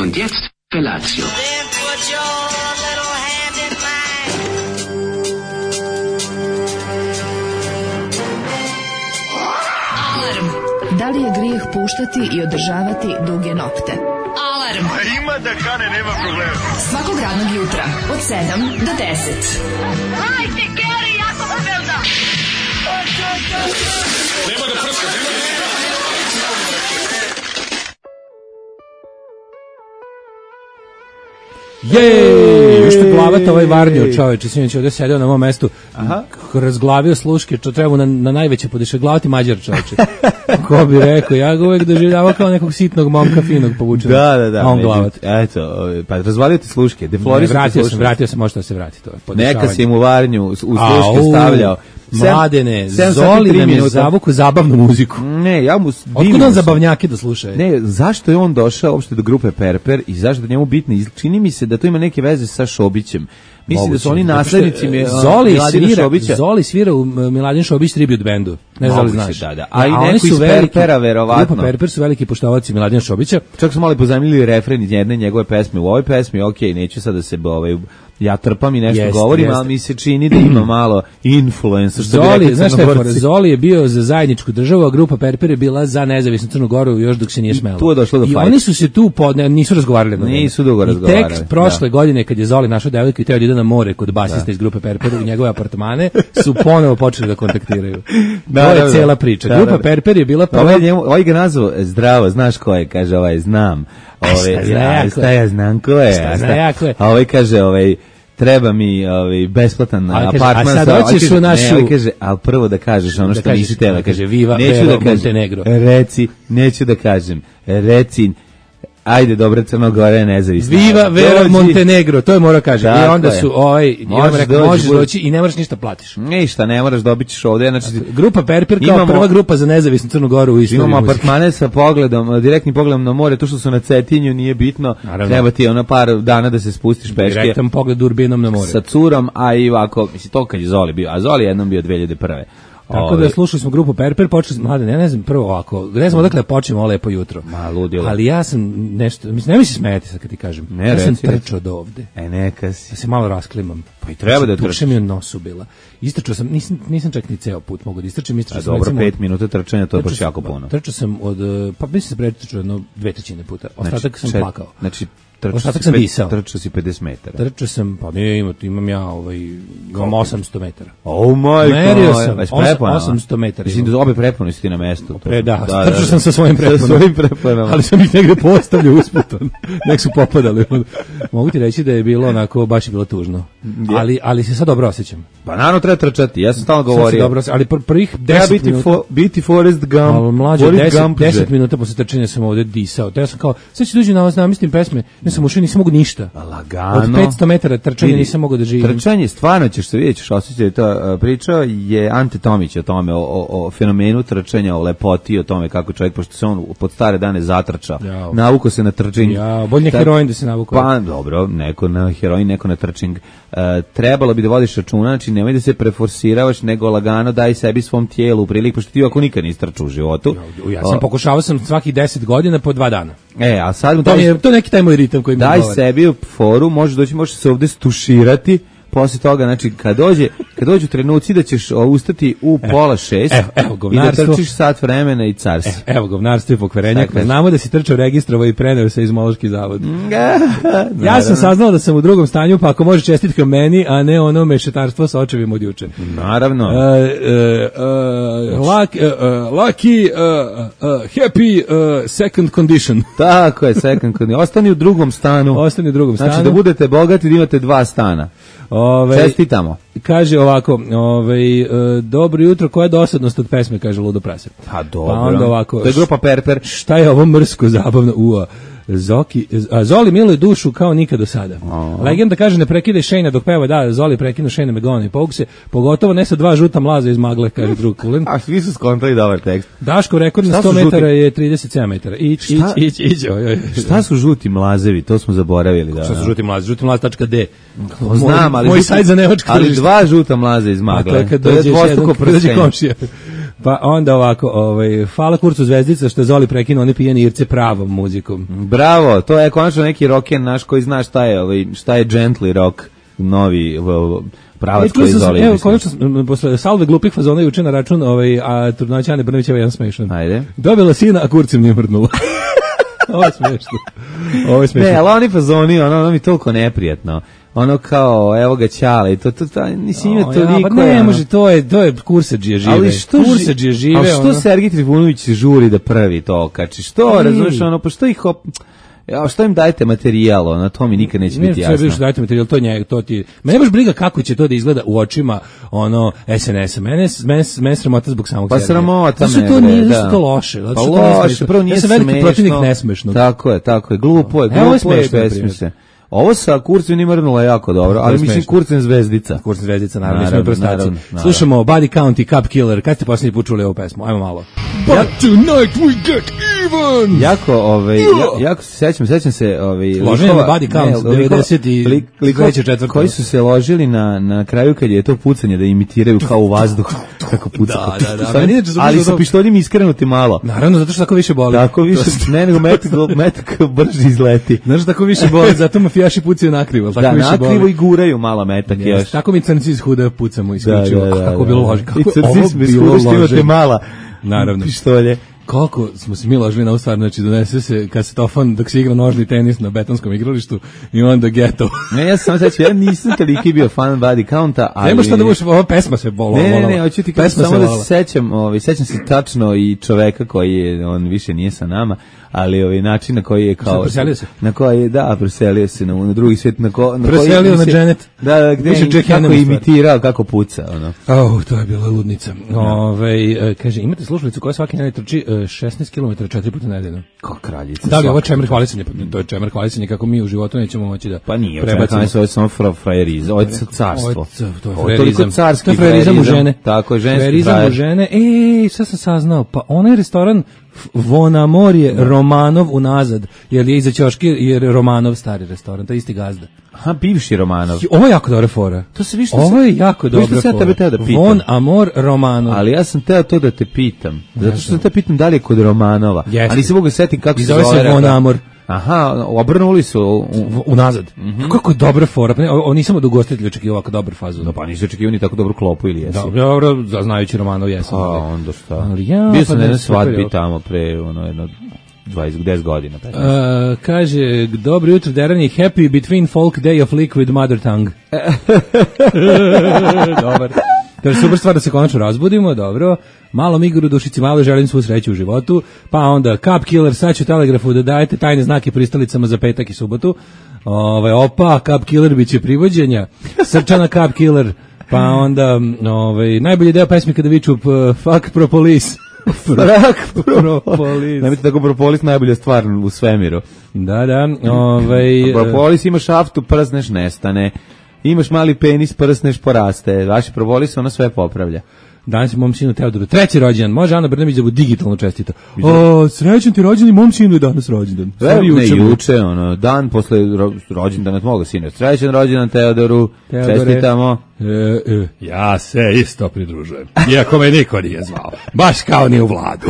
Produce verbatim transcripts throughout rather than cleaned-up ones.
Und jetzt Felatio. Da li je grijeh puštati i održavati duge nokte? Alarm! A ima da kane, nema problema. Svakog radnog jutra, od sedam do deset. Hajde, Geri, jako se velda! Nema da prska, nema da prska. Jej, još te glavata ovaj varnio čoveče, sinoć ovdje sedeo na mom mestu, aha, razglavio sluške, čo treba na, na najveće podešeglavati Mađar čoveče. Ko bi rekao, ja ga uvek doživljavao kao nekog sitnog momka finog povučenog. Da, da, da. A on glavat. Eto, pa razvalio ti sluške, deflorisao ti vratio sluške. sam, vratio sam, možda da se vrati to. Neka si mu varnju u sluške stavljao. Mladene, Zoli nam je zavuku zabavnu muziku. Ne, ja mu... Otkud on zabavnjake da sluša? Ne, zašto je on došao uopšte do grupe Perper i zašto da njemu bitno? Čini mi se da to ima neke veze sa Šobićem. Mislim da su oni naslednici Zoli svira, Zoli svira u Miladin Šobić tribute bandu. Ne znam li znaš. Da, da. A i neko iz Perpera, verovatno. Grupa Perper su veliki poštovaoci Miladina Šobića. Čak su malo pozajmili refren iz jedne njegove pesme u ovoj pesmi. Okej, neću sad da se ovaj ja trpam i nešto jest, govorim, jest. Ali mi se čini da ima malo influensa. Što Zoli, bi znaš šta je, Zoli je bio za zajedničku državu, a grupa Perper je bila za nezavisnu Crnu Goru još dok se nije smelo. Tu je došlo do I fajta. Oni su se tu, pod, ne, nisu razgovarali. Na nisu dugo razgovarali. I tek prošle da. godine, kad je Zoli našao devojku i teo da ide na more kod basista da. iz grupe Perper u njegove apartmane, su ponovo počeli da kontaktiraju. Da, to je da, cela priča. Da, grupa da, da. Perper je bila prva... Ovaj, njemu, ovaj ga nazvao, zdravo, znaš ko je, kaže ovaj, znam. Ove, šta ja, šta ja znam ko je. Šta zna ja ko je. A ovaj kaže, ovaj, treba mi ovaj besplatan apartman. A sad hoćeš u našu... Ne, kaže, ali prvo da kažeš ono što nisi tela. Kaže, Viva neću Vero da kažem, Montenegro. Reci, neću da kažem, reci, ajde, dobra Crnogora je nezavisna. Viva Vero Montenegro, to je mora kaže. I onda je. su ovaj, i on rekao, možeš doći i ne moraš ništa platiš. Ništa, ne moraš, dobit ćeš ovde. Znači, grupa Perper kao imamo, prva grupa za nezavisnu Crnu Goru u istoriji. Imamo apartmane sa pogledom, direktnim pogledom na more, to što su na Cetinju nije bitno. Naravno. Treba ti ono par dana da se spustiš peške. Direktan pogled urbinom na more. Sa curom, a i ovako, misli to kad je Zoli bio, a Zoli jednom bio dve hiljade prve. Tako da slušali smo grupu Perper, počeli smo, mlade, ja ne znam, prvo ovako, ne znam odakle počnemo lepo jutro. Ma, ludilo. Ali ja sam nešto, mislim, ne mi se smijeti sad kad ti kažem. Ne, ja sam reci, trčao od ovde. E, neka si. Da se malo rasklimam. Pa i treba da trčiš. Tuče mi u nosu bila. Istrčao sam, nisam, nisam čak ni ceo put mogu da istrčim. Istrčao sam, dobro, pet od, minuta trčanja, to je baš jako puno. Trčao sam od, pa mislim se pretrčao jedno dve trećine puta. Ostatak znači, sam čet, plakao. Znači, Ostatak sam disao. Trčao si pedeset metara. Trčao sam, pa ne, imam, imam ja ovaj, imam osamsto metara. Oh my god. Merio sam, osamsto metara. Mislim da obe prepone si ti na mestu. Pre, da, da, trčao da, sam sa svojim preponama. Sa svojim preponama. Ali sam ih negde postavljao usputom. Nek su popadali. Mogu ti reći da je bilo onako, baš je bilo tužno. Ali, ali se sad dobro osjećam. Pa naravno treba trčati, ja sam stalno govorio. Dobro, ali pr prvih deset biti minuta... Fo, biti Forrest Gump. Ali mlađe, deset, deset minuta posle trčanja sam ovde disao. Te ja sam kao, sad ću dođi na vas, namislim pesme, ne sam ušao, nisam mogu ništa. Lagano. Od petsto metara trčanja nisam mogao da živim. Trčanje, stvarno ćeš se vidjeti, ćeš osjećati to. Pričao je Ante Tomić o tome, o, o, o fenomenu trčanja, o lepoti, o tome kako čovjek, pošto se on pod stare dane zatrča, Jao. navuko se na trčing. Ja, bolje heroin da se navuko. Pa, dobro, neko na heroin, neko na trčing. Uh, trebalo bi da vodiš računa, znači nemoj da se preforsiravaš, nego lagano daj sebi svom tijelu priliku, pošto ti ako nikad nisi trčao u životu. Ja, ja sam o, pokušavao sam svaki deset godina po dva dana. E, a sad... To, je, to je neki taj moj ritam koji mi daj govore. Sebi u foru, možeš doći, možeš se ovde stuširati, posle toga, znači, kad dođe, kad dođu trenuci da ćeš ustati u evo, pola šest evo, evo, i da trčiš sat vremena i car si. Evo, evo govnarstvo i pokvarenjak. Znamo da si trčao registrovao i preneo se iz Mološki zavod. Ja sam saznao da sam u drugom stanju, pa ako može čestitka meni, a ne ono mešetarstvo sa očevima od juče. Naravno. Uh, uh, uh, lucky, uh, lucky uh, uh, happy uh, second condition. Tako je, second condition. Ostani u drugom stanu. Ostani u drugom stanu. Znači da budete bogati da imate dva stana. Ove, Čestitamo. Kaže ovako, ove, uh, dobro jutro, koja je dosadnost od pesme, kaže Ludo Prase. Pa dobro. Pa onda ovako, to je grupa Perper. Šta je ovo mrsko, zabavno, ua. Zoki, a Zoli miluje dušu kao nikad do sada. Oh. Legenda kaže ne prekidaj Shane dok peva, da, Zoli prekinu Shane Megona i povuk se, pogotovo ne sa dva žuta mlaza iz magle, kaže drug Kulen. A svi su skontali dobar tekst. Daško rekord na sto metara je trideset sedam metara. Ić, ić, ić, ić. Šta su žuti mlazevi? To smo zaboravili. Da. Šta su žuti mlaze? Žuti mlaz tačka de. Znam, ali, moj sajt za nevačko ali dva žuta mlaza iz magle. To je kad dođe komšija. Pa onda ovako, ovaj, hvala Kurcu Zvezdica što je Zoli prekinuo one pijene Irce pravom muzikom. Bravo, to je konačno neki rock'n'roll naš koji zna šta je, ovaj, šta je gently rock, novi pravac koji Zoli. Evo, konačno, posle salve glupih fazona juče na račun ovaj, a trudnoća Ane Brnovićeva jedan smešan. Ajde. Dobila sina, a kurcem nije mrdnula. Ovo je smešno. Ovo je smešno. Ne, ali oni fazoni, ono, ono mi toliko neprijatno. Ono kao, evo ga Ćale, to, to, to, nisi ima O, toliko. ja, pa ne, može, to je, to je kursadžije žive. Ali što, kursadžije žive, ali što ono. Sergij Trifunović žuri da prvi to okači? Što, razumiješ, ono, pa što ih op... Ja, što im dajete materijal, ono, to mi nikad neće Ne, biti jasno. Ne, sve dajete materijal, to njega, to ti... Me ne baš briga kako će to da izgleda u očima, ono, es en es-a. Mene, mene, mene sramota zbog samog Pa Sergeja. sramota me, to nije, da. Zato to loše. Zato Pa što to loše, prvo nije ja sam smešno. veliki protivnik nesmešnog. Tako je, tako je, glupo je, Evo je glupo je, smešno, besmisleno. Ovo sa Kurcem nije mrnula jako dobro, ali mislim Kurcem Zvezdica. Kurcem Zvezdica, naravno, Naravno, mi smo prostaci. naravno, naravno. Slušamo Body Count i Cup Killer. Kad ste posljednji put čuli ovu pesmu? Ajmo malo. But tonight we get even! Jako, ovaj, ja, jako se sećam, sećam se, ovaj, Loženje na Body Count, devedeset i treća četvrta. Koji su se ložili na, na kraju kad je to pucanje da imitiraju kao u vazduh, kako puca. Da, da, da. Ali sa pištoljem iskrenuti malo. Naravno, zato što tako više boli. Tako više, ne nego metak, metak brže izleti. Znaš, tako više boli, zato mafijaši pucaju nakrivo. Da, nakrivo i guraju malo metak još. Tako mi crnci iz huda pucamo isključivo. Da, da, da, kako bilo lože. I crnci smo iz huda što imate mala naravno. Pištolje. Koliko smo se mi ložili na ovu stvar, znači donese se kasetofon dok se igra nožni tenis na betonskom igralištu i onda geto. Ne, ja sam sećam, ja nisam toliki bio fan Body Counta, ali... Nema šta da budeš, ova pesma se bola. Ne, ne, ne, hoću ti kažem samo da se sećam, ovaj, sećam se tačno i čoveka koji je, on više nije sa nama, ali ovaj način na koji je kao... Preselio se? Na koji je, da, preselio se na, na drugi svijet, na, ko, na preselio koji... na Janet. Da, da, gde je kako je imitirao, kako puca, ono. Oh, to je bila ludnica. Ove, kaže, imate slušalicu koja svaki dan trči šesnaest kilometara četiri puta nedeljno. Kao kraljica. Da li ovo čemer hvalisanje? To je čemer hvalisanje kako mi u životu nećemo moći da pa nije, prebacimo. Ovo je samo frajerizam, ovo je carstvo. To je frajerizam. Carski frajerizam u žene. Tako je, ženski frajerizam u žene. Ej, sad sam saznao, pa onaj restoran Von Amor je Romanov unazad, jer je iza ćoške, jer je Romanov stari restoran, to je isti gazda. Aha, bivši Romanov. Ovo je jako dobra fora. To se više. Ovo je jako dobra fora. Tebe teo da pitam. Von Amor Romanov. Ali ja sam teo to da te pitam. Zato što te pitam da li je kod Romanova. Jeste. Ali se mogu setiti kako se zove. zove. se Von Amor. Aha, obrnuli su u, unazad. Mm-hmm. Kako je dobra fora. Pa ne, o, nisam od ugostitelja očekivao ovako dobar fazon. No pa nisi očekivao ni tako dobru klopu ili jesi? Dobro, dobro, znajući Romanov jesam. A onda šta? Ali ja, bio sam pa na jednoj svadbi tamo pre ono jedno dvadeset, deset godina. Uh, kaže, dobro jutro, Derani, happy between folk day of liquid mother tongue. Dobar. To je super stvar da se konačno razbudimo, dobro. Malo Migoru dušici, malo želim svu sreću u životu. Pa onda Cup Killer, sad ću telegrafu da dajete tajne znake pristalicama za petak i subotu. Ove, opa, Cup Killer biće privođenja. Srčana Cup Killer. Pa onda, ove, najbolji deo pesmi kada viču fuck propolis. Fuck propolis. Nemojte tako, propolis najbolja stvar u svemiru. Da, da. Ove, propolis ima šaftu, przneš, nestane. Imaš mali penis, prsneš, poraste. Vaši propolis, ono sve popravlja. Danas je mom sinu Teodoru treći rođendan. Može Ana Brnabić da bu digitalno čestita. O, srećan ti rođendan, mom sinu je danas rođendan. Ne, juče, juče, ono, dan posle ro, rođendana moga sina. Srećan rođendan Teodoru, Teodore, čestitamo. E, e, ja se isto pridružujem. Iako me niko nije zvao. Baš kao ni u Vladu.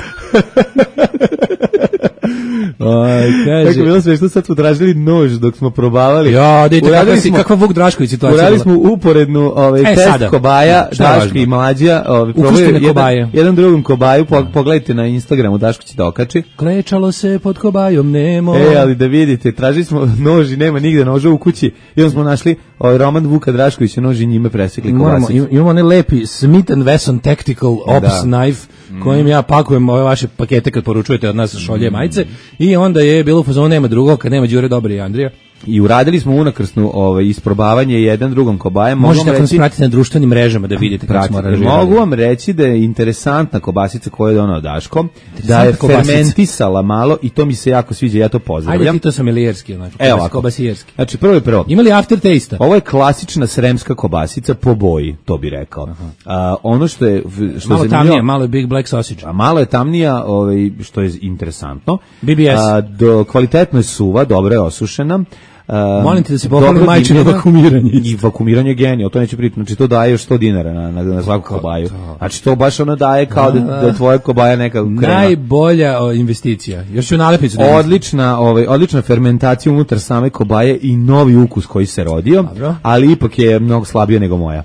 Aj, kaže. Tako bilo sve što sad smo tražili nož dok smo probavali. Ja, dajte kakva, smo, kakva Vuk Drašković situacija. Uradili smo uporednu ovaj, e, test sada. Kobaja, Daško i Mlađa. Ovaj, jedan, jedan drugom kobaju, po, pogledajte na Instagramu, Daško će da okači. Klečalo se pod kobajom, nemo. E, ali da vidite, tražili smo nož i nema nigde noža u kući. I onda smo našli ovaj, Roman Vuka Draškovića, nož i njime presekli kobasicu. Imamo onaj lepi Smith and Wesson Tactical Ops da. Knife, kojim ja pakujem ove vaše pakete kad poručujete od nas šolje majice. I onda je bilo u fazonu nema drugog, kad nema Đure Dobre i Andrija. I uradili smo unakrsnu ovaj, isprobavanje jedan drugom kobajem. Možete ako nas pratiti na društvenim mrežama da vidite kako smo aranžirali. Mogu vam reći da je interesantna kobasica koju je donao Daško, da je fermentisala malo i to mi se jako sviđa, ja to pozdravljam. Ajde ti to samilijerski, znači, kobasijerski. Znači, prvo je prvo. Ima li aftertaste? Ovo je klasična sremska kobasica po boji, to bi rekao. A, ono što je... Što malo je tamnija, malo je Big Black Sausage. A malo je tamnija, ovaj, što je interesantno. B B S. A, do, kvalitetno je suva, dobro je osušena. Um, Molim te da se pohvali dobro majčino dimljena vakumiranje. I vakumiranje je genije, to neće priti. Znači to daje još sto dinara na, na, na svaku kobaju. Znači to baš ono daje kao da, da je tvoja kobaja neka krema. Najbolja o, investicija. Još ću nalepnicu da Odlična, ovaj, odlična fermentacija unutar same kobaje i novi ukus koji se rodio, dobro, ali ipak je mnogo slabije nego moja.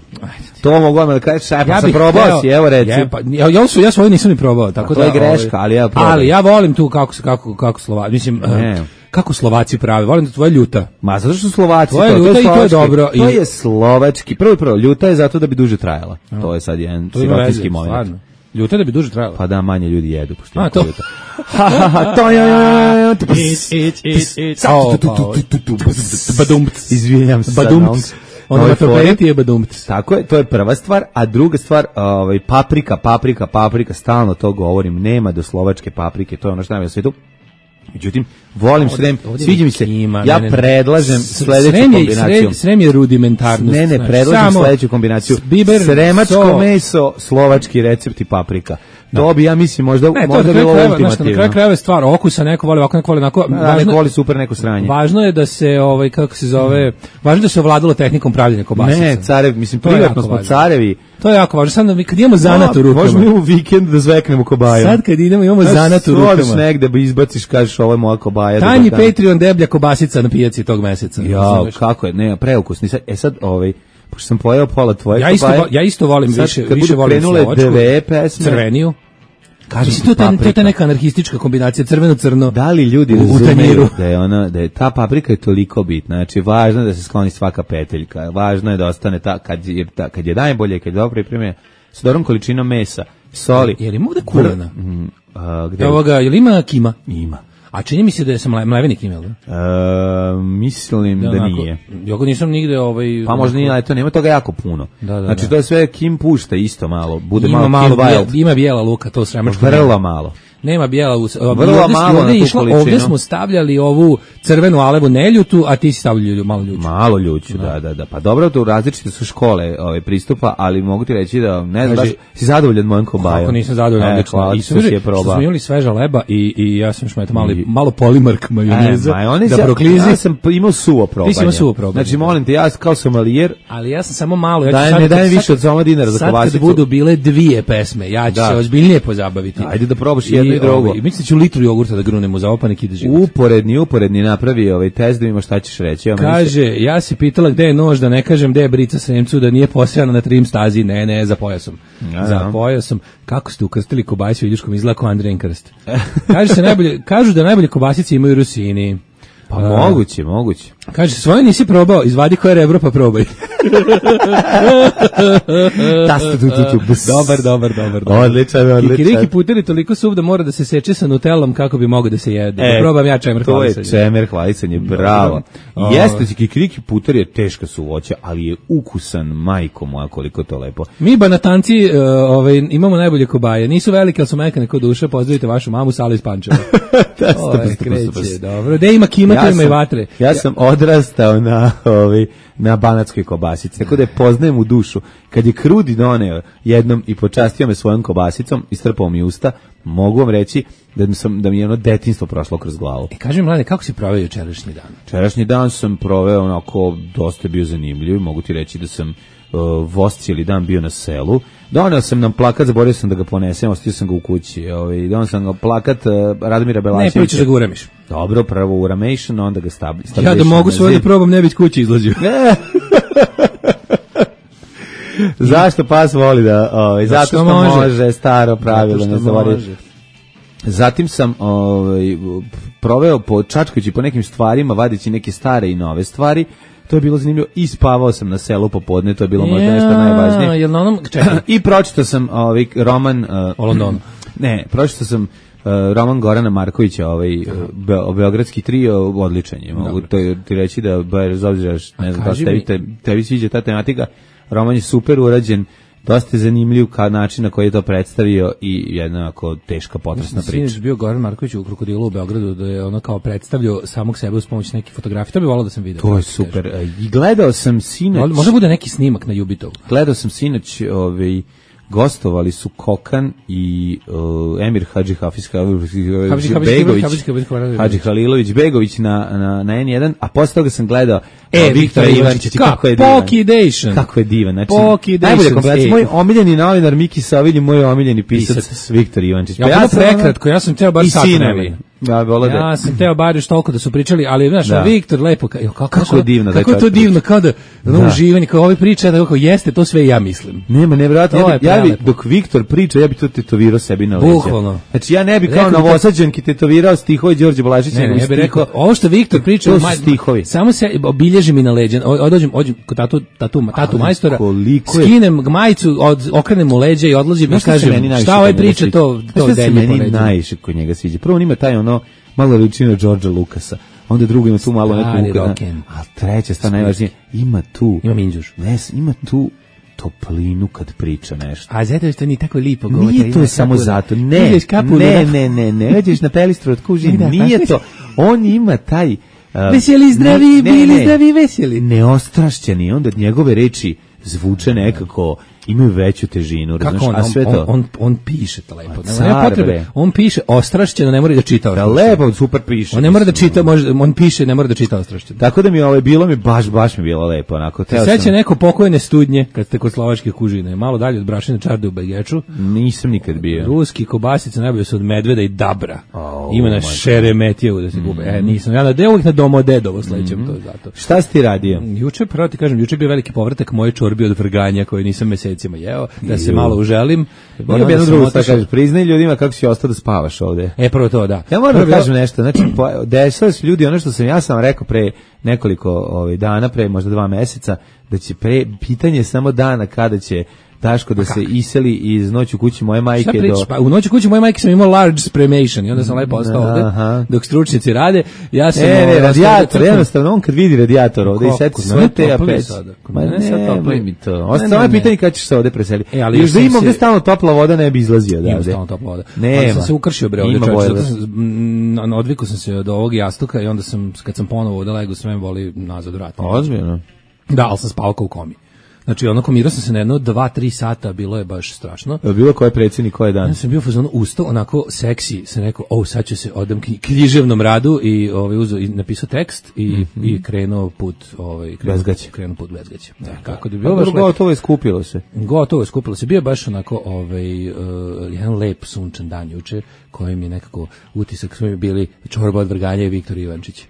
To mogu vam da kažeš, ja, ja sam probao hteo, si, evo reci. Ja, pa, ja, ja, ja svoju nisam ni probao. Tako to da, je greška, ali ja probam. Ali ja volim tu kako, kako, kako Slovaci, mislim, ne. Kako Slovaci prave, volim da tvoja ljuta. Ma zato što su Slovaci, to je to, ljuta to je i to je dobro. To je slovački, prvo i prvo, ljuta je zato da bi duže trajala. A. To je sad jedan sirotinski moment. Stvarno. Ljuta da bi duže trajala. Pa da, manje ljudi jedu. Pošto A, to. Ljuta. Ha, ha, ha, to je... Badumc. Izvijem se. Badumc. Ono na topeti je badumc. Tako je, to je prva stvar, a druga stvar, ovaj, paprika, paprika, paprika, stalno to govorim, nema do slovačke paprike, to je ono što nam je na svijetu. Međutim, volim Srem, sviđa mi se, ima, ja ne, ne, predlažem sledeću srem je, kombinaciju. Srem je rudimentarnost. Ne, ne, predlažem sledeću kombinaciju. Biber, sremačko so, meso, slovački recept i paprika. Da. To bi, ja mislim, možda, ne, možda bilo ultimativno. Na kraju krajeva je stvar okusa, neko voli ovako, neko voli onako. Da, važno, neko voli super, neko sranje. Važno je da se, ovaj, kako se zove, važno da se ovladalo tehnikom pravljenja kobasica. Ne, carev, mislim, privatno smo carevi. To je jako važno. Sad mi kad imamo zanat u rukama. Možemo i u vikend da zveknemo kobaju. Sad kad idemo imamo zanat u rukama. Odeš negde ba izbaciš, kažeš ovo je moja kobaja. Tanji Patreon deblja kobasica na pijaci tog meseca. Ja, kako je, ne, preukusni. E sad, ovaj, pošto sam pojeo pola tvoje ja isto, kobaje. Ja isto volim sad, više, više volim slovačku. Dve pesme. Crveniju. Kaže to ta to ta neka anarhistička kombinacija crveno crno. Da li ljudi razumeju da je ona da je ta paprika je toliko bitna. Znači važno je da se skloni svaka peteljka. Važno je da ostane ta kad je ta, kad je najbolje, kad je dobro pripremljena sa dobrom količinom mesa, soli. Je li mu da kulena? Mm, a, gde? Ovoga, je li ima kima? Ima. A čini mi se da je sam mlevenik imel, da? E, mislim da, da nije. Ja ga nisam nigde ovaj... Pa možda nije, ali to nema toga jako puno. Da, da, znači da. to je sve Kim pušta isto malo. Bude ima malo, malo bijel, ima bijela luka, to sremačko. Vrlo malo. Nema bijela u vrlo ovdje, malo ovdje, išlo, ovdje smo stavljali ovu crvenu alevu neljutu, a ti si stavljali malo ljuću. Malo ljuću, da, da, da. Pa dobro, to različite su škole ovaj, pristupa, ali mogu ti reći da, ne znam, si zadovoljan mojom kobajom. Kako nisam zadovoljan, odlično. Hvala, I što smo imali sveža leba i, i ja sam još malo, malo polimark majoneza, e, da proklizi. Ja sam imao suvo probanje. Ti si imao suvo probanje. Znači, molim te, ja kao somalijer, ali ja sam samo malo. Ja daj, sad, ne dajem sad, više od soma dinara za kobasicu. Sad kad budu bile dvije pesme, ja ću da. se ozbiljnije pozabaviti. Ajde da probaš jedno i, i drugo. Ovaj, mislim da ću litru jogurta da grunemo za opanik i da život. Uporedni, uporedni napravi ovaj test da ima šta ćeš reći. Ja kaže, se... ja si pitala gde je nož, da ne kažem gde je brica Sremcu, da nije posejana na trim stazi, ne, ne, za pojasom. Ja, za pojasom. Kako ste ukrstili kobasicu Iljuškom, izgleda kao Andrejen krst. Kaže se najbolje, kažu da najbolje kobasice imaju Rusini. Pa uh, moguće, moguće. Kaže, svoje nisi probao, izvadi koje rebro pa probaj. Dobar, dobar, dobar. Odličan, odličan. Kikiriki puter je toliko suv da mora da se seče sa nutelom kako bi mogao da se jede. E, da probam ja čemer hvalisanje. To je čemer hvalisanje, bravo. I jeste, kikiriki puter je teška suvoća, ali je ukusan, majko moja, koliko to lepo. Mi banatanci uh, ovaj, imamo najbolje kobaje. Nisu velike, ali su mekane kod duše. Pozdravite vašu mamu, Sala iz Pančeva. Oj, kreće, dobro. Gde ima kima, ja ima i vatre. Ja sam odrastao na, ovaj, na banatskoj kobasici, tako da je poznajem u dušu. Kad je Krudi doneo jednom i počastio me svojom kobasicom, istrpao mi usta, mogu vam reći da mi, sam, da mi je ono detinjstvo prošlo kroz glavu. E, kaži mi, mlade, kako si proveo jučerašnji dan? Jučerašnji dan sam proveo onako, dosta bio zanimljiv, mogu ti reći da sam uh, voz cijeli dan bio na selu. Doneo sam nam plakat, zaboravio sam da ga ponesem, ostavio sam ga u kući. Ovaj, doneo sam ga plakat uh, Radomira Belačevića. Ne, prvo ćeš da ga uramiš. Dobro, prvo uramation, onda ga stabliš. Ja da mogu svoje da probam, ne biti kući izlazio. Zašto pas voli da, ovaj, zato što može, može staro pravilo, ne zaboraviti. Zatim sam ovaj, proveo po čačkajući po nekim stvarima, vadići neke stare i nove stvari. To je bilo zanimljivo. I spavao sam na selu popodne, to je bilo možda nešto najvažnije. Jel na onom, čekaj. I pročitao sam ovaj roman uh, o Londonu. Ne, pročitao sam uh, roman Gorana Markovića, ovaj be, beogradski trio, odličan je. Mogu to ti reći da bez obzira ne znam da tebi, te, tebi sviđa ta tematika. Roman je super urađen. Dosta je zanimljiv kao način na koji je to predstavio i jednako teška potresna priča. Sinoć bio Goran Marković u Krokodilu u Beogradu, da je ono kao predstavljao samog sebe uz pomoć nekih fotografija. To bi volao da sam vidio. To je super. I gledao sam sinoć... Može bude neki snimak na Jubitovu. Gledao sam sinoć ovaj, gostovali su Kokan i uh, Emir Hadži Hafiz Hadži Begović, Hadži Halilović Begović na, na, na N jedan, a posle toga sam gledao e, Viktora Ivančića, kako je divan. Pokidation. Kako je divan. Znači, Pokidation. najbolje kompilacija. Moj omiljeni novinar Miki Savilj i moj omiljeni pisac, pisac. Viktor Ivančić. Ja, pa ja sam prekratko, ja sam teo bar sat vremena. Ja, ja sam teo bar još toliko da su pričali, ali znaš, da. Viktor lepo, jo, kako, kako je divno, kako je to divno, kao da ono uživanje, kao ovi priča, da kako jeste, to sve ja mislim. Nema, nevjerojatno, ja, bi, ja bi, dok Viktor priča, ja bi to tetovirao sebi na leđa. Bukvalno. Znači ja ne bi kao novosađanki tetovirao stihove Đorđe Balašića. Ne, ne, ja bih rekao, ovo što Viktor priča, to su stihovi. Samo se obilježi mi na leđa, odođem, ođem kod tatu, tatu, tatu majstora, skinem majicu, od, okrenem u leđa i odlazim i kažem, šta ovaj priča, to, to delje po leđa. Najviše kod njega sviđa. Prvo on ima taj ono malo liči na Đorđa Lukasa. Onda drugo ima tu malo neku uka. A treća stvar najvažnije, ima tu. Ima minđuš. Ne, ima tu toplinu kad priča nešto. A zato što ni tako lipo govori. Nije to samo zato. Ne, ne, ne, ne, ne. Neđeš na pelistru od kuži. Nije to. On ima taj... Uh, veseli, zdravi, bili zdravi, veseli. Neostrašćeni. Onda njegove reči zvuče nekako... imaju veću težinu, razumiješ, a sve to... On, on, on piše to lepo. Nema potrebe. On piše ostrašćeno, ne mora da čita ostrašćeno. Da, lepo, super piše. On ne mora da čita, može, on piše, ne mora da čita ostrašćeno. Tako da mi ovo bilo mi baš, baš mi bilo lepo. Onako, seća sam... neko pokojne studnje, kad ste kod slovačke kužine, malo dalje od Brašine Čarde u Begeču. Nisam nikad bio. Ruski kobasice najbolje su od medveda i dabra. Oh, ima na Šeremetijevu da se gube. Mm. E, nisam, ja na uvijek na Domodedovo sledećem mm. to zato. Šta si ti radio? Juče, pravo ti kažem, juče bio veliki povratak moje čorbi od vrganja koje nisam mesecima jeo. Da se malo uželim. Moram jedno drugo šta kažeš, priznaj ljudima kako si ostao da spavaš ovde. E, prvo to, da. Ja moram da kažem nešto, znači, desilo se ljudi, ono što sam, ja sam rekao pre nekoliko ovaj, dana, pre možda dva meseca, da će pre, pitanje samo dana kada će Daško da se iseli iz Noći u kući moje majke do... Pa, u Noći u kući moje majke sam imao large spremation i onda sam lepo ostao ovde, dok stručnjaci rade. Ja sam... E, ne, radijator, jednostavno, on kad vidi radijator ovde i seti svoje te apes. Ma ne, ne, mi to. Ostalo je pitanje kada ćeš se ovde preseliti. Još da imam gde stalno topla voda ne bi izlazio odavde. Imam stalno topla voda. Nema. Sam se ukršio bre ovde, odvikao sam se od ovog jastuka i onda sam, kad sam ponovo ovde lego, sve me boli nazad vrat. Ozbiljno? Da, ali sam spavao kao u komi. Znači, ono, komirao sam se na jedno, dva, tri sata, bilo je baš strašno. Je bilo koje predsjednik, koje dan? Ja sam bio fazonu ustao, onako seksi, sam rekao, o, sad ću se odam književnom radu i ovaj, uzo, i napisao tekst i, mm-hmm. i krenuo put, ovaj, krenuo, krenuo put bez gaće. Da, kako da bi bilo. Dobro, gotovo je skupilo se. Gotovo je skupilo se. Bio je baš onako, ovaj, uh, jedan lep sunčan dan juče, kojim je nekako utisak, smo bili čorba od vrganja i Viktor Ivančić.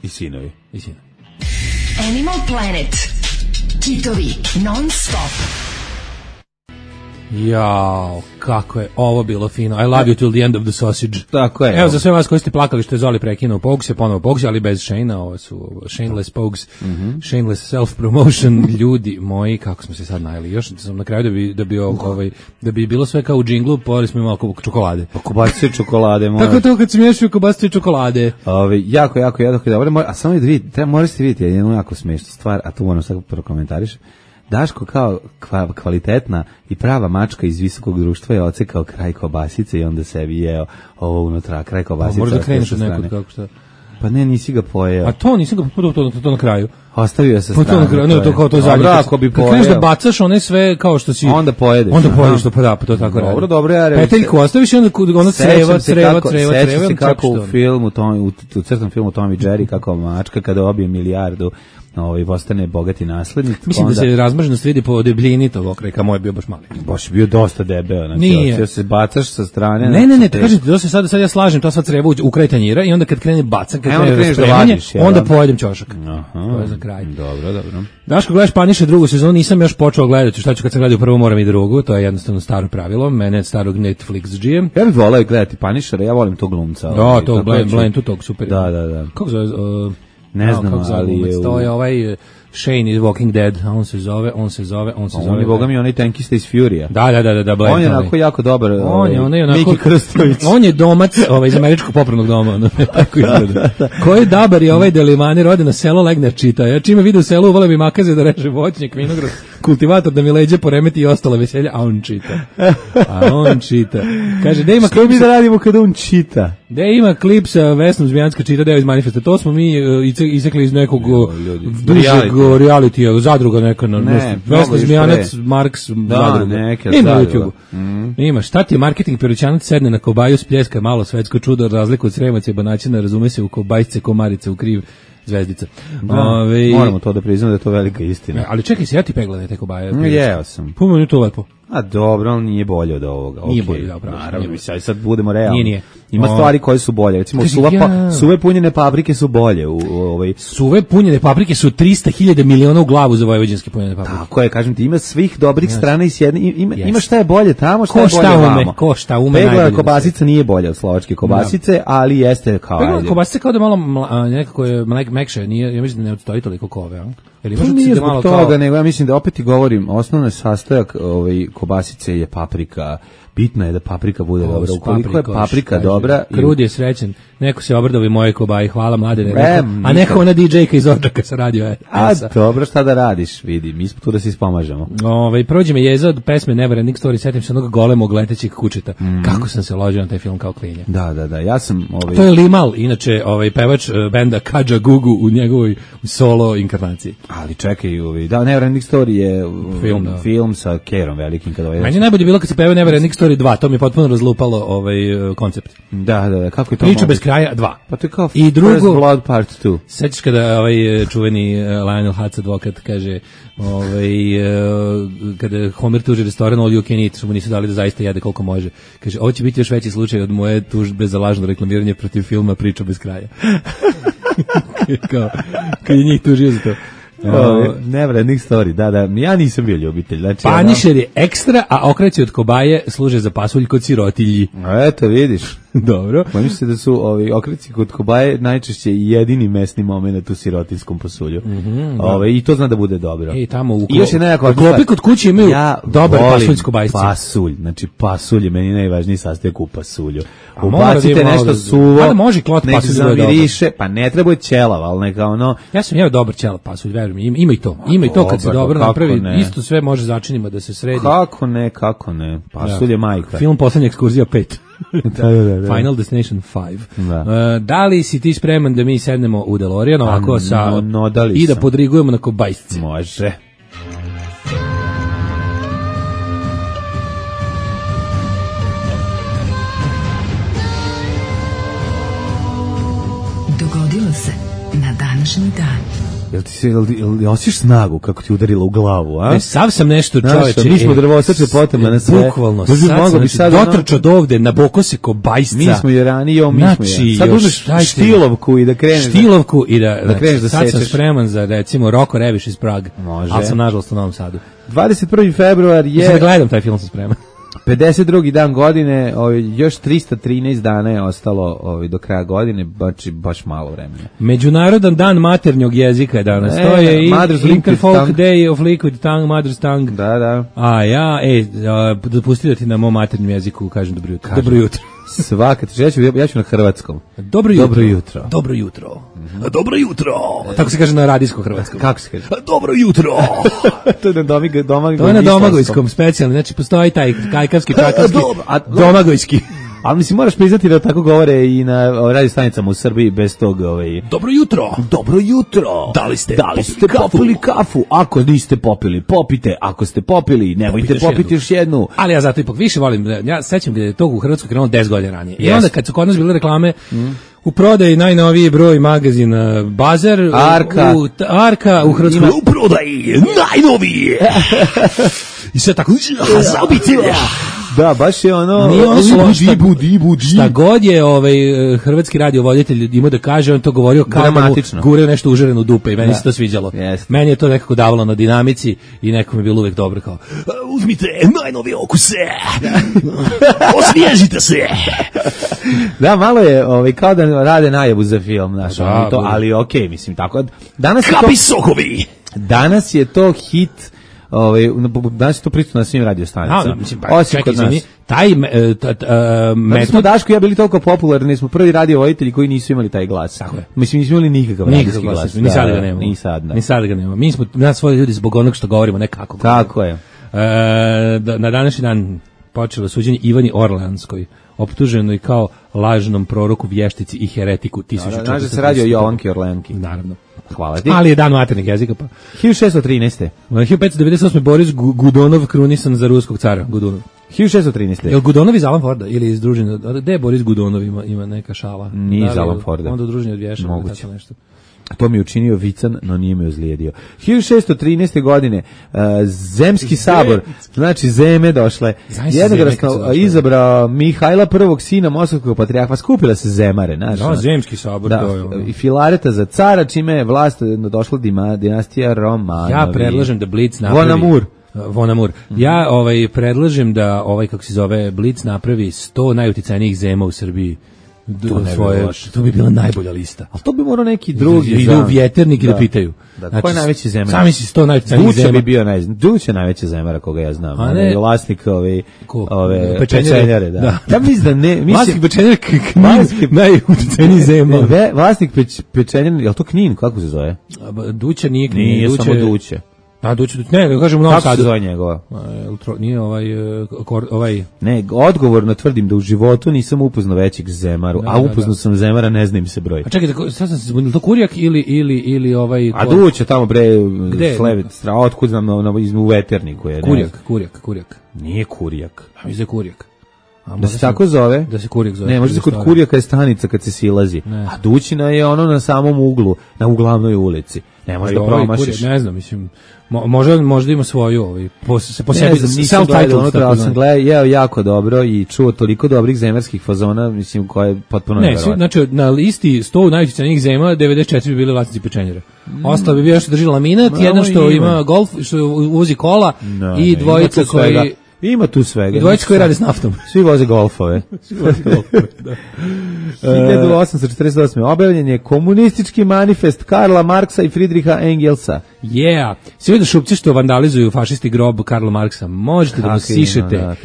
I sinovi. I sinovi. Animal Planet. Kitovi non stop. Jao, kako je ovo bilo fino. I love you till the end of the sausage. Tako je. Evo za sve vas koji ste plakali što je Zoli prekinuo Pogues, je ponovo Pogues, ali bez Shane-a, ovo su Shameless Pogues, mm-hmm. Shameless self-promotion. Ljudi moji, kako smo se sad najeli. Još sam na kraju da bi, da bi, ovaj, da bi bilo sve kao u džinglu, pojeli smo imali čokolade. Pa kobasice čokolade. Moja. Tako to kad se miješaju kobasice čokolade. Ove, jako, jako, jako dobro. A samo da vidite, treba, morate vidjeti jednu jako smiješnu stvar, a tu moram sad prokomentariš. Daško kao kvalitetna i prava mačka iz visokog društva je ocekao kraj kobasice i onda sebi jeo ovo unutra, kraj kobasice. Možda kreneš od nekog kako šta? Pa ne, nisi ga pojeo. A to nisi ga to, to, to, to na kraju. Ostavio je sa strane. Pa to na kraju, ne, to kao to zadnje. Ako bi pojeo. Kad kreneš da bacaš one sve kao što si... Onda pojedeš. Onda pojedeš to, pa da, pa to tako radi. Dobro, dobro, ja reći. Peteljku ostaviš i onda ono creva, creva, creva, creva. Sećam se kako u filmu, u, u crtanom filmu Tom i Jerry, kako mačka kada obije milijardu, ovaj postane bogati naslednik. Mislim onda... da se razmrženost vidi po debljini tog okreka, moj je bio baš mali. Baš bio dosta debeo, znači hoće se bacaš sa strane. Ne, ne, ne, te kažete, to se sad sad ja slažem, to sva creva u kraj tanjira i onda kad krene bacan, kad krene raspremanje, onda pojedem ćošak. Aha. To je za kraj. Dobro, dobro. Daško, gledaš Paniše drugu sezonu, nisam još počeo gledati, šta ću kad sam gledao prvo moram i drugu, to je jednostavno staro pravilo, mene je starog Netflix džijem. Ja bih voleo gledati Panišera, ja volim tog glumca. Da, to Blaine, tu tog super. Da, da, da. Kako zove? Ne znam, ali je... To je ovaj... Shane iz Walking Dead, a on se zove, on se zove, on se zove. On je, boga mi, onaj tankista iz Furija. Da, da, da, da, da, Blaine. On je onako jako dobar. On je, on je onako... Miki Krstović. On je domac, ovaj, iz američkog popravnog doma, ono, tako izgleda. Koji dabar je ovaj Delimani, rode na selo, legne čita. Ja čime vidu u selu, vole bi makaze da reže voćnjak, vinograd, kultivator da mi leđe poremeti i ostala veselja, a on čita. A on čita. Kaže, da ima klip... Što mi da radimo kada on čita? Da ima klip sa Vesnom Zmijanska čita, deo iz Manifesta. To smo mi uh, isekli iz nekog dužeg reality, zadruga neka, na, ne, Vesna Zmijanac, Marks, da, zadruga. Neke, ima na zadruga. YouTubeu. Mm. Ima, šta ti je marketing, Perućanac sedne na kobaju, spljeska malo svetsko čudo, razliku od Sremaca i Banaćina, razume se u kobajsce, komarice, u kriv zvezdica. Da, Ove, moramo to da priznamo da je to velika istina. ali čekaj se, ja ti pegledaj te kobaje. Mm, jeo sam. Puno je to lepo. A dobro, ali nije bolje od ovoga. Nije okay. bolje, da, pravo. Naravno, mi sad, sad budemo realni. Nije, nije. Ima o... stvari koje su bolje. Recimo, Kaži, suva, ja... pa, suve punjene paprike su bolje. U, u, ovaj... Suve punjene paprike su trista hiljada miliona u glavu za vojvođanske punjene paprike. Tako je, kažem ti, ima svih dobrih Yes. strana i s jedne, ima, Yes. ima šta je bolje tamo, šta Ko je šta bolje ume, vamo. ko šta ume Peglana najbolje. kobasica nije bolja od slovačke kobasice, no. ali jeste kao... Peglana ajde. kobasica kao da malo mla, nekako je mek, mekše, nije, ja mislim da ne odstoji toliko kove, a? Jer To imaš nije da zbog malo toga, kao... nego ja mislim da opet ti govorim, osnovni sastojak ovaj, kobasice je paprika. Bitno je da paprika bude Kos, dobra. Ukoliko je paprikoš, paprika kaže, dobra... Krud je srećen. Neko se obrdovi moje kobaje, hvala mladene. E, Neko, a neko nikad. ona D J-ka iz Odžaka sa radio. A dobro, šta da radiš, vidi, mi smo tu da se ispomažemo. Ove, prođe me jeza od pesme Never Ending Story, setim se onog golemog letećeg kučeta. Mm. Kako sam se ložio na taj film kao klinja. Da, da, da, ja sam... Ovaj... To je Limal, inače ovaj pevač uh, benda Kadža Gugu u njegovoj solo inkarnaciji. Ali čekaj, ovaj, da, Never Ending Story je Film, da. film sa Kerom velikim. Kada ovaj... Meni je najbolje bilo kad se peva Never Ending Story dva, to mi je potpuno razlupalo ovaj uh, koncept. Da, da, da, kako je to Priča moguće? bez kraja dva. Pa to je kao I drugo, First Blood Part two. Sećaš kada ovaj čuveni uh, Lionel Hutz advokat kaže, ovaj uh, kada Homer tuži restoran All You Can Eat, što mu nisu dali da zaista jede koliko može. Kaže, ovo će biti još veći slučaj od moje tužbe za lažno reklamiranje protiv filma Priča bez kraja. kao, kad je njih tužio za to. Oh, Never Ending Story, da, da, ja nisam bio ljubitelj. Znači, Panišer je ekstra, a okreći od kobaje služe za pasulj kod sirotilji. ono, eto, vidiš. Dobro. Bojim se da su ovi okreci kod kobaje najčešće jedini mesni moment u sirotinskom pasulju. Mm -hmm, ove, I to zna da bude dobro. I tamo u, I još je nekako, u klopi kod kuće imaju ja dobar pasulj s kobajscem. Pasulj, znači pasulj je meni najvažniji sastojak u pasulju. A mora da Ubacite ima nešto malo da- suvo, A da može klot nek pasulj da bude zamiriše, pa ne treba je ćelav, ali neka ono... Ja sam jeo dobar ćelav pasulj, veruj mi, ima, ima i to. Ima i to kad se Dobar, dobro kako napravi, ne? isto sve može začinima da se sredi. Kako ne, kako ne, pasulj je majka. Film Poslednja ekskurzija pet. Da, da, da. Final Destination five. Da. Uh, da li si ti spreman da mi sednemo u DeLorean ovako sa no, no, da li i da sam. podrigujemo na kobajsce? Može. Dogodilo se na današnji dan. Jel ti se, jel, jel osjećaš snagu kako ti udarila u glavu, a? E, sav sam nešto Znaš, čoveče. mi smo e, drvosače potema na sve. Bukvalno, Možda sad mogao sam, bi znači, sad ono- dotrč od ovde, na boko se kobajsca. Mi smo je ranije, mi Znači, smo je. Sad još, uzmeš dajte- štilovku i da kreneš. da- Štilovku i da, da kreneš da sad sam sečeš. spreman za recimo Roko Reviš iz Praga. Može. Ali sam nažalost u Novom Sadu. dvadeset prvi februar Mislim da je gledam taj film, sam spreman. pedeset drugi dan godine, ovaj, još trista trinaest dana je ostalo ovaj, do kraja godine, baš, baš malo vremena. Međunarodan dan maternjog jezika je danas. E, to je i Mother's Liquid Interfolk Tongue. Day of Liquid Tongue, Mother's Tongue. Da, da. A ja, ej, a, dopustite da ti na mom maternjem jeziku kažem dobro jutro. Dobro jutro. Svaka, ja ću, ja ću na hrvatskom. Dobro jutro. Dobro jutro. Dobro jutro. Dobro jutro. Tako se kaže na radijskom hrvatskom. Kako se kaže? Dobro jutro. To je na domig, domag, To je na domagojskom specijalno, znači postoji taj kajkavski, čakavski, Dobro, a- domagojski. Ali mislim, moraš priznati da tako govore i na radio stanicama u Srbiji bez tog... Ovaj... Dobro jutro. Dobro jutro. Da li ste da li ste popili popili kafu? Ako niste popili, popite. Ako ste popili, nemojte Popite još popiti još jednu. Ali ja zato ipak više volim, ja sećam da je to u Hrvatskoj krenulo deset godina ranije. I Jest. onda kad su kod nas bile reklame, u prodaji najnoviji broj magazina Bazar, u- Arka. u, t- Arka u Hrvatskoj Ima- u prodaji najnoviji. I sve tako za obitelj. Da, baš je ono... Nije ono slovo, šta- Dibu, dibu, dibu. Šta god je ovaj eh, hrvatski radiovoditelj imao da kaže, on to govorio kao da mu Dramatično. gureo nešto užareno u dupe i meni Da. se to sviđalo. Jeste. Meni je to nekako davalo na dinamici i nekom je bilo uvek dobro kao "A, uzmite najnovije okuse, osvježite se. Da, malo je ovaj, kao da rade najavu za film, znaš, Da, ono, to, bude. ali okej, mislim, tako. Danas je to, Kapi sokovi. danas je to hit, ovaj, danas je to prisutno na svim radio A, stanicama. mislim, pa, Osim čekaj, kod nas. izvini, taj me- e, ta- ta- e, Zato smo metod Daško i ja bili toliko popularni, smo prvi radio voditelji koji nisu imali taj glas. Tako je. Mislim, nismo imali nikakav nikakav radijski glas, glas. ni sad Da, ga nemamo. Ni sad, da. Ni sad ga nemamo. Mi smo nas svoji ljudi zbog onog što govorimo, ne kako. Tako je. E, da, na današnji dan počelo suđenje Ivani Orleanskoj, optuženoj kao lažnom proroku, vještici i heretiku. Znaš da se radi o Jovanki Orleanki. Naravno. Hvala ti. Ali je dan maternih jezika, pa. hiljadu šeststo trinaeste. hiljadu petsto devedeset osme. Boris Gudonov krunisan za ruskog cara, Gudonov. hiljadu šeststo trinaeste. Jel Gudonov iz Alan Forda ili iz družine? Gde je Boris Gudonov, ima, ima neka šala? Nije iz Alan Forda. Onda u družini od Vješa. Moguće. Nešto. To mi je učinio vican, no nije me ozlijedio. hiljadu šeststo trinaeste. godine uh, Zemski sabor, znači zeme došle, jednoglasno izabrao Mihajla prvog sina Moskovskog patrijarha, skupila se zemare. Znaš, no, Zemski sabor. Da, to je ono. I Filareta za cara, čime je vlast došla dinastija Romanovi. Ja predlažem da Blitz napravi... Vonamur. Vonamur. Mm-hmm. Ja ovaj, predlažem da, ovaj, kako se zove, Blitz napravi sto najuticajnijih zema u Srbiji. To, svoje, to bi bila najbolja lista. Ali to bi morao neki drugi. Idu u vjeternik i da, da pitaju. Da, znači, ko je najveći zemar? Sami si sto najvećih zemara. bi bio naj, Duća najveći zemara koga ja znam. A ne, vlasnik ove, ko? ove pečenjare. pečenjare. Da. Da. Ja mislim da ne... Mislim, vlasnik pečenjare Knin, najuticajniji zemar. Ve, vlasnik peć, pečenjare, je li to Knin? Kako se zove? Duća nije Knin. Nije, Duće, samo Duće. A Duće, ne, ne kažem u Novom Sadu. Kako se zove njegova? Nije ovaj, ovaj... Ne, odgovorno tvrdim da u životu nisam upoznao većeg zemaru, da, a upoznao da, da. sam zemara, ne znam se broj. A čekajte, sad sam se zbunil, to Kurjak ili, ili, ili ovaj... A Duće tamo bre, Slevet, otkud znam, na, na, u veterniku je. Kurjak, ne. Kurjak, Kurjak. Nije Kurjak. A mi je Kurjak. A da se tako zove? Da se Kurjak zove. Ne, možda se kod Kurjaka je stanica kad se silazi. Ne. A Dućina je ono na samom uglu, na uglavnoj ulici. Ne možeš da promašiš. Ne znam, mislim, mo, možda, možda ima svoju, ovaj, po, se po ne sebi, nisam gledao unutra, ali sam gledao, jeo jako dobro i čuo toliko dobrih zemarskih fazona, mislim, koje je potpuno ne, neverovatno. Znači, na listi sto najuticajnijih zema, devedeset četiri bi bili vlasnici pečenjera. Mm. Ostalo bi bio što drži laminat, no, jedan što ima. ima golf, što uvozi kola no, i ne, dvojica koji... Ima tu svega. I dvojica koji rade s naftom. Svi voze golfove. Svi voze golfove, da. hiljadu osamsto četrdeset osme. objavljen je komunistički manifest Karla Marksa i Friedricha Engelsa. Yeah. Svi vidio šupci što vandalizuju fašisti grob Karla Marksa. Možete da mu sišete. Da,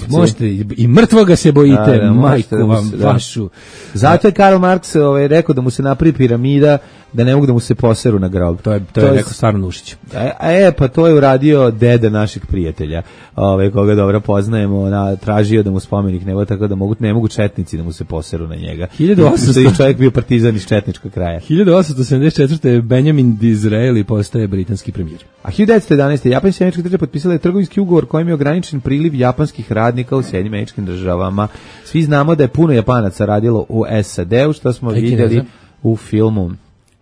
možete i mrtvoga se bojite, da, da, majku da vam se, vašu. Da. Zato je Karl Marks ovaj, rekao da mu se napravi piramida, da ne mogu da mu se poseru na grob. To je, to to je rekao stvarno Nušić. E, e, pa to je uradio deda našeg prijatelja, ovaj, koga dobro poznajemo, na, tražio da mu spomenik ne, tako da mogu, ne mogu četnici da mu se poseru na njega. hiljadu osamsto I čovjek bio partizan iz četničkog kraja. hiljadu osamsto sedamdeset četvrte. Benjamin Disraeli postaje britanski premijer. A hiljadu devetsto jedanaeste. Japan i Sjedinjene Američke Države potpisale trgovinski ugovor kojim je ograničen priliv japanskih radnika u Sjedinjenim Američkim Državama. Svi znamo da je puno Japanaca radilo u S A D-u, što smo vidjeli u filmu.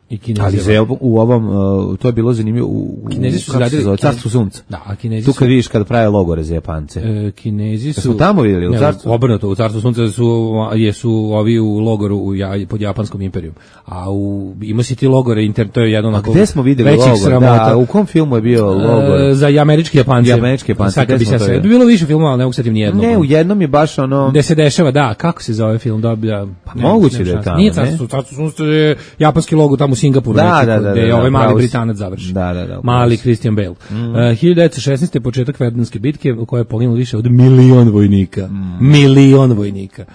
I Kinezi. Ali za, u ovom, uh, to je bilo zanimljivo, u, Kinezi su radili Carstvu sunca. Da, a Kinezi tu kad vidiš kad prave logore za Japance. E, Kinezi su... Smo tamo vidjeli, u Carstvu? Obrnuto, u Carstvu sunca su, jesu ovi u logoru u, pod Japanskom imperijom. A u, ima si ti logore, inter, to je jedno onako... A gde smo vidjeli logor? Da, u kom filmu je bio logor? E, za američki Japance. Za američki Japance, gde smo to je? Bilo više filmova, ali ne mogu setim nijednog. Ne, u jednom je baš ono... Gde se dešava, da, kako se zove film, doblja... Pa moguće da je tamo, nije Carstvu, Carstvu sunca je japanski logor tamo u Singapuru. Da, da, gde je ovaj mali Britanac završi. Da, da, da. Mali Christian Bale. Mm. Uh, hiljadu devetsto šesnaeste. početak Verdunske bitke u kojoj je poginulo više od milion vojnika. Mm. Milion vojnika.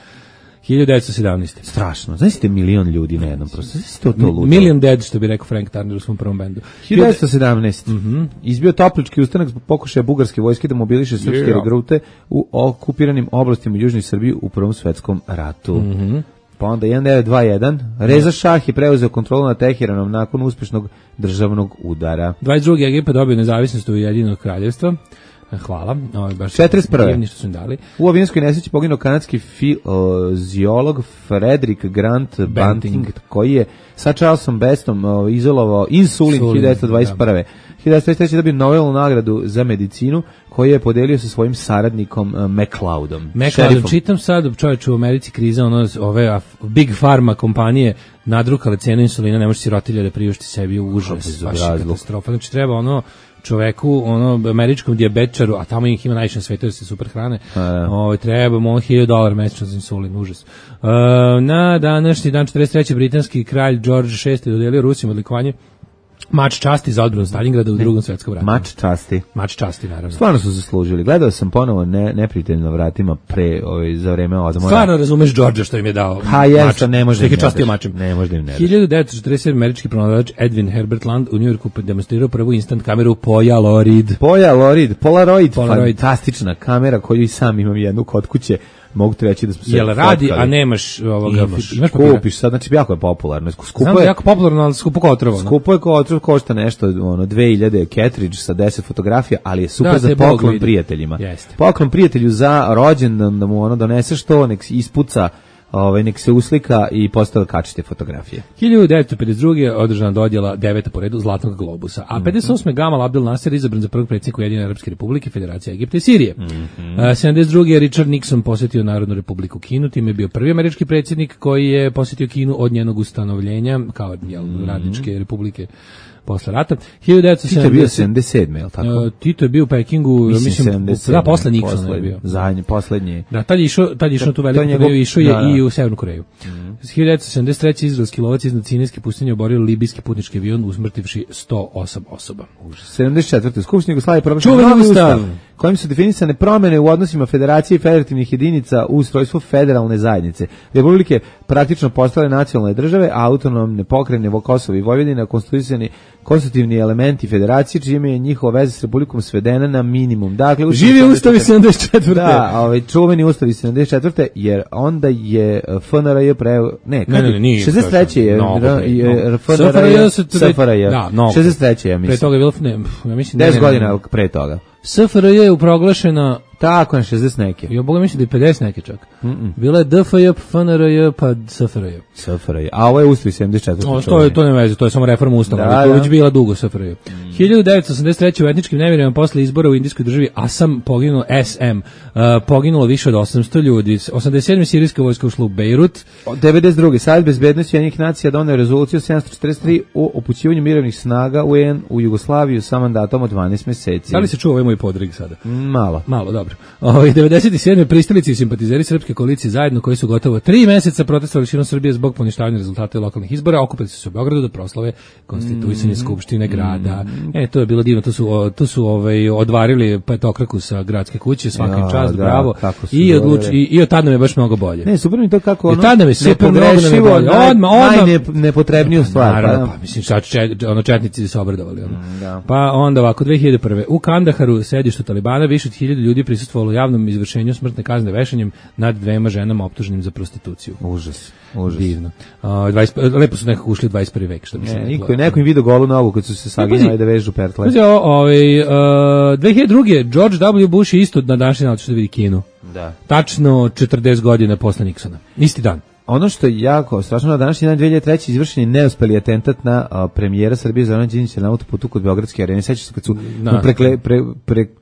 hiljadu devetsto sedamnaeste. Strašno. Znaš te milion ljudi na jednom prosto. Znaš to to ludo. Million dead, što bi rekao Frank Turner u svom prvom bendu. hiljadu devetsto sedamnaeste. Mm-hmm. Izbio toplički ustanak zbog pokušaja bugarske vojske da mobiliše srpske yeah. regrute u okupiranim oblastima u Južnoj Srbiji u Prvom svetskom ratu. Mm-hmm. Pa onda jedan devet dva jedan. Reza Šah je preuzeo kontrolu nad Teheranom nakon uspešnog državnog udara. dvadeset drugi. Egipat dobio nezavisnost u Ujedinjenog kraljevstva. Hvala. Ovo je baš četrdeset prve. Što su im dali. U avionskoj nesreći poginuo kanadski fiziolog Frederick Grant Banting, Banting, koji je sa Charlesom Bestom uh, izolovao insulin hiljadu devetsto dvadeset prve. Da. hiljadu devetsto trideset treće. dobio Nobelovu nagradu za medicinu koju je podelio sa svojim saradnikom uh, McLeodom. McLeodom, čitam sad, čovječe, u Americi kriza, ono, ove Big Pharma kompanije nadrukale cenu insulina, ne može sirotilja da priušti sebi u užas, baš katastrofa. Znači treba ono čoveku, ono, američkom dijabetčaru, a tamo ih ima najviše na svetu, da se super hrane, ovaj, treba mu hiljadu dolara mesečno za insulin, užas. Uh, na današnji dan četrdeset treće. britanski kralj George šesti dodelio Rusima odlikovanje Mač časti za odbranu Stalingrada u drugom svetskom ratu. Mač časti. Mač časti, naravno. Stvarno su zaslužili. Gledao sam ponovo ne, neprijatelj na vratima pre, ovaj, za vreme odmora. Stvarno razumeš Georgea što im je dao ha, mač. Ne može im častio mačem. Ne može im ne hiljadu devetsto četrdeset sedme. američki pronalazač Edwin Herbert Land u Njujorku demonstrirao prvu instant kameru Polaroid. Polaroid, Polaroid, Polaroid. Fantastična kamera koju i sam imam jednu kod kuće. mogu ti reći da smo se Jel radi, fotkali. a nemaš ovoga, Imaš, imaš papira? kupiš sad, znači jako je popularno. Skupo Znam da je, je jako popularno, ali skupo kao otrovo. skupo je kao otrov, košta nešto, ono, dve hiljade cartridge sa deset fotografija, ali je super Da, za te Bog poklon vidi. prijateljima. Jeste. Poklon prijatelju za rođendan, da mu ono doneseš to, nek ispuca, ovaj, nek se uslika i postave kačite fotografije. hiljadu devetsto pedeset druge održana dodjela deveta po redu Zlatnog globusa, a pedeset osme Gamal Abdel Nasser izabran za prvog predsjednika Ujedinjene Arapske Republike, Federacije Egipta i Sirije. Mm-hmm. A, sedamdeset druge Richard Nixon posjetio Narodnu Republiku Kinu, time je bio prvi američki predsjednik koji je posjetio Kinu od njenog ustanovljenja kao jel, radničke republike posle rata. hiljadu devetsto Tito je bio sedamdeset sedamdeset sedme, je li tako? Uh, Tito je bio u Pekingu, Mislim, mislim, sedamdeset da, sedme, posle Nixona je poslednji, bio. Zadnji, poslednji. Da, tad je išao, tad je išao na tu veliku njegov- turneju, išao je da, da. i u Severnu Koreju. Mm. hiljadu devetsto sedamdeset treće izraelski lovac iznad Sinajske pustinje oborio libijski putnički avion usmrtivši sto osam osoba. sedamdeset četvrte Skupština Jugoslavije proglašen Čuveni novi ustav. kojim su definisane promjene u odnosima federacije i federativnih jedinica u ustrojstvu federalne zajednice. Republike praktično postale nacionalne države, a autonomne pokrajine Kosovo i Vojvodina konstituisani konstitutivni elementi federacije, čime je njihova veza s Republikom svedena na minimum. Dakle, Ustav Živi sedamdeset ustav iz sedamdeset četvrte. Da, ovaj čuveni ustav iz sedamdeset četvrte jer onda je F N R J pre ne, kad Ne, ne, ne, nije. šezdeset treće je Mnogo pre, je mnogo. F N R J se to- S F R J. Da, mnogo. šezdeset treće ja Pre mislim. toga je bilo, ne, ja mislim, ne, deset ne, ne, godina pre toga. S F R J je proglašena, Tako je, šezdeset neke. ja boga mislim da je pedeset neke čak. Bila je D F J, F N R J, pa S F R J. S F R J. A ovo je ustav iz sedamdeset četvrte. O, to je to ne veze, to je samo reforma ustava, Da, ali to da. već bila dugo S F R J. hiljadu devetsto osamdeset treće u etničkim nemirima posle izbora u indijskoj državi Asam poginulo S M, uh, poginulo više od osamsto ljudi. osamdeset sedme sirijska vojska ušla u Bejrut. devedeset druge Savjet bezbednosti Ujedinjenih nacija doneo rezoluciju sedamsto četrdeset tri o upućivanju mirovnih snaga U N u Jugoslaviju sa mandatom od dvanaest meseci. Da li se čuva ovaj moj podrig sada? Malo. Malo, dobro. Ovaj devedeset sedme pristalice i simpatizeri srpske koalicije zajedno koji su gotovo tri meseca protestovali širom Srbije zbog poništavanja rezultata lokalnih izbora, okupili su se u Beogradu da proslave konstituisanje skupštine grada. E, to je bilo divno, to su o, to su ovaj odvarili petokraku sa gradske kuće, svakim Ja, čast, da, bravo. kako su I odvarili. odluči i, i od tada nam je baš mnogo bolje. Ne, super mi to kako ono. I tad nam je super mnogo nepogrešivo, nam je bolje. naj- Odmah, odmah. najnepotrebniju stvar. Naravno, pa, pa mislim šta će čet- ono četnici se obradovali ono. da. Pa onda ovako dve hiljade prve u Kandaharu, sedištu Talibana, više od hiljadu ljudi prisustvovalo javnom izvršenju smrtne kazne vešanjem nad dvema ženama optuženim za prostituciju. Užas, užas. Divno. A, dvadeset lepo su nekako ušli u dvadeset prvi vek, što bi se Ne, reklo. niko, neko im vidio golu nogu kad su se saginjali da vežu pertle. Pazi, o- ovaj, uh, dve hiljade druge George W. Bush je isto na današnji dan što da vidi Kinu. Da. Tačno četrdeset godina posle Nixona. Isti dan. Ono što je jako strašno, na današnji dan dve hiljade treće izvršen je neuspeli atentat na a, premijera Srbije Zorana Đinđića na autoputu kod Beogradske arene. Sećaš se kad su Da. mu prekle, pre, pre, k-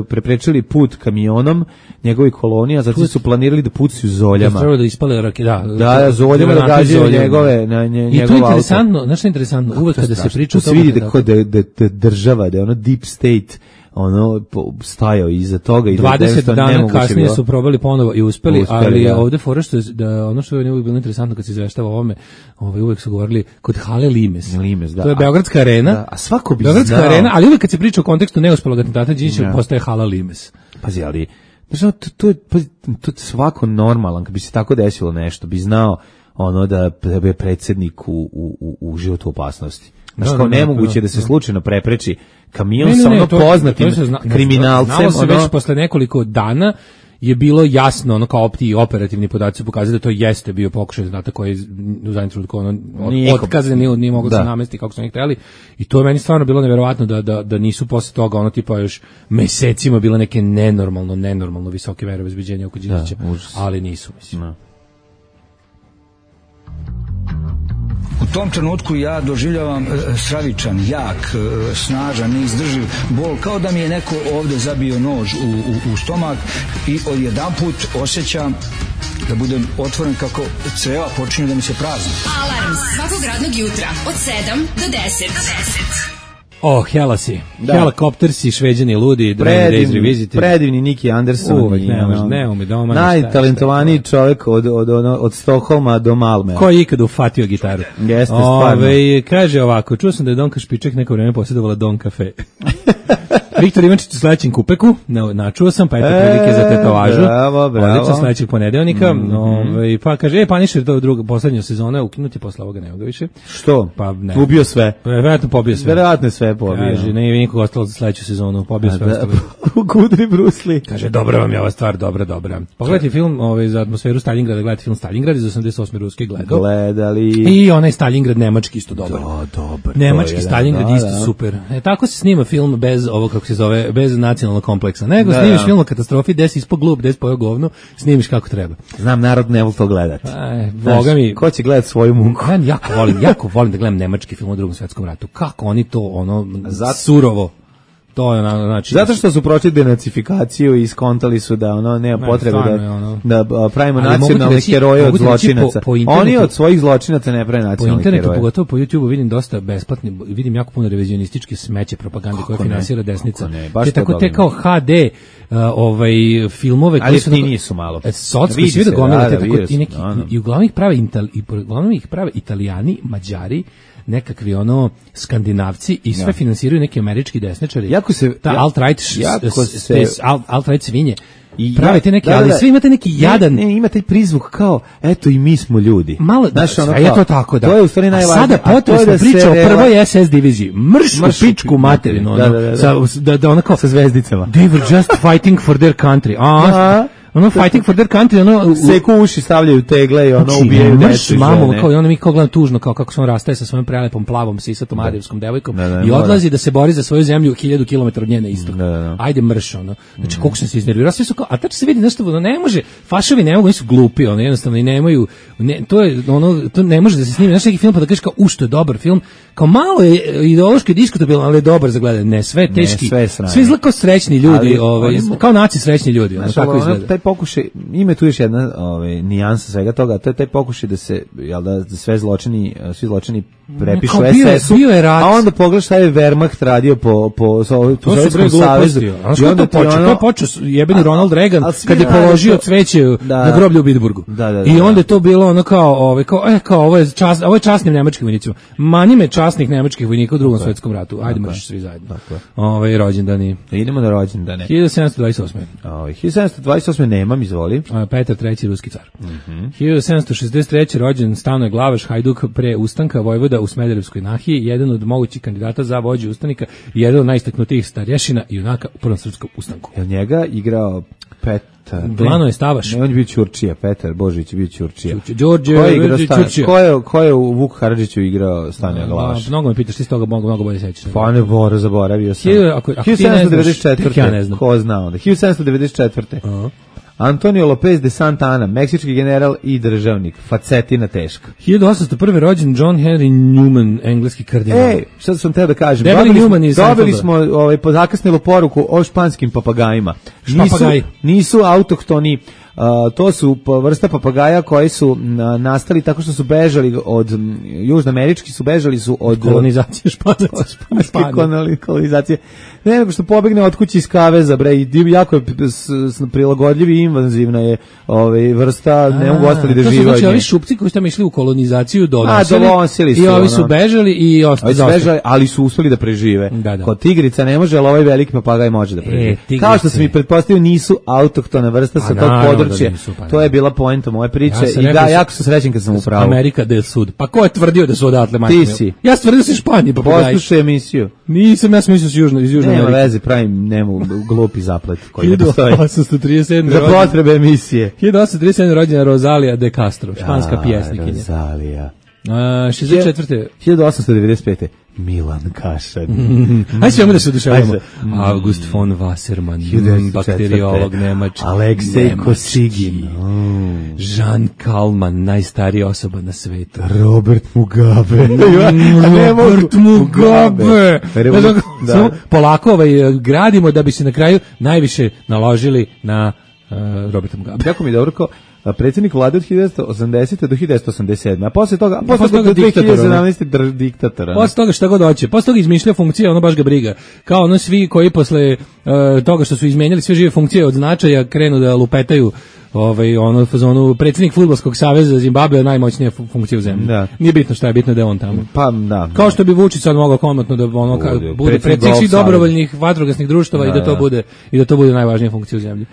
preprečili put kamionom njegovih kolonija, zato su planirali da pucaju zoljama. Treba da ispale rake, da. Da, da, zoljama da granate gađaju zoljama. njegove, na nje, I to njegov je auto. interesantno, znaš što je interesantno, uvek To je kada se strašno. priča Tu o se tome vidi da, da- kod da, da, da država, da je ono deep state ono po- stajao iza toga i da je dvadeset jednostavno dana nemoguće kasnije bilo. su probali ponovo i uspeli, Uspeli, ali je da. ovde fora što je, da ono što je uvijek bilo interesantno kad se izveštava o ovome, ovaj uvek su govorili kod hale Limes. Limes, da. To je A- Beogradska arena. da, a svako bi Beogradska znao. arena, ali uvek kad se priča o kontekstu neuspelog atentata Đinđića Da. postaje hala Limes. Pazi, ali znaš, ono, to, to, je- pazi, to je svako normalan, kad bi se tako desilo nešto, bi znao ono da, da je predsjednik u, u, u, u životu opasnosti. Znaš, Da, kao da, da, nemoguće da, da se da. slučajno prepreči kamion Ne, ne, sa ne, ono to- poznatim to se zna- kriminalcem. Znalo se ono, već posle nekoliko dana je bilo jasno, ono kao ti operativni podaci su pokazali da to jeste bio pokušaj znate koji je u zadnjem trenutku ono od, Nikom. otkazan, nije, nije moglo da Da. se namesti kako su oni hteli i to je meni stvarno bilo neverovatno da, da, da nisu posle toga ono tipa još mesecima bile neke nenormalno, nenormalno visoke mere obezbeđenja oko Đinđića, Da, užas. ali nisu, mislim. Da. U tom trenutku ja doživljavam e, stravičan, jak, e, snažan, neizdrživ bol, kao da mi je neko ovde zabio nož u, u, u stomak i odjedanput osjećam da budem otvoren kako creva počinju da mi se prazni. Alarm svakog radnog jutra od sedam do deset. Oh, hela si. Da. Helikopter si, Šveđani ludi, Dragon Days Predivni, Revisited. predivni Niki Anderson. Uvek, i, ne ono, može, ne ume doma, najtalentovaniji čovjek od, od, od, od Stokholma do Malme. Ko je ikada ufatio gitaru? Jeste, stvarno. Ove, kaže ovako, čuo sam da je Donka Špiček neko vreme posjedovala Don Cafe. Viktor Ivančić u sledećem kupeku, na, načuo sam, pa eto E, prilike za tetovažu. bravo, bravo. Odlično, sledećeg ponedeljnika. Mm, Ovaj, pa kaže, e, Punisher, to druga, poslednja sezona, ukinuti, posle ovoga nema ga više. Što? Pa ne. Ubio sve. Verovatno pobio sve. Verovatno sve pobio. Kaže, ne je nikog ostalo za sledeću sezonu, pobio sve ostalo. Kudri Brusli. Kaže, dobra vam je ova stvar, dobra, dobra. Pogledajte film ovaj, za atmosferu Stalingrada, gledajte film Stalingrad iz osamdeset osme ruske gledao. Gledali. I onaj Stalingrad nemački isto dobar. Da, dobar. Nemački je, Stalingrad da, isto da. super. E, tako se snima film bez ovo kako se zove, bez nacionalnog kompleksa. Nego Da, snimiš da. film o katastrofi, gde si ispod glup, gde si pojao govno, snimiš kako treba. Znam, narod ne voli to gledati. Aj, boga mi. Ko će gledati svoju muku? Ja jako volim, jako volim da gledam nemački film o Drugom svetskom ratu. Kako oni to ono Zato- surovo. To je ono, znači Zato što su prošli denacifikaciju i skontali su da ono nema Ne, potrebe stvarno da, je ono. da a, pravimo Ali mogu ti nacionalne reći- heroje od mogu ti reći po- zločinaca. po internetu- Oni od svojih zločinaca ne prave po nacionalne internetu, heroje. pogotovo po YouTubeu vidim dosta besplatni, vidim jako puno revizionističke smeće propagande koje ne? finansira desnica. Kako ne? Baš te to tako te volim. kao H D uh, ovaj filmove Ali koji su jeftiniji su malo. E, socko Vidi svi da se, gomila da, te da, tako vidio i neki sam, da, da. i uglavnom ih prave Ital, i uglavnom ih prave Italijani, Mađari, nekakvi ono skandinavci i sve finansiraju neki američki desničari. Jako se- ta ja- alt-right š- jako s- se- s- alt- alt-right svinje. I Pravite ja- neki, da, da, ali da. svi imate neki jadan Ne, ne, ima taj prizvuk kao, eto i mi smo ljudi. malo, Znaš, ono sve je kao, to tako, da. To je u stvari A najvažnije. sada a to je potresna da se priča o rela- prvoj S S diviziji. Mrš, Mrš u u pičku materinu. da, ono, da, da, da. Sa, da, da ona kao, Sa zvezdicama. they were just fighting for their country. A, Da. ono, fighting for their country, ono, u- Seku uši, stavljaju tegle i ono Znači, ubijaju mrš decu i mamu, žene. kao i ono mi kao gledam tužno, kao kako se on rastaje sa svojom prelepom, plavom, sisatom, adijevskom devojkom Da, da, i mora. odlazi da se bori za svoju zemlju hiljadu kilometara od njene istok. Da, da, da. Ajde mrš, ono. Znači, koliko sam se iznervirao, svi su kao, a tačno se vidi nešto, ono, ne može, fašovi ne mogu, oni su glupi, ono, jednostavno, i nemaju, ne, to je, ono, to ne može da se snimi, znaš neki film pa da kažeš kao, u, što je dobar film, kao malo je ideološki diskutabilan, ali je dobar za gledanje, ne, sve je teški, sve je sranje. svi izgleda kao srećni ljudi, Ali ovaj, oni mo- kao naci srećni ljudi, ono, Znaš, tako ono, izgleda. taj pokušaj, ima tu još jedna ovaj, nijansa svega toga, a to je taj pokušaj da se, jel da, da sve zločini, svi zločini prepišu Kao bio je- S S-u, bio je rat. a onda pogledaš šta je Wehrmacht radio po, po, po, po To su bre Sovjetskom savezu. gluposti. Znaš I kako onda to ti počeo? ono- To je počeo s- jebeni A- Ronald Reagan a svi kad je rade položio to- cveće Da. na groblju u Bitburgu. Da, da, da, I da. onda je to bilo ono kao, ovaj kao, e, kao ovo je čas, ovo je časnim nemačkim vojnicima. Mani me časnih nemačkih vojnika u Drugom svetskom ratu. Ajde mrš svi zajedno. Ovaj rođendani. Idemo na rođendane. hiljadu sedamsto dvadeset osme. Ovaj, hiljadu sedamsto dvadeset osme nemam, izvoli. A, Petar treći ruski car. Mhm. hiljadu sedamsto šezdeset treće rođen Stanoje Glavaš, Hajduk pre ustanka, vojvoda u Smederevskoj nahiji, jedan od mogućih kandidata za vođu ustanika i jedan od najistaknutijih starješina i junaka u Prvom srpskom ustanku. Jel njega igrao Petar? Glano je Stavaš. Ne, on je bio Ćurčija, Petar Božić je bio Ćurčija. Ćurčija. Đorđe Ko je igrao Stan- Ćurčija. Ko je, ko je u Vuk Karadžiću igrao Stanja Glavaš? A, mnogo me pitaš, ti s toga mnogo, mnogo bolje sećaš. Pa ne, Bora, zaboravio sam. Hiljadu- ako- ako ti ne hiljadu sedamsto devedeset znaš, tek četvrte. ja ne znam. Ko zna onda? hiljadu sedamsto devedeset četvrte. Aha. Antonio Lopez de Santana, meksički general i državnik. Facetina teška. hiljadu osamsto prve rođen John Henry Newman, engleski kardinal. Ej, šta sam teo da kažem? Debeli Dobili smo, Newman iz dobili Seinfelda. smo ovaj, zakasnilu poruku o španskim papagajima. Nisu, Špapagaji. nisu autohtoni, a, to su pa- vrsta papagaja koji su na, nastali tako što su bežali od, m, južnoamerički su bežali su od Kolonizacija španaca. španske koloni- kolonizacije. Ne, nego što pobegne od kuće iz kaveza, bre, i div- jako je p- s- s- prilagodljiv i invazivna je ovaj, vrsta, ne mogu ostali da To su žive znači od ovi nje. šupci koji su tamo išli u kolonizaciju donosili. A, donosili su, I ovi ono. su bežali i ostali. Ovi su bežali, ali su uspeli da prežive. Da, da. Kod tigrica ne može, ali ovaj veliki papagaj može da prežive. E, tigrice. Kao što sam i pretpostavio, nisu autohtona vrsta sa A, tog naravno da područja. nisu, pa To je bila poenta moje priče. Ja sam I rekao da, da- jako sam srećen kad sam u pravu. Amerika del Sud. Pa ko je tvrdio da su odatle, majke? Ti mi? si. Ja sam tvrdio da su Španiji papagaji. Poslušaj emisiju. Nisam, ja sam mislio da su južno, iz Južne Nema Amerike. veze, pravim nemu glupi zaplet koji ne hiljadu postoji. osamsto trideset sedme Za rođen- potrebe emisije. hiljadu osamsto trideset sedme rođena Rosalija de Castro, španska A, pjesnikinja. Rozalija. A, šezdeset četvrte hiljadu osamsto devedeset pete. Milan Kašan. Ajde svemu da se oduševamo. Ajde. August von Wasserman, hiljadu devetsto četvrte. bakteriolog nemački. Aleksej Nemački. Kosigin. Jean Kalman, najstarija osoba na svetu. Robert Mugabe. Robert Mugabe. Re- Ne znam, da. samo polako ovaj, gradimo da bi se na kraju najviše naložili na uh, Roberta Mugabe. Kako mi je dobro kao a, predsjednik vlade od hiljadu devetsto osamdesete do hiljadu devetsto osamdeset sedme. A posle toga, a posle posle toga toga do diktator, dve hiljade sedamnaeste dr- diktatora. Posle toga šta god hoće. Posle toga izmišlja funkcije, ono baš ga briga. Kao ono svi koji posle uh, toga što su izmenjali sve žive funkcije od značaja krenu da lupetaju ovaj, ono, u fazonu, predsjednik fudbalskog saveza Zimbabwe najmoćnija fu- funkcija u zemlji. Da. Nije bitno šta je, bitno da je on tamo. Pa, da. Kao što bi Vučić sad mogao komotno da ono, ka, Bude, bude predsjednik predsjednik svih golf dobrovoljnih vatrogasnih društava Da, i da to da. bude i da to bude najvažnija funkcija u zemlji.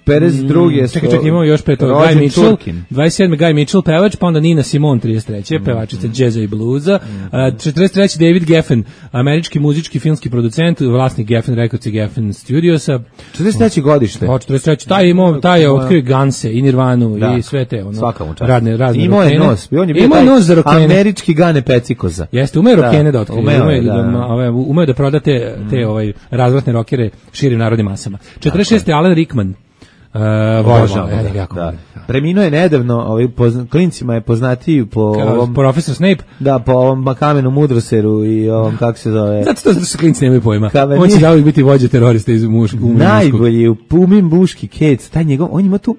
pedeset druge Mm, čekaj, čekaj, imamo još pre toga Guy Mitchell, dvadeset sedme Guy Mitchell, pevač, pa onda Nina Simone, trideset treće Mm. pevačica džeza i bluza, a, četrdeset treće David Geffen, američki muzički filmski producent, vlasnik Geffen Records i Geffen Studiosa. četrdeset treće godište. Pa četrdeset treće taj je imao, taj je otkrio Ganse i Nirvanu Da. i sve te ono. Svaka mu čast. Radne, razne Imao je rokene. nos, on je bio Imao taj nos za rokene. američki Gane Pecikoza. Jeste, umeo Da, rokene da otkrije, umeo umeo, je, da, da, da. da, ove, umeo da proda te, te ovaj, razvratne rokere širim narodnim masama. četrdeset šeste Alan Rickman. Uh, Obožavam volim, ga, ja, jako da. volim. Preminuo je nedavno, ovaj pozna, klincima je poznatiji po Kao ovom profesor Snape. da po ovom kamenu mudroseru i ovom kako se zove. Zato to zato što klinci nemaju pojma. Kava On će nije- zauvijek biti vođa terorista iz muš, umre muškog. Najbolji u Pumin Buški Kec, taj njegov, on ima tu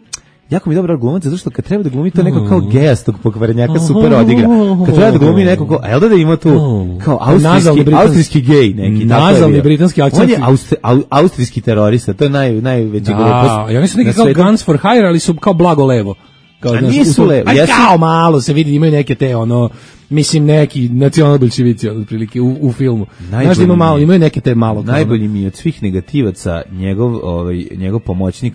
jako mi dobro glumac, zato što kad treba da glumi to neko kao gejastog pokvarenjaka super odigra. Kad treba da glumi neko kao, a jel da da ima tu kao Nazalni austrijski, britanski- austrijski gej neki. tako je Nazalni bio. britanski akcent. On je austri, au, austrijski terorista, to je naj, najveći glupost. Da, i oni su neki na kao svetu. Guns for Hire, ali su kao blago levo. Kao, A znaš, nisu u svom- levo, a jesu- kao malo se vidi, imaju neke te, ono, mislim, neki nacionalni bolševici, otprilike, u, u filmu. Znaš da ima Najbolji malo, mi je- imaju neke te malo. kao, Najbolji mi je od svih negativaca njegov, ovaj, njegov pomoćnik,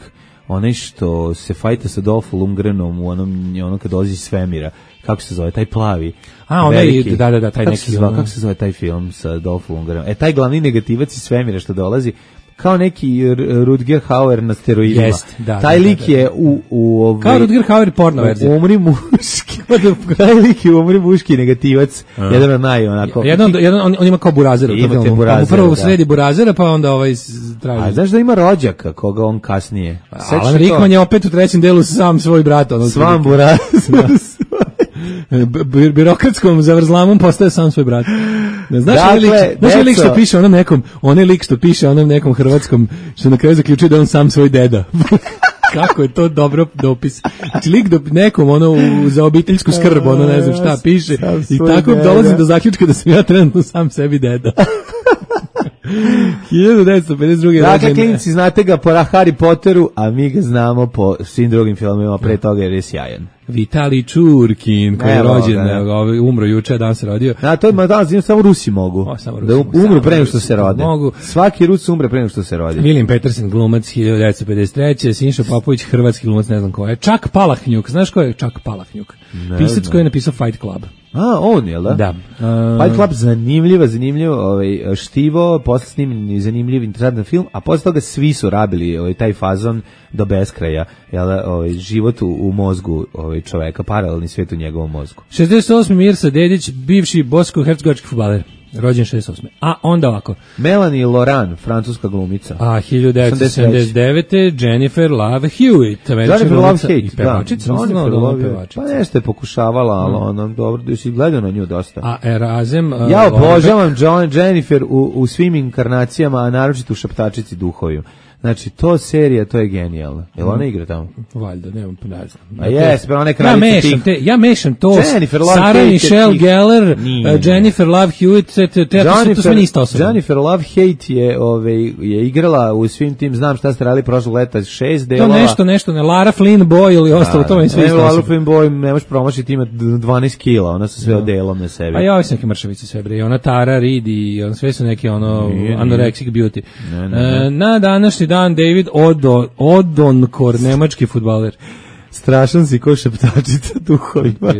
onaj što se fajta sa Dolph Lundgrenom u onom, ono kad dolazi iz svemira. Kako se zove, taj plavi? A, onaj, veliki. da, da, da, taj kako neki, Se zove, ono- kako se zove taj film sa Dolph Lundgrenom? E, taj glavni negativac iz svemira što dolazi, kao neki R- Rutger Hauer na steroidima. Jest, da, taj da, da, lik da. je u... u ovaj, Kao Rutger Hauer porno verzija. Umri muški. taj lik je umri muški negativac. Jedan od naj, onako... Jedan, jedan on, on ima kao burazera u tom Imate filmu. burazera, Pa mu prvo da. sredi burazera, pa onda ovaj s- traži. A znaš da ima rođaka koga on kasnije? Sećaš Alan se Rickman to? je opet u trećem delu sam svoj brat. Ono, Svam buraz. B- bi- birokratskom zavrzlamom postaje sam svoj brat. Ne, znaš Dakle, onaj lik, znaš onaj lik deco. što piše onom nekom, onaj lik što piše onom nekom hrvatskom, što na kraju zaključuje da je on sam svoj deda. Kako je to dobro dopis. Znači lik do nekom ono u, za obiteljsku skrb, ono ne znam šta piše Sam i svoj tako deda. dolazim do zaključka da sam ja trenutno sam sebi deda. hiljadu devetsto pedeset druge. Dakle, rođen- klinci, znate ga po Harry Potteru, a mi ga znamo po svim drugim filmima pre toga jer je sjajan. Vitali Čurkin, koji je Evo rođen, ga, da. evo ga, ovaj, umro juče, dan se rodio. A to je ma danas samo Rusi mogu. O, samo Rusi da mogu, umru samo pre nego Rusi što se rode. mogu. Svaki Rus umre pre nego što se rodi. William Peterson, glumac, hiljadu devetsto pedeset treće. Sinša Popović, hrvatski glumac, ne znam ko je. Čak Palahnjuk, znaš ko je Čak Palahnjuk? Pisac znam. koji je napisao Fight Club. A, on je, da? Da. Uh, Fight Club zanimljiva, zanimljivo, ovaj, štivo, posle snimljen i zanimljiv, interesantan film, a posle toga svi su rabili ovaj, taj fazon do beskraja, jel, ovaj, život u, u mozgu ovaj, čoveka, paralelni svijet u njegovom mozgu. šezdeset osmi Mirsa Dedić, bivši bosko-hercegovački fudbaler. Rođen šezdeset osme. A onda ovako. Melanie Laurent, francuska glumica. A hiljadu devetsto sedamdeset devete. Jennifer Love Hewitt. Jennifer Love glumica Hewitt, i pevačica. da. Nisam znao Jennifer da ona Love, pevačica. pa nešto je pokušavala, ali ono, dobro, da si gledao na nju dosta. A Erazem... uh, Ja Lorbeck- obožavam John Jennifer u, u svim inkarnacijama, a naročito u Šaptačici duhoviju. Znači, to serija, to je genijalno. Jel ona igra tamo? Valjda, nemam, ne znam. A jes, pa ona je Ja kraljica mešam tih. te, ja mešam to. Jennifer Love Sarah Hewitt je Michelle tih- Gellar, Nije. uh, Jennifer Love Hewitt, te, te, te, to, to sve nista osoba. Jennifer Love Hewitt je, ove, je igrala u svim tim, znam šta ste radili prošlog leta, šest To delova. nešto, nešto, ne, Lara Flynn Boy ili ostalo, to vam sve Ne, isto Lara osoba. Flynn Boy, ne možeš promašiti, ima dvanaest kila, ona su sve odelom na sebi. A ja ovi su neke mršavice sve, bre, i ona Tara Reid i on, sve su neke, ono, Nije, nije. anorexic beauty. Ne, ne, E, na današnji dan David Odo, Odonkor, nemački fudbaler. Strašan si ko Šaptačica duhovima.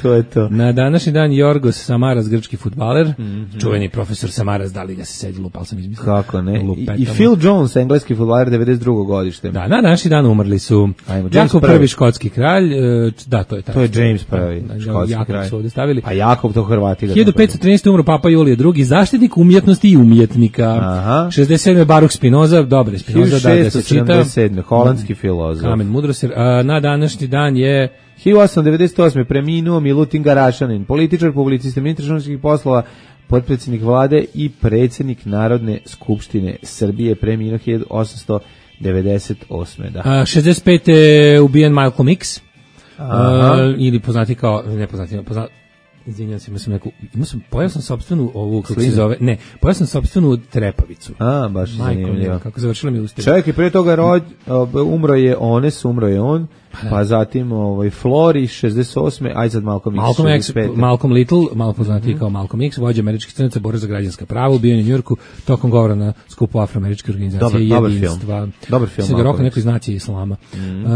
To je to. Na današnji dan Jorgos Samaras, grčki fudbaler, Mhm. čuveni profesor Samaras, da li ga se sedi lupal sam izmislio. Kako ne? I, Lupetamo. I Phil Jones, engleski fudbaler, devedeset drugo godište. Da, na današnji dan umrli su Ajmo, James Jakov prvi. prvi škotski kralj, e, da, to je taj. To je James prvi, Da, škotski Jakov kralj. su ovde stavili. A Jakov to Hrvati. ga hiljadu petsto trinaeste. umro Papa Julije drugi, zaštitnik umjetnosti i umjetnika. Aha. šezdeset sedme. Baruch Spinoza, dobre Spinoza, da, da se čita. hiljadu šeststo sedamdeset sedme. holandski filozof. Kamen mudrosti. A, na današnji dan je hiljadu osamsto devedeset osme. preminuo Milutin Garašanin, političar, publicista, ministar inostranih poslova, potpredsjednik vlade i predsjednik Narodne skupštine Srbije, preminuo hiljadu osamsto devedeset osme. Da. a, šezdeset pete. ubijen Malcolm X. Aha. A, ili poznati kao, ne poznati, poznati, Izvinjam se, imao sam neku, imao sam, pojao sam sopstvenu ovu, kako se zove, ne, pojao sam sopstvenu trepavicu. A, baš zanimljivo. Kako završila mi usta. Čovjek je prije toga rod, umro je Ones, umro je on, pa zatim ovaj, Flori, šezdeset osme, aj sad Malcolm X, Malcolm X, šezdeset pete. Malcolm Little, malo poznatiji mm-hmm. kao Malcolm X, vođa američkih crnaca, borac za građanska prava, ubio u Njujorku tokom govora na skupu afroameričke organizacije dobar, jedinstva. Dobar film. Dobar film. Se ga rokao neko iz nacije islama. Mm-hmm. Uh,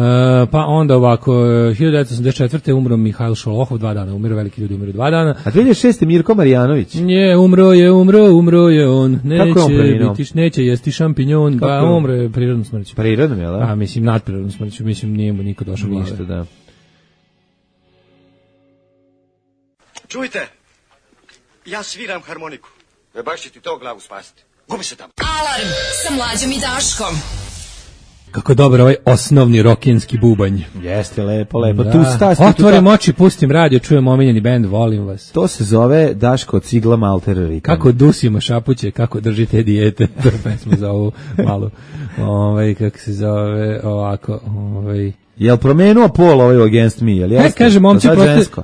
pa onda ovako, hiljadu devetsto osamdeset četvrte umro Mihajl Šolohov, dva dana, umiru veliki ljudi, umiru dva dana. A dvije hiljade šeste Mirko Marjanović. Je, umro je, umro, umro je on. Neće biti, neće jesti šampinjon, pa umro je prirodnom smrću. Prirodnom, jel? A, mislim, nadprirodnom smrću, mislim, nije mu niko došao glave. Ništa, da. Čujte, ja sviram harmoniku. E baš će ti to glavu spasiti. Gubi se tamo. Alarm sa Mlađom i Daškom. Kako dobar ovaj osnovni rokinski bubanj. Jeste, lepo, lepo. Da. Tu stasti, otvorim tu oči, pustim radio, čujem omiljeni bend, volim vas. To se zove Daško Cigla Malter Ritam. Kako dusimo šapuće, kako držite dijete. To je pesma za ovu malu, ovaj, kako se zove, ovako, ovaj... Jel promenuo pol ovaj Against Me, jel jeste? Ne, kaže, momci,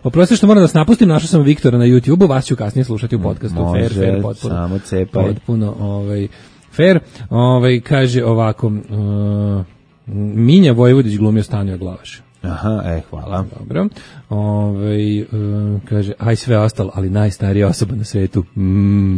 oprosti što moram da vas napustim, našao sam Viktora na YouTubeu, vas ću kasnije slušati u podcastu. Može, fair, fair, potpuno, samo cepaj. Potpuno, ovaj, fair, ovaj, kaže ovako, uh, Minja Vojvodić glumio Stanio Glavaš. Aha, e, hvala. Dobro. Ove, uh, kaže, aj sve ostalo, ali najstarija osoba na svetu. Mm.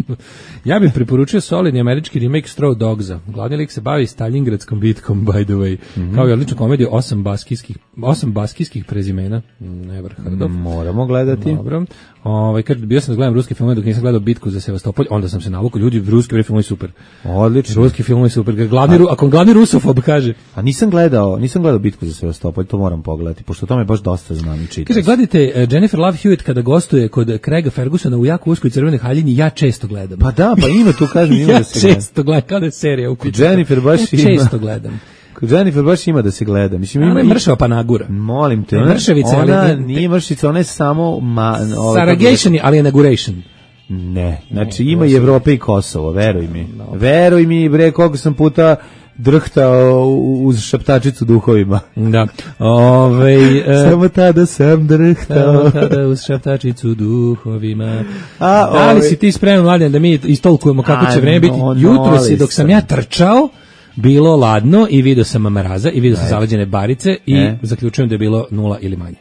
Ja bih preporučio solidni američki remake Straw Dogsa. Glavni lik se bavi Stalingradskom bitkom, by the way. Mm-hmm. Kao i odličnu komediju, osam baskijskih, osam baskijskih prezimena. Never heard of. Moramo gledati. Dobro. Ove, kaže, bio sam da gledam ruski film, dok nisam gledao Bitku za Sevastopolj, onda sam se navukao, ljudi, ruski film je super. Odlično. Ruski film je super. Glavni, ako glavni rusofob kaže. A nisam gledao, nisam gledao Bitku za Sevastopolj, to moram pogledati, pošto o tome baš dosta znam i čitam. Kaže, gledajte, uh, Jennifer Love Hewitt kada gostuje kod Craiga Fergusona u jako uskoj crvenoj haljini, ja često gledam. Pa da, pa ima tu, kažem, ima ja da se gleda. Ja često gledam, kada je serija u kuću. Jennifer baš ja ima. često gledam. Kod Jennifer baš ima da se gleda. Mislim, ima, ima mršava panagura. Molim te, ona, mršavice, ona ali, nije mršica, ona je samo... Ma, Saragation je, ali inauguration. Ne, znači ima i Evropa i Kosovo, veruj mi. No. Veruj mi, bre, koliko sam puta drhtao uz šaptačicu duhovima. Da. Ove, uh, samo tada sam drhtao. Samo tada uz šaptačicu duhovima. A, da li si ti spreman, Mladen, da mi istolkujemo kako će vreme biti? No, jutro si, dok sam ja trčao, bilo ladno i vidio sam mraza i vidio sam zaleđene barice i e? zaključujem da je bilo nula ili manje.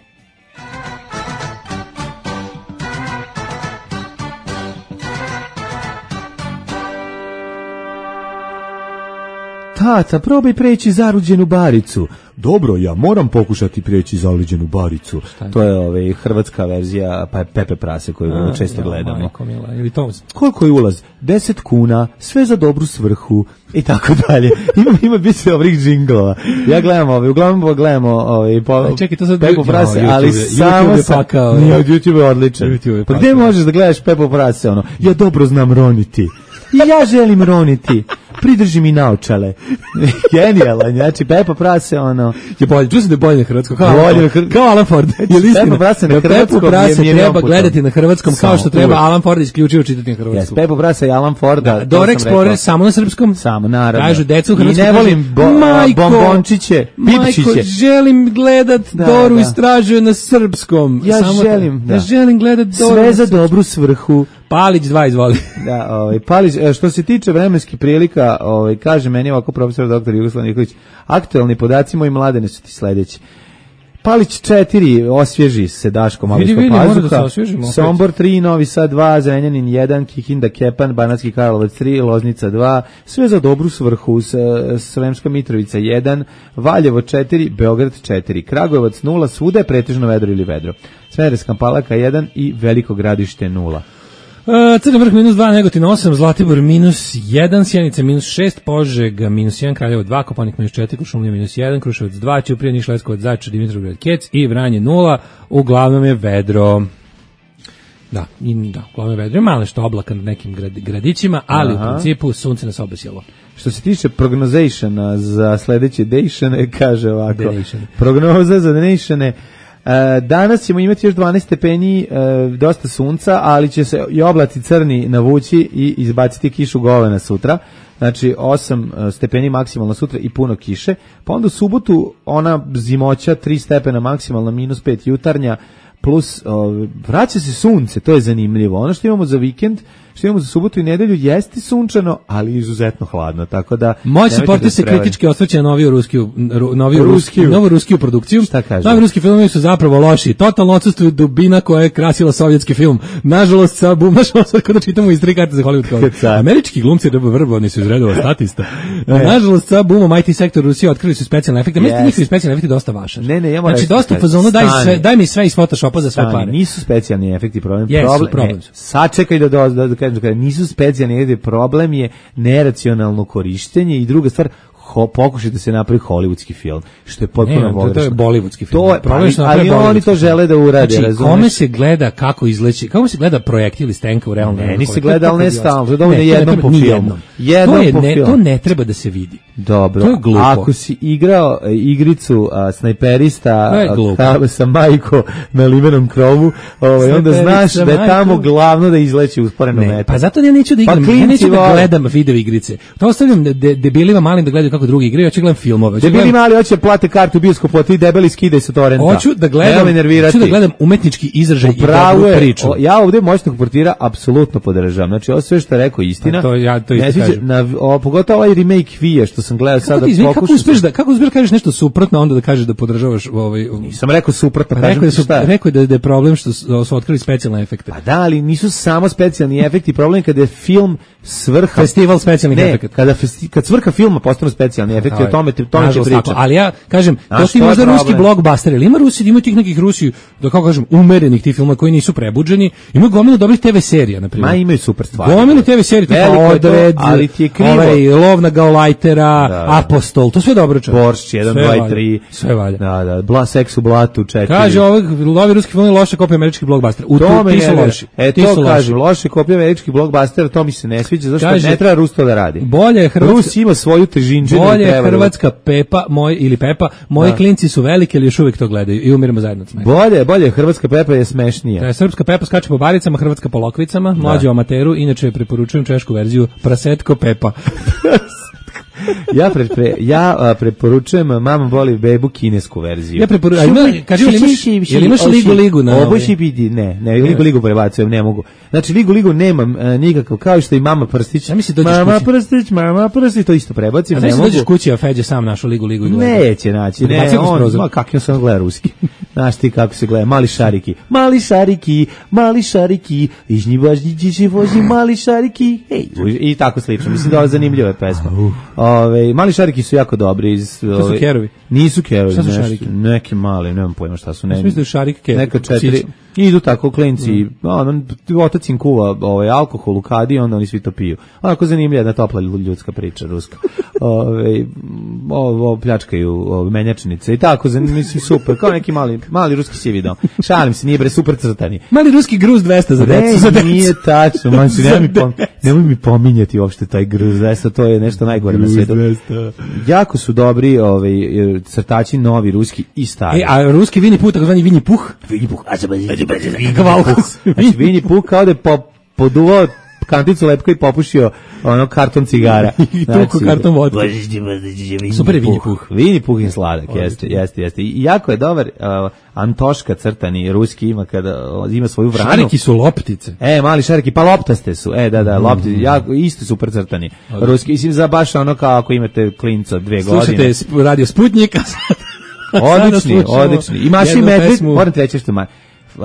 Tata, probaj preći zaruđenu baricu. Dobro, ja moram pokušati preći zaluđenu baricu. To je ovaj hrvatska verzija pa Pepe Prase koju A, često ja, gledamo. Majko, mila, ili to... Koliko je ulaz? deset kuna, sve za dobru svrhu i tako dalje. Ima ima biće dobrih džinglova. Ja gledam ovaj, uglavnom gledamo ovaj po čekaj, to sad Pepe Prase, no, ali YouTube, samo YouTube je pakao. Nije, YouTube je odličan. YouTube je pa gde možeš da gledaš Pepe Prase ono? Ja dobro znam roniti. I ja želim roniti. Pridrži mi naočale. Genijalan, znači Pepa Prase, ono... Je bolje, čuo sam da je bolje na hrvatskom, kao, bolje, kao, kao Alan Ford. Je li istina? Pepa Prase na hrvatskom Pepa Prase je treba gledati na hrvatskom, kao što treba Alan Ford isključivo čitati na hrvatskom. Yes, Pepa Prase i Alan Forda. Da, Dora Explorer samo na srpskom. Samo, naravno. Kažu, decu u hrvatskom. I ne volim bo, Majko, bombončiće, pipčiće. Majko, želim gledat da, Doru da. Istražuje na srpskom. Ja samo želim, da. Ja želim gledat Doru. Sve za dobru svrhu. Palić dva, izvoli. Da, ovaj Palić, što se tiče vremenskih prilika, ovaj kaže meni ovako profesor doktor Jugoslav Nikolić, aktuelni podaci moji Mladene su ti sledeći. Palić četiri, osvježi se Daško malo ispod pazuha. Da Sombor tri, Novi Sad dva, Zrenjanin jedan, Kikinda Kepan, Banatski Karlovac tri, Loznica dva, sve za dobru svrhu, Sremska Mitrovica jedan, Valjevo četiri, Beograd četiri, Kragujevac nula, svuda je pretežno vedro ili vedro. Smederevska Palanka jedan i Veliko Gradište nula. Uh, Crni Vrh minus dva, Negotin osam, Zlatibor minus jedan, Sjenica minus šest, Požega minus jedan, Kraljevo dva, Kopaonik minus četiri, Kuršumlija minus jedan, Kruševac dva, Ćuprija, Niš, Leskovac, Zaječar, Dimitrovgrad, Kec i Vranje nula, uglavnom je vedro. Da, i da, uglavnom je vedro, malo nešto oblaka na nekim grad, gradićima, ali Aha. u principu sunce nas obesjelo. Što se tiče prognozationa za sledeće dejšane, kaže ovako, Denation. Prognoza za dejšane. Danas ćemo imati još dvanaest stepeni, dosta sunca, ali će se i oblaci crni navući i izbaciti kišu govana sutra. Znači osam stepeni maksimalno sutra i puno kiše. Pa onda u subotu ona zimoća tri stepena maksimalno, minus pet jutarnja, plus o, vraća se sunce, to je zanimljivo. Ono što imamo za vikend, što imamo za subotu i nedelju, jeste sunčano, ali izuzetno hladno, tako da... Moj supporter se kritički osvrće na noviju ruskiju, noviju ruskiju, novu ruskiju produkciju. Šta kaže? Novi ruski filmovi su zapravo loši, totalno odsustuju dubina koja je krasila sovjetski film. Nažalost, sa bum, nažalost, kada čitamo iz tri karte za Hollywood, američki glumci vrbovani su iz redova statista. Nažalost, sa bumom I T sektor Rusije otkrili su specijalne efekte. Meni yes. njihovi specijalni efekti dosta vaše. Ne, ne, ja znači, dosta u fazonu, daj, sve, daj mi sve iz Photoshopa za sve Stani, pare. Nisu specijalni efekti problem. Yes, problem, problem. Ne, sačekaj da, da, da, da kažem, kada nisu specijalni efekti, problem je neracionalno korištenje i druga stvar, Ho, pokušaj da se napravi hollywoodski film, što je potpuno pogrešno. To je bollywoodski film. To je, ali, ali oni to žele da urade, znači, razumeš? Kome se gleda kako izleći, kako se gleda projektil iz tenka u realnom vremenu? Ne, ni se gleda, ali ne stalno, to je dovoljno jednom po filmu. Jednom to je po ne, filmu. To ne treba da se vidi. Dobro, to je glupo. Ako si igrao e, igricu a, snajperista a, sa majko na limenom krovu, ovaj, onda znaš da je tamo glavno da izleći usporeno ne, metak. Pa zato ja neću da igram, pa ja neću da vole. gledam video igrice. To ostavljam de, debilima malim da gledaju kako drugi igraju, ja ću gledam filmove. Debili gledam... mali hoće plate kartu u bioskopu, a ti debeli skidaj sa torrenta. Hoću da gledam, hoću da gledam umetnički izražaj i dobru priču. O, ja ovdje moćnog portira apsolutno podržavam. Znači, ovo sve što je rekao istina. A to ja to isto kažem. Na, o, pogotovo ovaj remake Vija što sam gledao sada. Kako uspeš da kako uspeš kažeš nešto suprotno, onda da kažeš da podržavaš ovaj. Nisam rekao suprotno, pa rekao da su rekao da je problem što su otkrili specijalne efekte. Pa da, ali nisu samo specijalni efekti, problem je kada je film svrha festival specijalnih efekata. Kada festi, kad svrha filma postanu specijalni efekti, o tome tome će pričati. Ali ja kažem, to ti možda ruski blockbuster, ili ima Rusi, ima tih nekih Rusi, da kako kažem, umerenih tih filmova koji nisu prebuđeni, ima gomilu dobrih te ve serija, na primjer. Ma imaju super stvari. Gomilu te ve serija, tipa Odred, ali ti je krivo. Ovaj Lov na Gaulajtera, da, Apostol, to sve dobro čak. Boršč jedan, dva i tri. Sve valja. Da, da, Bla seks u blatu četiri. Kaže ovaj novi ruski film je loša kopija američkih blockbustera. U to ti su loši. E to kažem, loše kopije američkih blockbustera, to mi se ne sviđa, zašto ne treba Rus to da radi. Bolje je Hrvatska. Rus ima svoju težinčinu. Bolje je Hrvatska Pepa, moj ili Pepa, moji klinci su veliki, ali još uvijek to gledaju i umiremo zajedno od smeha. Bolje, bolje, Hrvatska Pepa je smešnija. Da, srpska Pepa skače po baricama, Hrvatska po lokvicama, mlađe amateru, inače preporučujem češku verziju Prasetko Pepa. ja pre, pre, ja a, preporučujem Mama voli bebu kinesku verziju. Ja preporučujem, kaže li imaš, jel imaš ligu ligu na ovo šipidi, ne, ne, ligu ligu prebacujem, ne mogu. Znači ligu ligu nemam a, nikakav, kao što i Mama Prstić. Ja mislim Mama Prstić, Mama Prstić, to isto prebacim, ne mogu. Dođeš kući, a Feđa sam našo ligu ligu i gleda. Neće naći, ne, on, ma kako sam gleda ruski. Znaš ti kako se gleda, mali šariki, mali šariki, mali šariki, ižnji važnji će vozi mali šariki, hej, i tako slično. Mislim da je zanimljiva pesma. Ove, mali šariki su jako dobri. Iz, ove, to su kerovi? Nisu kerovi. Šta su šariki? Neki mali, nemam pojma šta su. Ne, mislim da je šarik kerovi. Neka četiri. Idu tako klinci, mm. on, otac im kuva ovaj, alkohol u kadi, onda oni svi to piju. Onako zanimljiva jedna topla ljudska priča, ruska. Ove, ovo pljačkaju ove, menjačnice i tako, mislim, super, kao neki mali, mali ruski sivi dom. Šalim se, nije bre, super crtani. Mali ruski gruz dvesta za decu. Ne, nije tačno, man se, nemoj mi, pom, nemoj mi pominjati uopšte taj gruz dvesta, to je nešto najgore na svetu. Jako su dobri ovaj, crtači, novi, ruski i stari. E, a ruski Vini Puh, takozvani Vini Puh? Vini Puh, a se Kavalkus. Znači, Vini Puh kao da je po, poduvao kanticu lepka i popušio ono karton cigara. I tuku karton vodka. Super je Vini Puh. Vini Puh je sladak, jeste, jeste, jeste. I jako je dobar, uh, Antoška crtani, ruski ima kada uh, ima svoju vranu. Šariki su loptice. E, mali šariki, pa loptaste su. E, da, da, loptice, jako, isto super crtani. Ruski, mislim, za baš ono kao ako imate klinca dve godine. Slušate radio Sputnika. Odlični, odlični. I Maši Medved, moram ti reći što ma. Uh,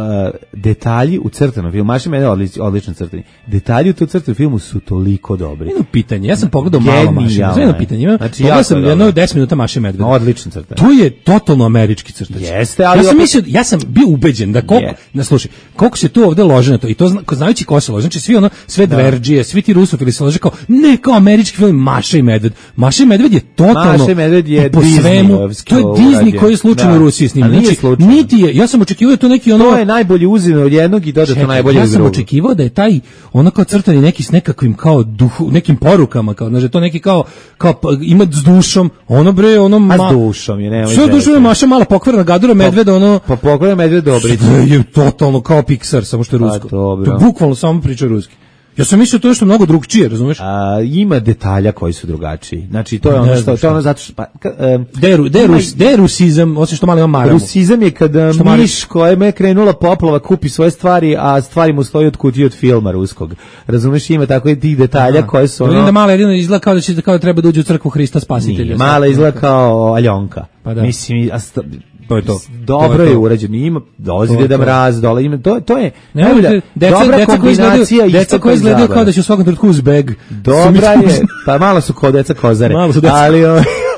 detalji u crtanom filmu, Maša Medved odlično, odlično crtani. Detalji u tom crtanom filmu su toliko dobri. Jedno pitanje, ja sam pogledao malo Maše. Jedno pitanje, ima, znači, pogledao sam jedno deset minuta Maše Medved. Odlično crtani. To je totalno američki crtač. Jeste, ali ja sam mislio, ja sam bio ubeđen da koliko, yeah. na slušaj, koliko se tu ovde lože na to i to zna, znajući ko se lože, znači svi ono, sve dverdžije, svi ti rusofili se lože kao, ne kao američki film Maša i Medved. Maša i Medved je totalno Maša i Medved je po svemu, to je Disney koji je slučajno u Rusiji snimljen. Znači, niti je, ja sam očekivao to neki ono, to je najbolji uzino od jednog i dodatno najbolje ja od drugog. Ja sam očekivao da je taj ono kao crtani neki s nekakvim kao duhu, nekim porukama, kao znači to neki kao kao ima s dušom, ono bre, ono ma. A s dušom je, nema. Sve dušom je Maša mala pokvarena gadura medveda, ono. Pa pokvarena medved dobri. Je totalno kao Pixar, samo što je rusko. To bukvalno samo priča ruski. Ja sam mislio to je što mnogo drugčije, razumeš? A, ima detalja koji su drugačiji. Znači to je ono što to je ono zato što pa um, deru derus derusizam, osim što malo ima maramu. Rusizam je kada što miš kojemu je krenula poplava kupi svoje stvari, a stvari mu stoji od kutije od filma ruskog. Razumeš, ima tako i tih detalja aha, koje su ono. Vidim da mala jedino izgleda kao da će kao da treba da uđe u crkvu Hrista Spasitelja. Nije, mala izgleda kao Aljonka. Pa da. Mislim, a sta, to je to. Dobro to je, je urađeno, ima dolazi Deda Mraz, dole ima to to je ne, najbolja, deca, dobra deca kombinacija i deca koji izgledaju kao da će u svakom trenutku uz beg. Dobra je, pa malo su kao deca kozare. Ali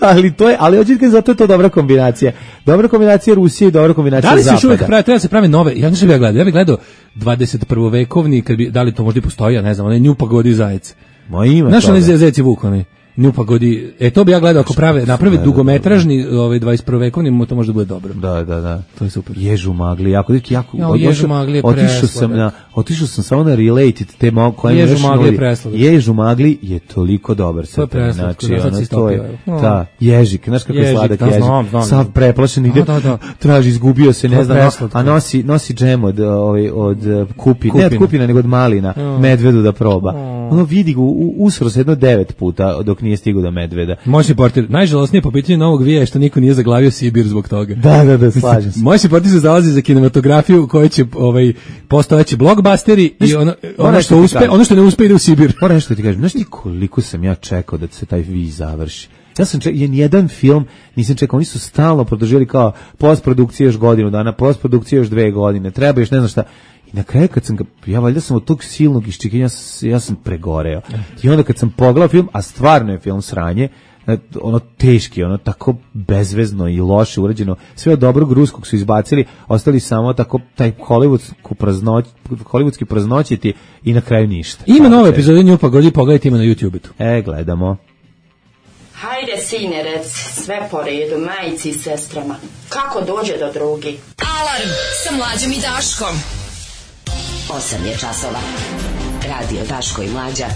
ali to je, ali hoćete zato je to dobra kombinacija. Dobra kombinacija Rusije i dobra kombinacija Zapada. Da li se se uvek pravi, treba se pravi nove. Ja ne znam ja gledao, ja bih gledao dvadeset prvovekovni, kad bi da li to možda i postoji, ja ne znam, onaj Nju pagodi zajec. Ma ima. Znaš onaj zajec i vuk onaj. Nju pagodi. E to bi ja gledao ako prave, naprave dugometražni, ovaj dvadeset prvovekovni, to može da bude dobro. Da, da, da. To je super. Ježu magli, jako jako. Ja, Ježu magli je otišao sam na, otišao sam samo na Related tema koje Ježu magli je presladak. Ježu magli je toliko dobar sa to znači da, ono to je. Ta ježik, znaš kako je sladak ježik. Sav preplašen ide. Da, da. Traži, izgubio se, ne znam, a nosi nosi džem od ovaj od kupine, ne od kupina nego od malina, medvedu da proba. Ono vidi ga usro se jedno devet puta dok nije stigao do medveda. Moj portir, najžalosnije po pitanju novog vija je što niko nije zaglavio Sibir zbog toga. Da, da, da, slažem se. Moj portir se zalazi za kinematografiju koji će ovaj postojeći blockbusteri i ono ono što uspe, ono što ne uspe ide u Sibir. Moram nešto ti kažem, znaš ti koliko sam ja čekao da se taj vi završi. Ja sam čekao jedan film, nisam čekao, oni su stalno produžili kao postprodukcija još godinu dana, postprodukcija još dve godine, treba još ne znam šta. Na kraju kad sam ga, ja valjda sam od tog silnog iščekivanja, ja sam pregoreo. I onda kad sam pogledao film, a stvarno je film sranje, ono teški, ono tako bezvezno i loše urađeno, sve od dobrog ruskog su izbacili, ostali samo tako taj hollywoodski praznoć, hollywoodski praznoćiti i na kraju ništa. Ima nove epizode Nju pagodi, pogledajte ima na YouTubeu. E, gledamo. Hajde, sine, rec, sve po redu, majici i sestrama. Kako dođe do drugi? Alarm sa Mlađom i Daškom. osam je časova. Radio Daško i Mlađa.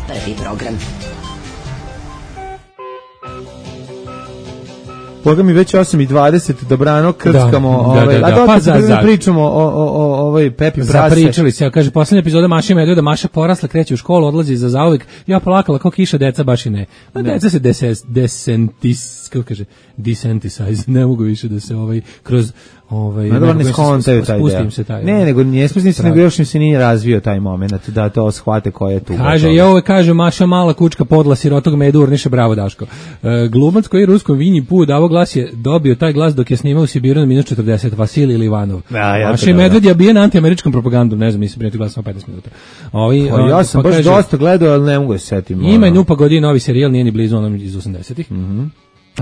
Prvi program. Boga mi već osam i dvadeset, dobrano, krckamo, da, ovaj, da, da, a da, da, pa pa za, za. pričamo o, o, o ovoj Pepi Prase. Zapričali se, ja kaže, poslednja epizoda Maša i Medveda, Maša porasla, kreće u školu, odlazi za zauvek, ja plakala kao kiša, deca baš i ne. A deca se deses, desentis, kako kaže, desentisize, ne mogu više da se ovaj, kroz ovaj ne, ne skontaju taj spustim se taj. Ne, nego nije spustim se, nego još im se nije razvio taj momenat da to shvate ko je tu. Kaže, ja ovo kaže Maša mala kučka podla sirotog medu urniše, bravo Daško. E, glumac koji je ruskom Vinji Pu davo glas je dobio taj glas dok je snimao u Sibiru na minus četrdeset, Vasilij Livanov. Ja, ja Maša i Medved je bijen antiameričkom propagandom, ne znam, mislim prijeti glas samo petnaest minuta. Ovi, pa, ja sam pa baš kaže, dosta gledao, ali ne mogu da se setim. Ima Nju pagodi novi serijal, nije ni blizu onom iz osamdesetih. Mhm.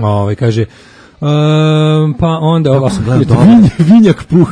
Ovaj kaže Um, pa onda ova Vinjak Puh.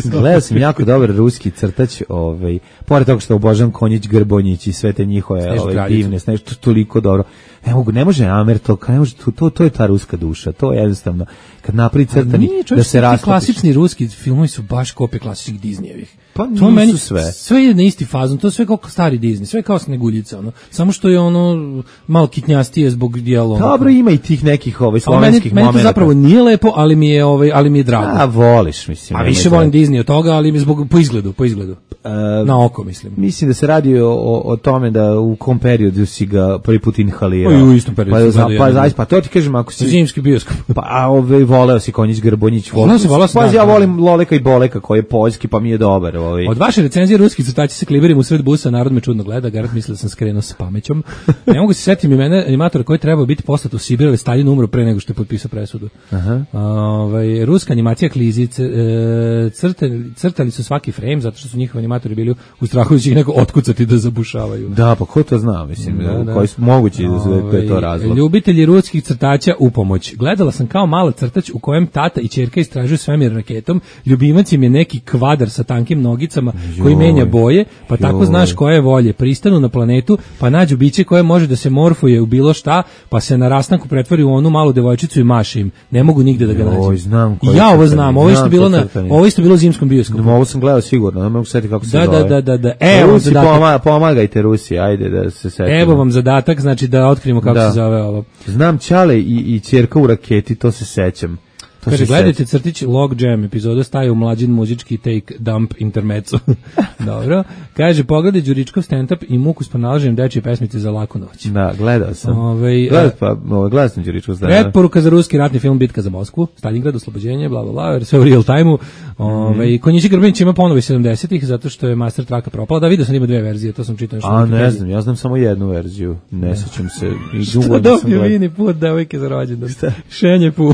Gledao sam jako dobar ruski crtač, ovaj, pored toga što obožavam Konjić, Grbonjić i sve te njihove ovaj, divne, znaš, to toliko dobro. Ne mogu, ne može Amer to, ne može, to, to, to je ta ruska duša, to je jednostavno, kad napravi crtani, da se rastopiš. Klasični ruski filmovi su baš kopije klasičnih Disneyevih. Pa to meni sve. Sve je na isti fazon, to je sve kao stari Disney, sve kao Sneguljica, ono. Samo što je ono malo kitnjastije zbog dijela. Dobro, ima i tih nekih ovaj slovenskih momenata. Meni to zapravo nije lepo, ali mi je ovaj, ali mi je drago. A voliš, mislim. A više volim Disney od toga, ali mi zbog po izgledu, po izgledu. Uh, na oko, mislim. Mislim da se radi o, o, o tome da u kom periodu si ga prvi put inhalirao. Pa i u istom periodu. Pa, pa, pa, pa to ti kažem, ako si zimski bioskop. Pa a ovaj voleo si Konjić, Grbonjić, voleo si, voleo si. Pa ja volim Loleka i Boleka koji je poljski, pa mi je dobar, ovaj. Od vaše recenzije ruski crtači se kliberim u sred busa, narod me čudno gleda, garant misle da sam skrenuo sa pamećom. Ne mogu se setiti imena animatora koji trebao biti poslat u Sibir, ali Stalin umro pre nego što je potpisao presudu. Aha. Ovaj ruska animacija Klizi, crtali, crtali su svaki frame zato što su njihovi animatori bili u strahu da će ih neko otkucati da zabušavaju. Da, pa ko to zna, mislim, da, da. Koji su mogući da to je to razlog. Ljubitelji ruskih crtača u pomoć. Gledala sam kao mala crtač u kojem tata i ćerka istražuju svemir raketom. Ljubimac im je neki kvadar sa tankim nogicama koji menja boje, pa joj. Tako znaš koje je volje. Pristanu na planetu, pa nađu biće koje može da se morfuje u bilo šta, pa se na rastanku pretvori u onu malu devojčicu i maše im. Ne mogu nigde da ga nađu. Oj, znam I ja ovo znam, ovo isto bilo na ovo isto bilo u zimskom bioskopu. No, ovo sam gledao sigurno, ne mogu setiti kako se da, zove. Da, da, da, da. Evo Rusi, pomaga, pomagajte Rusi, ajde da se setimo. Evo vam zadatak, znači da otkrijemo kako da. se zove ovo. Znam Ćale i i ćerka u raketi, to se sećam. Kaže, gledajte crtić Log Jam, epizoda staje u mlađin muzički take dump intermezzo. Dobro. Kaže, pogledaj Đuričkov stand-up i muku s pronalaženjem dečje pesmice za laku noć. Da, gledao sam. Ove, Gledao pa, gledao sam Đuričkov stand-up. Preporuka za ruski ratni film Bitka za Moskvu, Stalingrad, oslobođenje, bla, bla, bla, sve u real time-u. Ove, mm. Konjići Grbinić ima ponovi sedamdesetih, zato što je master traka propala. Da, vidio sam ima dve verzije, to sam čitao. A, ne znam, ja znam samo jednu verziju. Ne sećam se. I što dobio vini put devojke za rođendan? Šenje pu.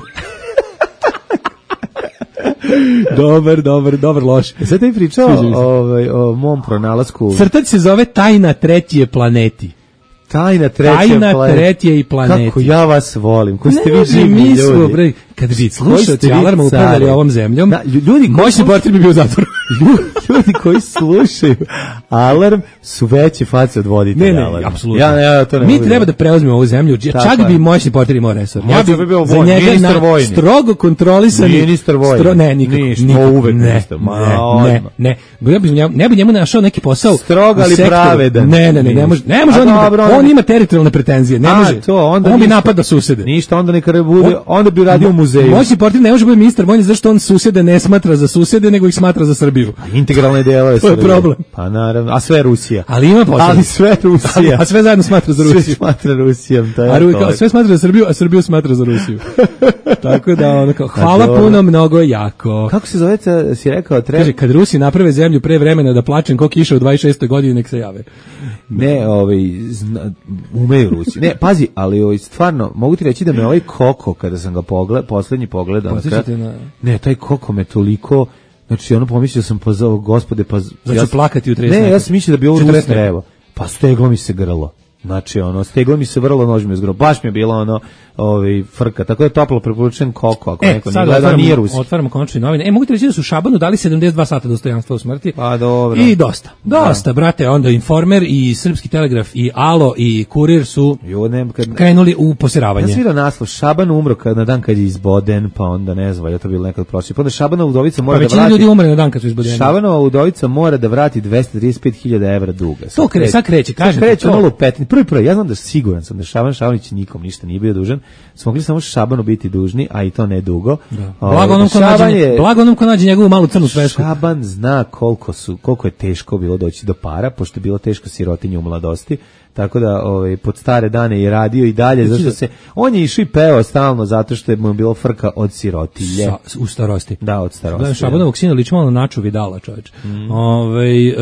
dobar, dobar, dobar, loš. Sad ti pričao ovaj, o mom pronalasku. Crtač se zove Tajna treće planeti. Tajna treće Tajna planeti. treće i planeti. Kako ja vas volim. Ko ste vi živi ljudi. Bre, kad bi slušali alarma upravljali ovom zemljom, da, ljudi moćni portir bi bio u zatvoru. Ljudi koji slušaju alarm su veće face od voditelja. Ne, ne, alarma. apsolutno. Ja, ja, to ne Mi treba da preuzmemo ovu zemlju. Čak bi moćni portir imao resor. Ja bi bio za njega na strogo kontrolisani. Ministar vojni. Stro, ne, nikako. Ništa, uvek ne, ništa. Ne, ne, ne. Ja bi njemu, ne bi njemu našao neki posao. Strog, ali pravedan. Ne, ne, ne, ne može. Ne može on ima teritorijalne pretenzije. Ne može. On bi napadao susede. Ništa, onda neka bude, onda bi radio u muzeju. Moćni portir ne može biti ministar vojni zašto on susede ne smatra za susede, nego ih smatra za Srbiju. Integralne delove to je problem. Pa naravno, a sve Rusija. Ali ima posao. Ali sve Rusija. A sve zajedno smatra za Rusiju. Sve smatra Rusijom, to je. A Ru, sve smatra za Srbiju, a Srbiju smatra za Rusiju. Tako da ono kao, hvala puno, mnogo jako. Kako se zove, si rekao, treba... Kaže, kad Rusi naprave zemlju pre vremena da plačem ko kiša u dvadeset šestoj godini, nek se jave. Ne, ovaj, zna, umeju Rusi. Ne, pazi, ali ovaj, stvarno, mogu ti reći da me ovaj Koko, kada sam ga pogled, poslednji pogledao, na... ne, taj Koko me toliko, znači ono pomislio sam, pa za gospode, pa... Znači ja, plakati u trideset. Ne, ja sam mislio da bi ovo Rus treba. Pa steglo mi se grlo. Znači, ono, steglo mi se vrlo, nož mi je zgro. Baš mi je bilo ono, ovaj, frka. Tako da je toplo preporučujem Koko, ako e, neko ne gleda, nije Rusi. Otvaramo konačne novine. E, mogu ti reći da su Šabanu dali sedamdeset dva sata dostojanstva u smrti. Pa dobro. I dosta. Dosta, da. Brate, onda Informer i Srpski telegraf i Alo i Kurir su jo, ne, kad... krenuli u posiravanje. Ja sam vidio naslov, Šaban umro kad, na dan kad je izboden, pa onda ne znam, je to bilo nekad prošli. Pa onda Šabanova udovica mora pa da vrati... ljudi umre na dan kad su izbodeni. Šabanova udovica mora da vrati dvesta trideset pet hiljada evra duga. To kreće, sad kreće, kažem. Kreće malo petni. Prvi prvi, ja znam da siguran sam da Šaban Šabanić nikom ništa nije bio dužan. Smo mogli samo Šabanu biti dužni, a i to ne dugo. Da. Blago onom ko nađe, blago onom ko nađe njegovu malu crnu svesku. Šaban zna koliko su, koliko je teško bilo doći do para, pošto je bilo teško sirotinje u mladosti. Tako da ovaj pod stare dane je radio i dalje zašto se on je išao i pevao stalno zato što je mu bilo frka od sirotilje Sa, u starosti. Da, od starosti. Da, Šabanovog sina liči malo na Naču Vidala, čoveče. Mm. Ovaj e,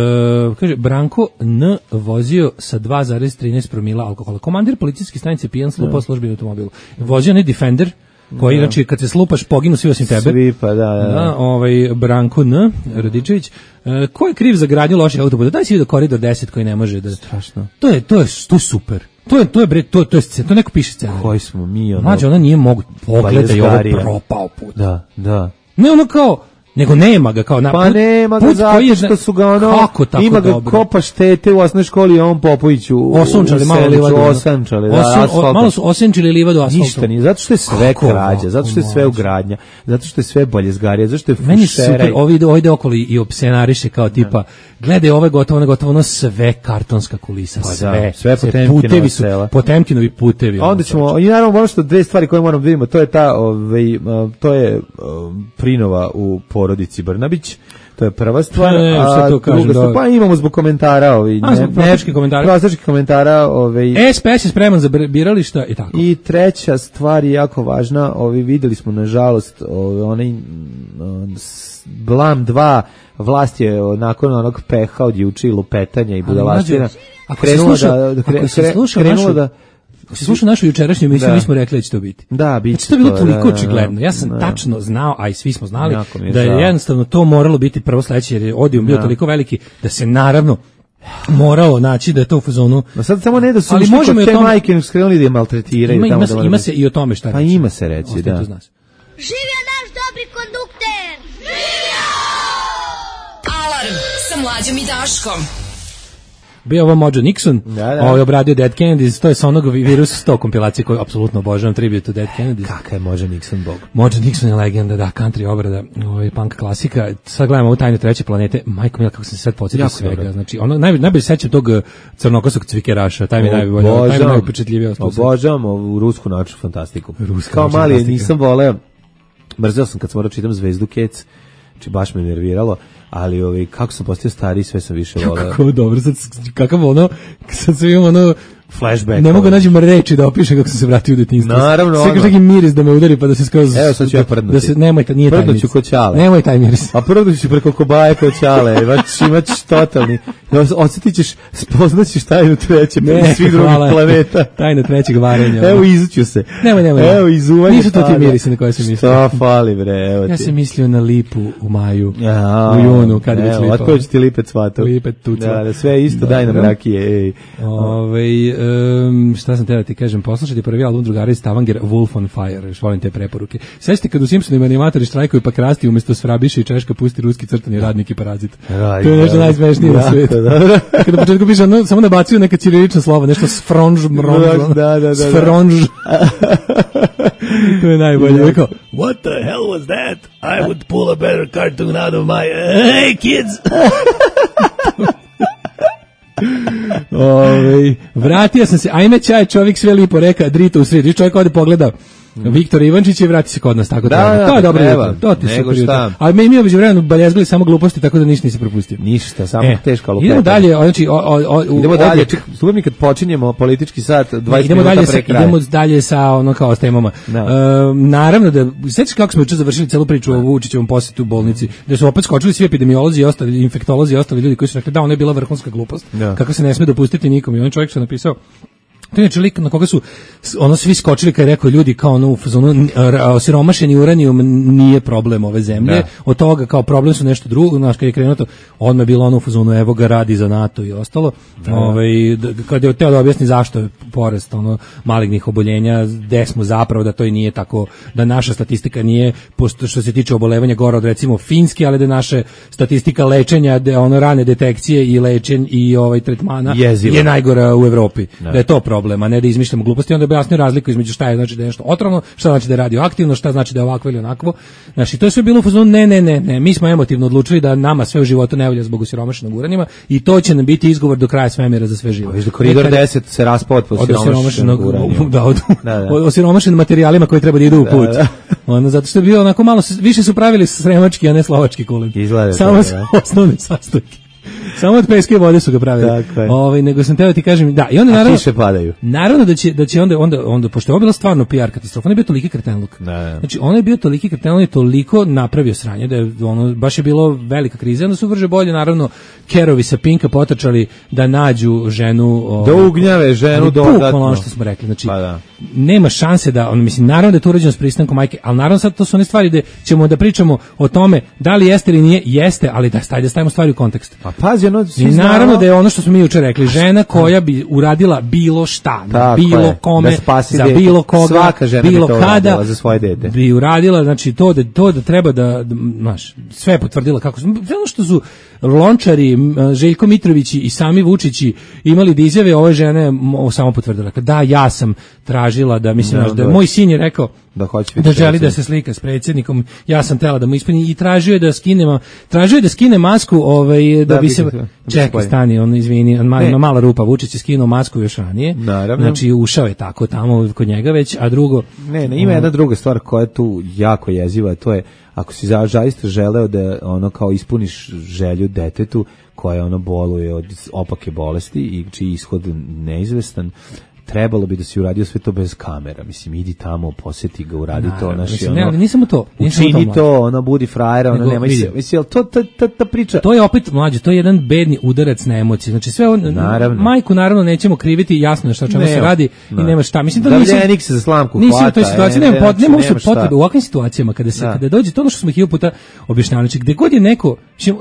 kaže Branko N vozio sa dva zarez trinaest promila alkohola. Komandir policijske stanice pijan slupa službeni automobil. Vozio ne Defender koji, da. Znači, kad se slupaš, poginu svi osim tebe. Svi, pa da, da. da ovaj, Branko N. Radičević. E, ko je kriv za gradnju loših autoputa? Daj si vidio Koridor deset koji ne može da... Strašno. To je, to je, to je super. To je, to je, bre, to, to je scena, to neko piše scena. Koji smo mi, ono... Mlađe, ona nije mogu... Pogledaj, ovo propao put. Da, da. Ne, ono kao... Nego nema ga kao na pa put, nema ga zato što su ga ono kako tako ima ga dobro. Kopa štete u osnovnoj školi a on Popoviću osunčali malo livadu osunčali da Osun, o, malo su osenčili livadu asfaltom ništa nije zato što je sve kako krađa zato što je sve ugradnja zato što je sve baljezgarija zato što je meni super ovi ide ovde okoli i opsenariše kao tipa gledaj ove gotovo na gotovo ono sve kartonska kulisa pa sve da, sve putevi su Potemkinovi putevi onda ćemo i naravno ono što dve stvari koje moramo da vidimo to je ta ovaj to je Prinova u porodici Brnabić, to je prva stvar, ne, a to kažem, druga stvar, pa imamo zbog komentara, ovi, a, zbog prostičkih komentara, prostičkih komentara, ovi, S P S je spreman za birališta i tako. I treća stvar je jako važna, ovi, videli smo nažalost, ovi, onaj Blam dva, vlast je nakon onog peha od juče i lupetanja i budalaština, krenula da, da, kre, krenula da Ako si slušao našu jučerašnju emisiju, mi smo rekli da će to biti. Da, bit će to. Znači, to je bilo toliko da, očigledno. Ja sam da. tačno znao, a i svi smo znali, je da je žao. jednostavno to moralo biti prvo sledeće, jer je odijum bio da. toliko veliki, da se naravno moralo naći da je to u fazonu. No sad samo ne da su ušli kod te majke skrenuli da je maltretiraju. Ima, tamo ima, da ima se i o tome šta pa reći. Pa ima se reći, Ostaje da. Živio naš dobri kondukter! Živio! Alarm sa Mlađom i Daškom. Bio ovo Mojo Nixon, da, da. Ovaj obradio Dead Kennedys, to je sa onog Virus sto kompilacije koju apsolutno obožavam, tribute to Dead Kennedys. Kakav je Mojo Nixon bog? Mojo Nixon je legenda, da, country obrada, ovaj punk klasika. Sad gledamo ovu Tajnu treće planete. Majko mila, kako sam se sad podsjetio svega. Dobro. Znači, ono naj najbolje sećam tog crnokosog cvikeraša, taj mi najbolje, taj mi najupečatljiviji ostao. Obožavam ovu rusku naučnu fantastiku. Ruska Kao mali nisam voleo mrzeo sam kad sam morao čitam Zvezdu Kec, či baš me nerviralo, ali ovaj, kako sam postao stariji, sve sam više voleo. Kako dobro, sad, kakav ono, sad sve imam ono, flashback. Ne mogu nađem reči da opišem kako sam se vratio u detinjstvo. Naravno. Sve kao neki miris da me udari pa da se skroz... Evo sad ću ja prdnuti. Da se, nemoj, nije taj miris. Prdnuću ko Ćale. Nemoj taj miris. A prdnuću preko kobaje ko Ćale. Imaš, imaš totalni. Osjetit ćeš, spoznaćeš tajnu treće ne, svih drugih planeta. Tajna trećeg varenja. Evo izuću se. Nemoj, nemoj. Evo izuvanje. Nisu to ti mirisi na koje se mislio. Šta fali bre, evo ti. Ja sam mislio na lipu u maju. Ja, u junu, kad je već lipa. Otko će ti lipet cvatao. Lipet tucva. Da, da, sve isto, daj nam rakije, ej. Ove, um, šta sam teo da ti kažem, poslušajte prvi album drugara iz Stavanger, Wolf on Fire, još volim te preporuke. Sećate kad u Simpsonima animatori štrajkuju pa krasti umjesto Svrabiša i Češka pusti ruski crtani radnik i parazit. Raj, to je nešto najsmešnije na svijetu. Kada na početku piše, no, samo nabacuju neka ćirilična slova, nešto sfronž, mronž, da, da, da, sfronž. To je najbolje. Rekao, what the hell was that? I would pull a better cartoon out of my... Hey, kids! Ove, vratio sam se, ajme čaj, čovjek sve lipo reka, drito u sredi, čovjek ovdje pogleda Viktor Ivančić i vrati se kod nas, tako da, da, to je dobro jutro, to ti se prijutno. Ali mi imamo vremenu baljezgli samo gluposti, tako da ništa nisi propustio. Ništa, samo e, teška lupeta. Idemo dalje, znači, o, o, o, idemo dalje, slušaj mi kad počinjemo politički sat, dvadeset idemo minuta dalje pre kraja. Idemo dalje sa ono kao s temama. No. E, naravno da, sećaš kako smo juče završili celu priču o Vučićevom posjetu u bolnici, da su opet skočili svi epidemiolozi i ostali, infektolozi i ostali ljudi koji su rekli da ono je bila vrhunska glupost, no. Kako se ne sme dopustiti nikom i on čovjek što je napisao. To je čovjek na koga su ono svi skočili kad je rekao ljudi kao ono, ono osiromašeni uranijum nije problem ove zemlje, da. Od toga kao problem su nešto drugo, znaš kad je krenuo to, odmah je bilo ono u fazonu evo ga radi za NATO i ostalo, da. Ovaj, kad je teo da objasni zašto je porast ono, malignih oboljenja, gde smo zapravo da to i nije tako, da naša statistika nije, što se tiče obolevanja gora od recimo Finske, ali da naša statistika lečenja, da ono rane detekcije i lečenja i ovaj tretmana Jezivo. Je najgora u Evropi, da, da je to problem. A ne da izmišljamo gluposti, onda objasnio razliku između šta je znači da je nešto otrovno, šta znači da je radioaktivno, šta znači da je ovakvo ili onakvo. Znači, to je sve bilo u fazonu, ne, ne, ne, ne, mi smo emotivno odlučili da nama sve u životu ne volja zbog osiromašenog uranijuma i to će nam biti izgovor do kraja svemira za sve živo. Viš da koridor deset se raspao od osiromašenog uranijuma. Da, od, da, da. od osiromašenim materijalima koji treba da idu u put. Da, da. Ono, zato što je bio onako malo, više su pravili sremački, a ne slovački kulen. Izgleda. Samo da, osnovne sastojke. Samo od peske vode su ga pravili. Ovaj nego sam teo ti kažem, da, i onda naravno kiše padaju. Naravno da će da će onda onda onda pošto je bila stvarno P R katastrofa, on je bio toliki kretenluk. Da. Znači on je bio toliki kretenluk i toliko napravio sranje da je ono baš je bilo velika kriza, onda su vrže bolje naravno Kerovi sa Pinka potrčali da nađu ženu, da ugnjave ženu dodatno. Ono što smo rekli, znači pa da. Nema šanse da on mislim naravno da je to urađeno s pristankom majke, al naravno sad to su one stvari da ćemo da pričamo o tome da li jeste ili nije, jeste, ali da stajde da stavimo stvari u kontekst. Pa pazi, ono, i naravno da je ono što smo mi juče rekli, žena koja bi uradila bilo šta, na bilo je. Kome, za bilo koga, svaka žena bilo bi to kada, za svoje dete. Bi uradila, znači to da, to da treba da, znaš, sve potvrdila kako su, ono što su Lončari, Željko Mitrović i sami Vučići imali da izjave ove žene samo potvrdila. Da, ja sam tražila da, mislim, no, da, da moj sin je rekao da, da želi da se slika s predsjednikom, ja sam tela da mu ispuni i tražio je da skinemo, tražio je da skine masku, ovaj, da, da bi se, čekaj, stani, on, izvini, on ima mala rupa, Vučić je skinuo masku još ranije, naravno. Znači ušao je tako tamo kod njega već, a drugo... Ne, ne, ima jedna druga stvar koja je tu jako jeziva, to je, ako si zaista želeo da ono kao ispuniš želju detetu koja ono boluje od opake bolesti i čiji ishod neizvestan, trebalo bi da si uradio sve to bez kamera. Mislim, idi tamo, posjeti ga, uradi na, to. Naši, mislim, ono, ne, ali nisam to. Učini to, to, ono, budi frajera, ono, nemoj se. Mislim, to, ta, ta, ta priča... To je opet, mlađe, to je jedan bedni udarac na emocije. Znači, sve on, naravno. Majku, naravno, nećemo kriviti, jasno je šta čemu se radi ne. I nema šta. Mislim, to da nisam... Davljenik se za slamku hvata. Nisam u toj situaciji, nema, pot, nema uopšte potrebe. U ovakvim situacijama, kada, se, kada dođe, to ono što smo hiljadu puta objašnjavali, znači, gde god je neko,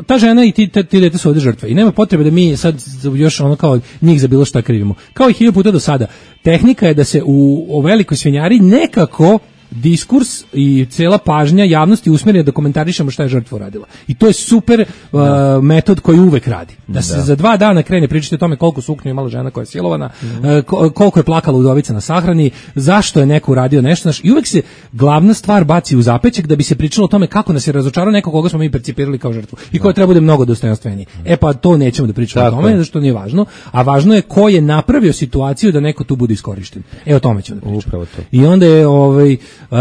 ta žena i ti, ta, ti dete su ovde žrtve. I nema potrebe da mi sad još ono kao njih za bilo šta krivimo. Kao i hiljadu puta do sada. Tehnika je da se u, u velikoj svinjari nekako diskurs i cela pažnja javnosti usmjeri da komentarišemo šta je žrtva uradila. I to je super uh, metod koji uvek radi. Da se da. Za dva dana krene pričati o tome koliko suknju imala žena koja je silovana, mm. uh, koliko je plakala udovica na sahrani, zašto je neko uradio nešto. Naš, i uvek se glavna stvar baci u zapećak da bi se pričalo o tome kako nas je razočarao neko koga smo mi percipirali kao žrtvu i koja treba bude mnogo dostojanstveniji. Mm. E pa to nećemo da pričamo o tome, zašto nije važno, a važno je ko je napravio situaciju da neko tu bude iskorišten. E o tome ćemo da pričamo. I onda je ovaj Uh,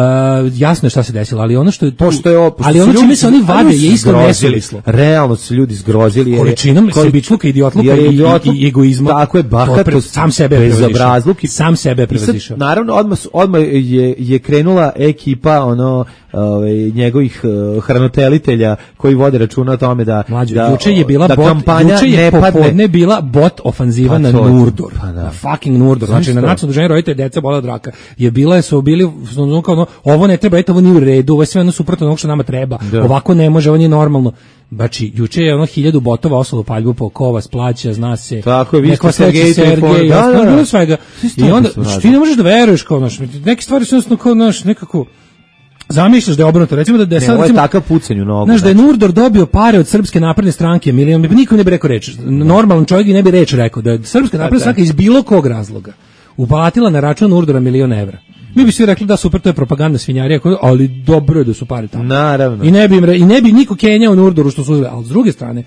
jasno je šta se desilo, ali ono što je tu, pošto je ovo, ali ono čime se oni vade je isto nesuvislo. Realno su ljudi zgrozili jer količinom sebičluka, idiotluka i, i, i egoizma. Tako je, bahatost, sam sebe bezobrazluk, sam sebe prevazišao. Naravno, odmah odmah je je krenula ekipa ono ovaj njegovih uh, hranitelitelja koji vode računa o tome da Mlađo, da juče je bila da bot, kampanja juče je ne popodne bila bot ofanziva pa na to, Nurdor, pa da. na fucking Nurdor, znači na nacionalno udruženje roditelja deca bole od raka. Je bila su bili kao ono, ovo ne treba, eto ovo nije u redu, ovo je sve ono suprotno onog što nama treba. Da. Ovako ne može, ovo nije normalno. Znači, juče je ono hiljadu botova osalo paljbu po Kovas, plaća, zna se. Tako je, vi ste Sergej, Sergej, da, da, da. Svega. I onda, što ti ne možeš da veruješ kao, znaš, neke stvari su jednostavno kao, znaš, nekako, zamišljaš da je obrnuto, recimo da, da je ne, sad, ovo je recimo, takav pucanj u nogu. Znaš, da je Nurdor dobio pare od Srpske napredne stranke, milion, nikom ne bi rekao reč, normalan čovjek ne bi reč rekao, da je Srpska napredna stranka iz bilo kog razloga uplatila na račun Nurdora milion evra. Mi bi svi rekli da super, to je propaganda svinjarija, ali dobro je da su pare tamo. Naravno. I ne bi, im re, i ne bi niko kenjao Nurdoru što su uzeli, ali s druge strane,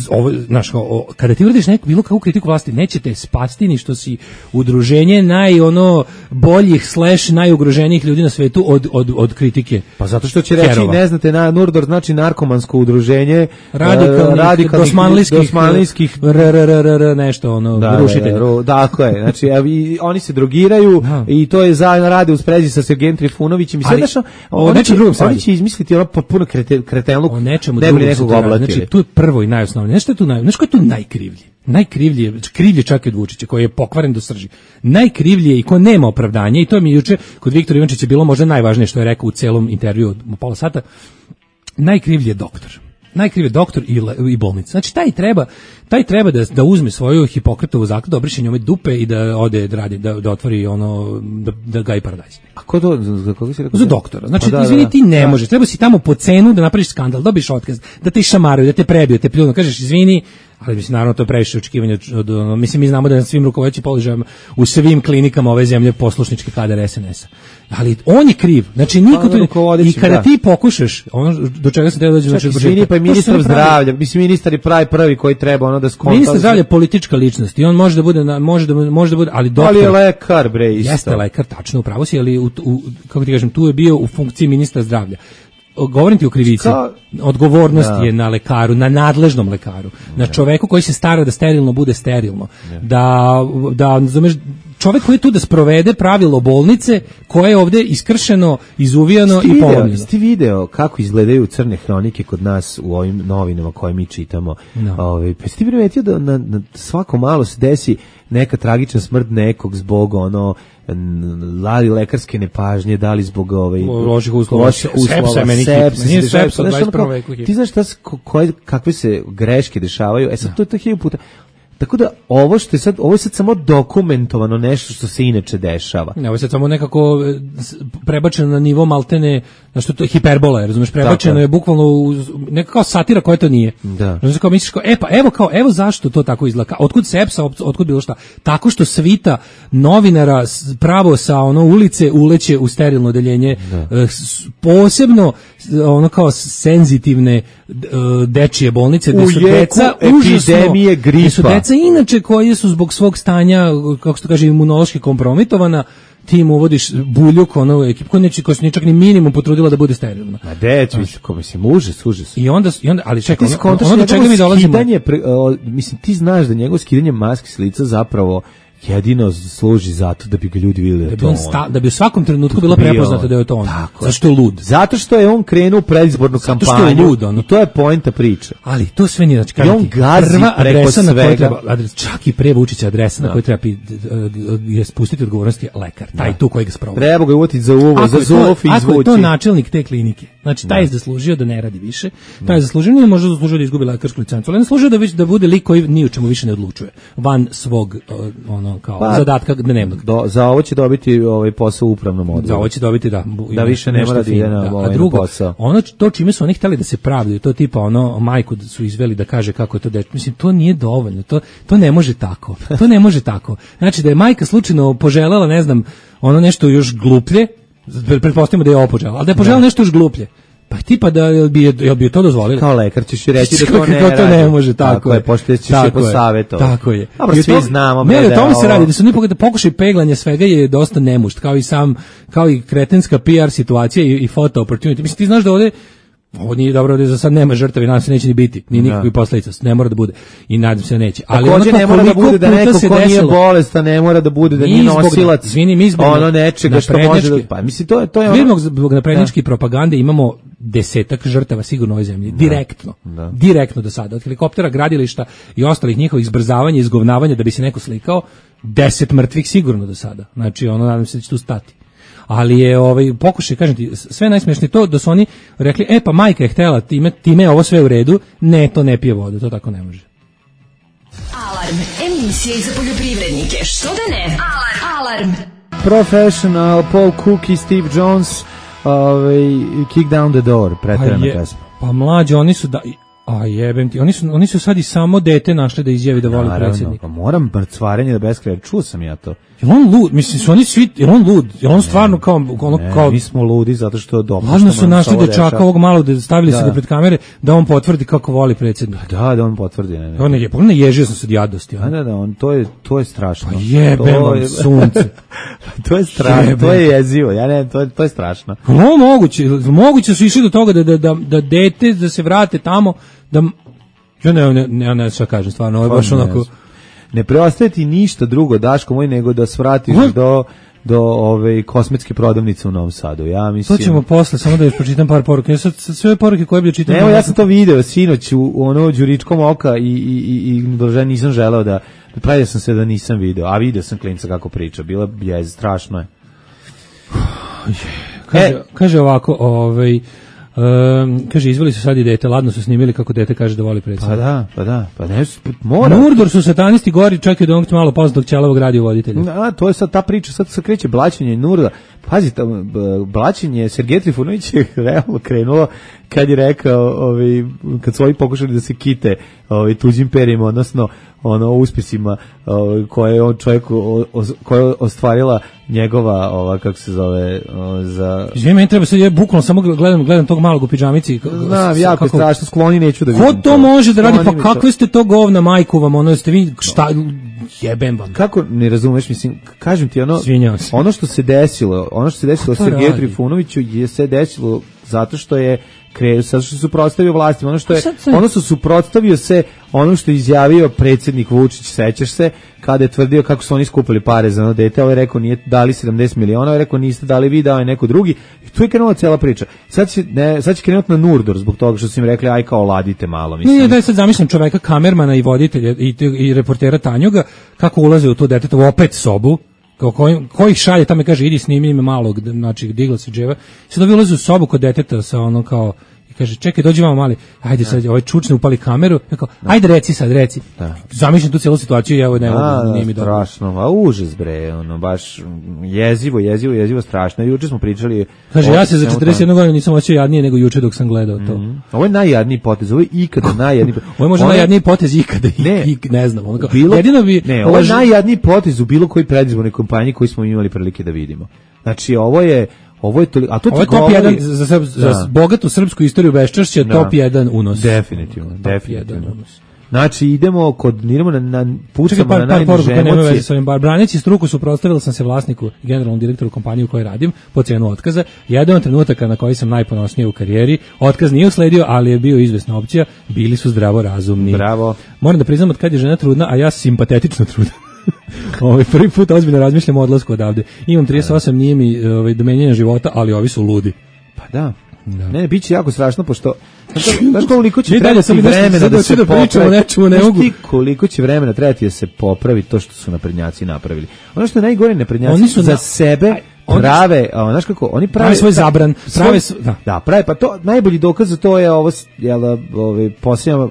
ovo, znaš, kada ti uradiš neku bilo kakvu kritiku vlasti, nećete spasti ni što si udruženje naj ono boljih slash najugroženijih ljudi na svetu od, od, od kritike. Pa zato što će reći, Herova. Ne znate, na Nurdor znači narkomansko udruženje radikalnih, radikalnih dosmanlijskih, dosmanlijskih rrrr, nešto ono, da, rušitelja. Da, tako je, znači evi, oni se drogiraju da. I to je zajedno rade u sprezi sa Sergejem Trifunovićem i sve daš, oni, oni će izmisliti ono potpuno krete, kretenluk, o nečemu ne bi nekog oblatili. Znači, tu je prvo i najosnovnije. Nešto je tu naj, nešto je tu najkrivlje. Najkrivlje je, krivlje čak i od Vučića, koji je pokvaren do srži. Najkrivlje i ko nema opravdanja, i to mi juče kod Viktora Ivančića bilo možda najvažnije što je rekao u celom intervjuu od pola sata, najkrivlje je doktor. Najkrivlje doktor i, i bolnica. Znači taj treba, taj treba da, da uzme svoju Hipokratovu zakletvu, da obriše njome dupe i da ode da radi, da, da otvori ono, da, da gaji paradajz. A ko to, za koga si rekao? Za doktora. Znači, pa da, izvini, ti ne da. možeš, treba si tamo po cenu da napraviš skandal, dobiš otkaz, da te šamaraju, da te prebiju, da te pljunu, kažeš izvini, ali mislim, naravno to je previše očekivanja od, od, mislim, mi znamo da na svim rukovodećim položajima u svim klinikama ove zemlje poslušnički kadar es en es a. Ali on je kriv. Znači niko to i kada da. Ti pokušaš, ono do čega se treba doći, znači izvini, pa ministar zdravlja, mislim ministar je pravi prvi koji treba ono da skonta. Ministar zdravlja je politička ličnost i on može da bude na, može da može da bude, ali doktor. Ali je lekar bre isto. Jeste lekar, tačno, upravo si, ali u, u, kako ti kažem, tu je bio u funkciji ministra zdravlja. Govorim ti o krivici. Ka... Odgovornost da. Je na lekaru, na nadležnom lekaru, na čoveku koji se stara da sterilno bude sterilno. Da, da, da čovek koji je tu da sprovede pravilo bolnice koje je ovde iskršeno, izuvijano i polomljeno. Ste video kako izgledaju crne hronike kod nas u ovim novinama koje mi čitamo? No. Ove, pa ste primetio da na, na svako malo se desi neka tragična smrt nekog zbog ono lali lekarske nepažnje, da li zbog ovaj loših uslova, sepsa, nije sepsa, ti znaš šta, koje, kakve se greške dešavaju, e sad to je to hiljadu puta. Tako da ovo što je sad, ovo je sad samo dokumentovano nešto što se inače dešava. Ne, ovo je sad samo nekako prebačeno na nivo maltene, na što to je hiperbola, razumeš, prebačeno tako je bukvalno u, nekako kao satira koja to nije. Da. Razumeš, kao misliš kao, e pa evo kao, evo zašto to tako izgleda, otkud sepsa, otkud bilo šta, tako što svita novinara pravo sa ono ulice uleće u sterilno odeljenje, da. Posebno ono kao senzitivne dečije bolnice, gde su deca epidemije gripa. Inače koji su zbog svog stanja, kako se to kaže, imunološki kompromitovana, ti im uvodiš buljuk, ono ekipu koja neće, koja se ničak ni minimum potrudila da bude sterilna. Ma deć, mislim, mislim, užas, užas. I onda, i onda ali čekaj, ono, ono do čega mi dolazimo... Skidanje, mislim, ti znaš da njegovo skidanje maske s lica zapravo jedino služi zato da bi ga ljudi vidjeli da, da, bi on sta, da bi u svakom trenutku bila prepoznata da je to on. Tako, zašto je lud? Zato što je on krenuo u predizbornu kampanju. Zato što je lud, ono. I to je poenta priče. Ali to sve nije, znači, I on gazi prva preko svega. Na treba, adres, čak i pre Vučića adresa no. Na kojoj treba je spustiti odgovornosti lekar, taj no. Tu koji ga sprovodi. Treba ga uvotiti za uvo, za zof i izvući. Ako je to načelnik te klinike, znači taj no. Je zaslužio da ne radi više, taj je zaslužio, nije možda zaslužio da izgubi lekarsku licencu, ali ne zaslužio da, da bude lik koji ni u čemu više ne odlučuje, van svog ono kao pa, zadatka dnevnog. Do, za ovo će dobiti ovaj posao u upravnom odboru. Za ovo će dobiti, da. Da više ne mora da ide na ovaj posao. Ono to čime su oni hteli da se pravdaju, to tipa ono majku su izveli da kaže kako je to dete. Mislim, to nije dovoljno. To, to ne može tako. To ne može tako. Znači da je majka slučajno poželela, ne znam, ono nešto još gluplje, pretpostavimo da je ovo poželela, ali da je poželela nešto još gluplje. Pa tipa da jel bi, jel bi to dozvolili? Kao lekar ćeš i reći da to ne radi. To ne može, tako, tako je. Pošto ćeš je posavjetovati. Tako je. Dobro, svi znamo. Ne, o tome se radi, da su ni pogledaj, pokušaj peglanja svega je dosta nemušt, kao i sam, kao i kretenska P R situacija i, i photo opportunity. Mislim, ti znaš da ovde ovo nije dobro, ovdje za sad nema žrtava i nadam se neće ni biti, ni nikakvih posledica, ne mora da bude i nadam se da neće. Ali takođe ne mora da bude da neko ko nije bolestan, ne mora da bude da nije nosilac izvini, mi zbog ono nečega što može da... Pa mislim, to je, to je ono... Zbog naprednjačke propagande imamo desetak žrtava sigurno u ovoj zemlji, direktno, da, da. direktno do sada, od helikoptera, gradilišta i ostalih njihovih zbrzavanja i izgovnavanja da bi se neko slikao, deset mrtvih sigurno do sada, znači ono nadam se da će tu stati. Ali je ovaj pokušaj, kažem ti, sve najsmešnije to da su oni rekli, e pa majka je htela, time, time je ovo sve u redu, ne, to ne pije vodu, to tako ne može. Alarm, emisija za poljoprivrednike, što da ne? Alarm. Alarm. Professional, Paul Cook i Steve Jones, ovaj, Kick Down the Door, preterana pesma. Pa mlađi, oni su da... A jebem ti, oni su, oni su sad i samo dete našli da izjavi da voli predsjednika. Pa moram mrcvarenje da beskraja, čuo sam ja to. Jel on lud, mislim, su oni svi, jel on lud, jel on stvarno ne, kao... Ono, ne, kao mi smo ludi zato što dobro. Lažno su našli dečaka ovog malog, da stavili da. se ga pred kamere, da on potvrdi kako voli predsjednika. Da, da on potvrdi. Ne, ne. On je, on ne ježio sam se od jadosti. Da, da, da, on, to je, to je strašno. Pa jebem vam sunce. To je strašno, to je jezivo, ja ne, to je, to je strašno. No, moguće, moguće su išli do toga da, da, da, da dete, da se vrate tamo, da... Ja ne, ne, ne, ne, šta kažem, stvarno, ovo je baš onako... Ne preostaje ti ništa drugo, Daško moj, nego da svratiš uh? do, do ove kosmetske prodavnice u Novom Sadu. Ja mislim... To ćemo posle, samo da još pročitam par poruka. Ja sad, sve poruke koje bi čitam... Evo, ja sam to video sinoć u, u ono đuričkom oka i, i, i, i nisam želeo da... Pravio sam se da nisam video, a video sam klinca kako priča. Bila je, strašno je. Kaže, e, kaže ovako, ovaj... Um, kaže, izvoli su sad i dete, ladno su snimili kako dete kaže da voli predsjednika. Pa da, pa da, pa ne, mora. Nurdor su satanisti gori, čak i da onog malo poznatog ćelavog radiovoditelja. A, to je sad ta priča, sad se kreće blaćenje Nurda. Pazi, blaćenje Sergej Trifunović je realno krenulo kad je rekao, ovaj, kad su ovi pokušali da se kite ovaj, tuđim perima, odnosno ono uspjesima ovaj, koje je on čovjek o, o, koje je ostvarila njegova, ova, kako se zove, o, za... Izvijek, meni treba sad, ja bukvalno samo gledam, gledam tog malog u pidžamici. Znam, jako je strašno, skloni neću da vidim. Ko to, to može da radi, pa kakve ste to govna majku vam, ono ste vi, šta, jebem vam. Kako, ne razumeš, mislim, kažem ti, ono, ono što se desilo, ono što se desilo Sergeju Trifunoviću je se desilo zato što je krenuo, zato što se suprotstavio vlastima, ono što je, ono što suprotstavio se ono što je izjavio predsjednik Vučić, sećaš se, kada je tvrdio kako su oni skupili pare za ono dete, ovaj rekao nije dali sedamdeset miliona, ovaj rekao niste dali vi, dao je neko drugi, i tu je krenula cijela priča. Sad će, ne, sad će krenuti na Nurdor zbog toga što su im rekli aj kao ladite malo. Mislim. Nije, daj sad zamišljam čoveka, kamermana i voditelja i, i reportera Tanjuga, kako ulaze u to detetovo opet sobu, Koji, koji šalje tamo i kaže idi snimi ime malog, znači digla se dževa. Sad ovi ulaze u sobu kod deteta sa ono kao i kaže čekaj dođi vamo mali, ajde sad ovaj čučne upali kameru, kao ajde reci sad reci. Da. Zamišljam tu cijelu situaciju i evo ne mogu nije mi dobro. Strašno, a užas bre, ono baš jezivo, jezivo, jezivo strašno. Juče smo pričali. Kaže ja se za četrdeset jednu godinu nisam osjećao jadnije nego juče dok sam gledao to. Mm-hmm. Ovo je najjadniji potez, ovo je ikada najjadniji. Ovo je možda ono... najjadniji potez ikada. Ne, i, ne znam, ono kao. Bilo, jedino bi ne, ovo je najjadniji potez u bilo kojoj predizbornoj kampanji koju smo imali prilike da vidimo. Znači ovo je Ovo je to, a to ovo je top govori, jedan za, za, za bogatu srpsku istoriju beščašća, top jedan unos. Definitivno, definitivno. Znači idemo kod idemo na, na pucamo par, na najniže emocije. Braneći struku suprotstavila sam se vlasniku i generalnom direktoru kompanije u kojoj radim po cenu otkaza. Jedan od trenutaka na koji sam najponosniji u karijeri. Otkaz nije usledio, ali je bio izvesna opcija. Bili su zdravo razumni. Bravo. Moram da priznam od kad je žena trudna, a ja simpatetično trudna. Ovaj prvi put ozbiljno razmišljam o odlasku odavde. Imam trideset osam, nije mi ovaj do menjanja života, ali ovi su ludi. Pa da. Da. Ne, biće jako strašno pošto znaš koliko će trebati vremena da se da pričamo nečemu, ne mogu. Koliko će vremena trebati da se popravi to što su naprednjaci napravili. Ono što je najgore, naprednjaci oni su za na... sebe prave, a znaš kako, oni prave, prave svoj zabran, prave svoj, da. da, prave, pa to najbolji dokaz za to je ovo, jel, ovaj posljednja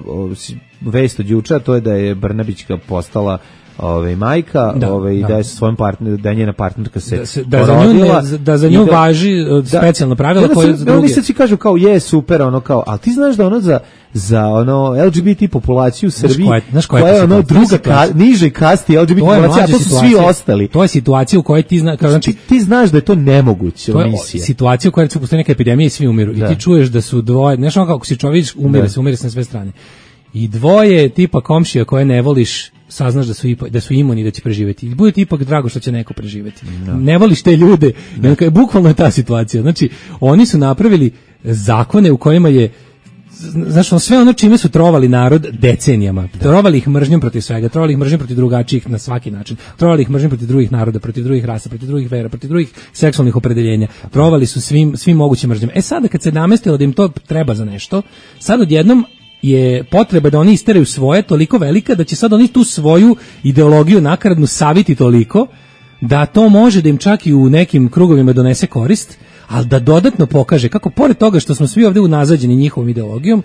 vest od juče, to je da je Brnabićka postala ovaj majka, da, ovaj da. da je sa svojom partner, da je njena partnerka se da, se, da za nju ne, da za nju da, važi specijalno pravilo da, koje za druge. Oni sad svi kažu kao je super, ono kao, al ti znaš da ono za za ono L G B T populaciju u Srbiji, koja, znaš koja, koja je ono druga ka, niže kasti L G B T populacija, a to su svi ostali. To je situacija u kojoj ti znaš, znači ti znaš da je to nemoguće. To je misija. Situacija u kojoj recimo postoji neka epidemija i svi umiru da. I ti čuješ da su dvoje, znaš ono kako si čovjek umire, da. se umire se na sve strane. I dvoje tipa komšija koje ne voliš, saznaš da su ipak, da su imuni da će preživeti. I bude ti ipak drago što će neko preživeti. No. Ne voliš te ljude. No. I bukvalno je ta situacija. Znači, oni su napravili zakone u kojima je znaš, on, sve ono čime su trovali narod decenijama. Da. Trovali ih mržnjom protiv svega, trovali ih mržnjom protiv drugačijih na svaki način. Trovali ih mržnjom protiv drugih naroda, protiv drugih rasa, protiv drugih vera, protiv drugih seksualnih opredeljenja. Trovali su svim svim mogućim mržnjom. E sada kad se namestilo da im to treba za nešto, sad odjednom je potreba da oni isteraju svoje toliko velika da će sad oni tu svoju ideologiju nakaradnu saviti toliko da to može da im čak i u nekim krugovima donese korist, ali da dodatno pokaže kako pored toga što smo svi ovdje unazađeni njihovom ideologijom,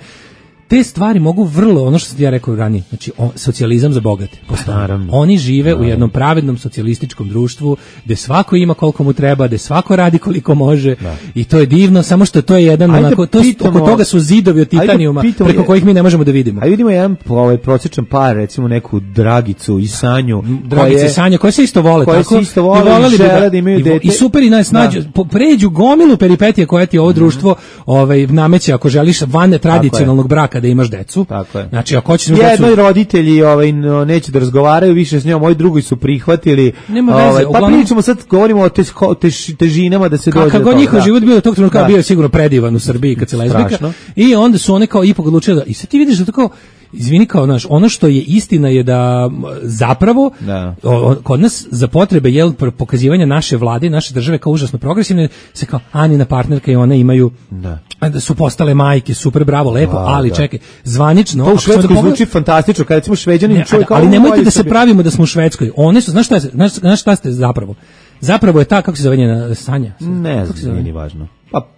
te stvari mogu vrlo, ono što sam ja rekao ranije, znači o, socijalizam za bogate. Naravno. Oni žive Naravno. u jednom pravednom socijalističkom društvu gde svako ima koliko mu treba, gde svako radi koliko može da. I to je divno, samo što to je jedan ajde onako, to, pitamo, oko toga su zidovi od titanijuma pitamo, preko kojih mi ne možemo da vidimo. A vidimo jedan ovaj, prosječan par, recimo neku Dragicu i Sanju. Dragice i Sanja, koje se isto vole. Koje tako, se isto vole i, i žele da imaju dete. I super i najsnađu, da. pređu gomilu peripetije koje ti ovo društvo mm-hmm. ovaj, nameće ako želiš van tradicionalnog braka da imaš decu. Tako je. Znači ako hoćeš jednoj decu... roditelji ovaj no, neće da razgovaraju više s njom, moji drugi su prihvatili. Nema veze, ovaj, pa uglavnom... pričamo sad govorimo o tež, tež, težinama da se dođe. Kako god njihov život bio do tog trenutka bio sigurno predivan u Srbiji kad se lezbika. I onda su one kao ipak odlučile da i sad ti vidiš da to kao izvini kao naš, ono što je istina je da zapravo da. O, kod nas za potrebe jel pokazivanja naše vlade, naše države kao užasno progresivne se kao Anina partnerka i one imaju da, da su postale majke, super bravo, lepo, da, ali da. čekaj, zvanično to u Švedskoj zvuči fantastično, kad recimo Šveđanin čuje kao ali nemojte da se pravimo da smo u Švedskoj. One su, znaš šta je, znaš, znaš šta ste zapravo? Zapravo je ta, kako se zove njena Sanja? Ne znam, nije važno. Pa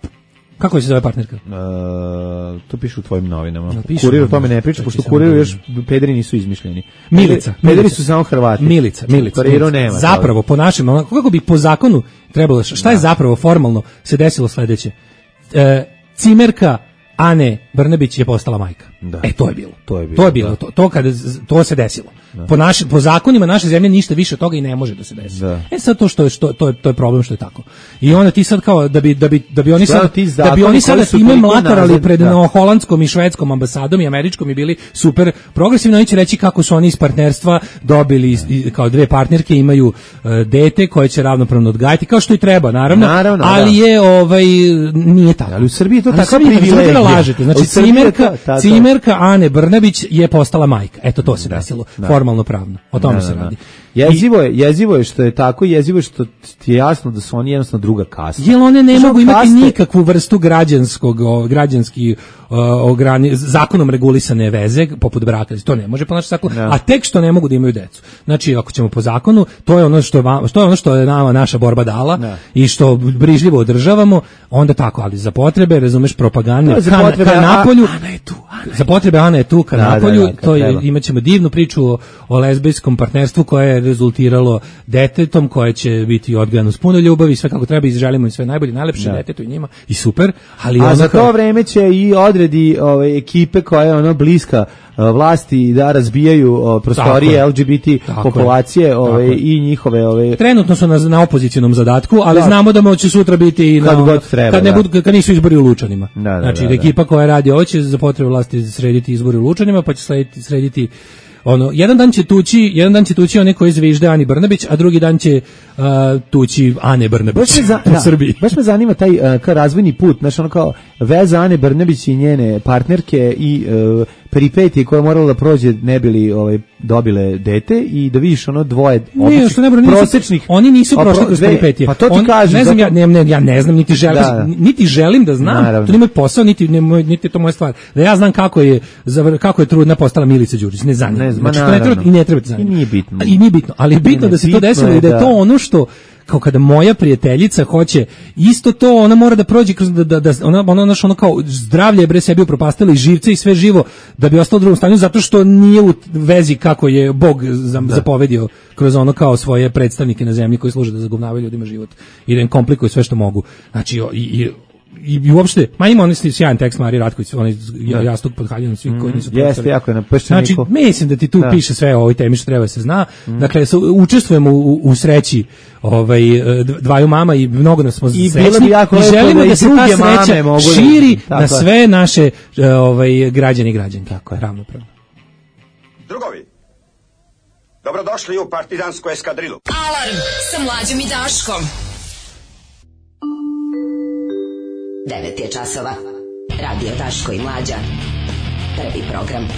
kako se zove partnerka? Uh, to piše u tvojim novinama. No, Kurir o tome ne priča, pošto u Kuriru još pederi nisu izmišljeni. Milica. Pederi Milica. su samo Hrvati. Milica. Milica. Kuriru nema. Zapravo, po našem, kako bi po zakonu trebalo, šta da. je zapravo formalno se desilo sledeće? E, cimerka Ane Brnabić je postala majka. Da. E, to je bilo. To je bilo. To je bilo. Da. To, to, kada, to se desilo. Da. Po, naši, po zakonima naše zemlje ništa više od toga i ne može da se desi. Da. E sad to što je što to je to je problem što je tako. I onda ti sad kao da bi da bi da bi oni sad da bi oni sada time mlatarali pred da. no, holandskom i švedskom ambasadom i američkom i bili super progresivno, oni će reći kako su oni iz partnerstva dobili da. kao dve partnerke imaju uh, dete koje će ravnopravno odgajati kao što i treba naravno, naravno ali da. je ovaj nije tako. Ali u Srbiji to tako privilegija. Lažete. Znači cimerka cimerka Ane Brnabić je postala majka. Eto to se da. desilo. Da. Formalno pravno. O tome da, se radi. Jezivo je, jezivo je što je tako, jezivo je što ti je jasno da su oni jednostavno druga kasta. Jel one ne mogu imati kaste... nikakvu vrstu građanskog, o, građanski o, ograni, zakonom regulisane veze, poput braka, to ne može po našem zakonu, ja. a tek što ne mogu da imaju decu. Znači, ako ćemo po zakonu, to je ono što je, vam, što je, ono što je nama naša borba dala ja. i što brižljivo održavamo, onda tako, ali za potrebe, razumeš, propagande, no, za potrebe, ka, ka napolju, Ana je tu, Ana za potrebe Ana je tu, ka da, napolju, da, da, to je, imaćemo divnu priču o, o lezbijskom partnerstvu koje je rezultiralo detetom koje će biti odgajano s puno ljubavi, sve kako treba, izželimo im sve najbolje, najlepše da. detetu i njima i super, ali a za to kao... vreme će i odredi ove ekipe koja je ono bliska vlasti da razbijaju o, prostorije L G B T populacije ove, i njihove ove trenutno su na, na opozicionom zadatku, ali da. znamo da moće sutra biti i na, kad, god treba, kad, ne da. budu, kad nisu izbori u Lučanima. Da, da, znači da, da. ekipa koja radi ovo će za potrebe vlasti srediti izbori u Lučanima, pa će srediti, srediti ono, jedan dan će tući, jedan dan će tući one koji zvižde Ani Brnabić, a drugi dan će uh, tući Ane Brnabić za, u da, Srbiji. Baš me zanima taj uh, kao razvojni put, znači ono kao veza Ane Brnabić i njene partnerke i uh, peripetije koje je moralo da prođe ne bili ovaj, dobile dete i da vidiš ono dvoje ne, što ne, bro, prosečnih. Oni nisu prošli kroz peripetije. Pa to ti On, kažem. Ne znam, ja, ne, ne, ja ne znam, niti želim, da, da. niti želim da znam, naravno. To nije moj posao, niti, ne, niti je to moja stvar. Da ja znam kako je, kako je trudna postala Milica Đurić, ne zanima. Ne znam, znači, to ne treba, i ne treba ti zanima. I nije bitno. I nije bitno, ali je bitno ne, da se to desilo i da je to ono što kao kada moja prijateljica hoće isto to, ona mora da prođe kroz da da, da ona ona naš ono kao zdravlje bre sebi upropastila i živce i sve živo da bi ostalo u drugom stanju zato što nije u vezi kako je Bog zapovedio kroz ono kao svoje predstavnike na zemlji koji služe da zagovnavaju ljudima život i da im komplikuju sve što mogu. Znači i, i I, i uopšte, ma ima onaj sjajan tekst Marije Ratković, onaj jastuk pod haljinom svih mm, koji nisu profesori. Jeste, jako je napišen. Znači, mislim da ti tu da. piše sve o ovoj temi što treba da se zna. Mm. Dakle, su, učestvujemo u, u sreći ovaj, dvaju mama i mnogo nas smo I srećni. I želimo da, da se ta sreća širi da, na sve naše ovaj, građane i građanke. Tako je. Ravnopravno. Drugovi, dobrodošli u partizansku eskadrilu. Alarm sa Mlađom i Daškom. devet je časova. Radio Daško i Mlađa. Prvi program.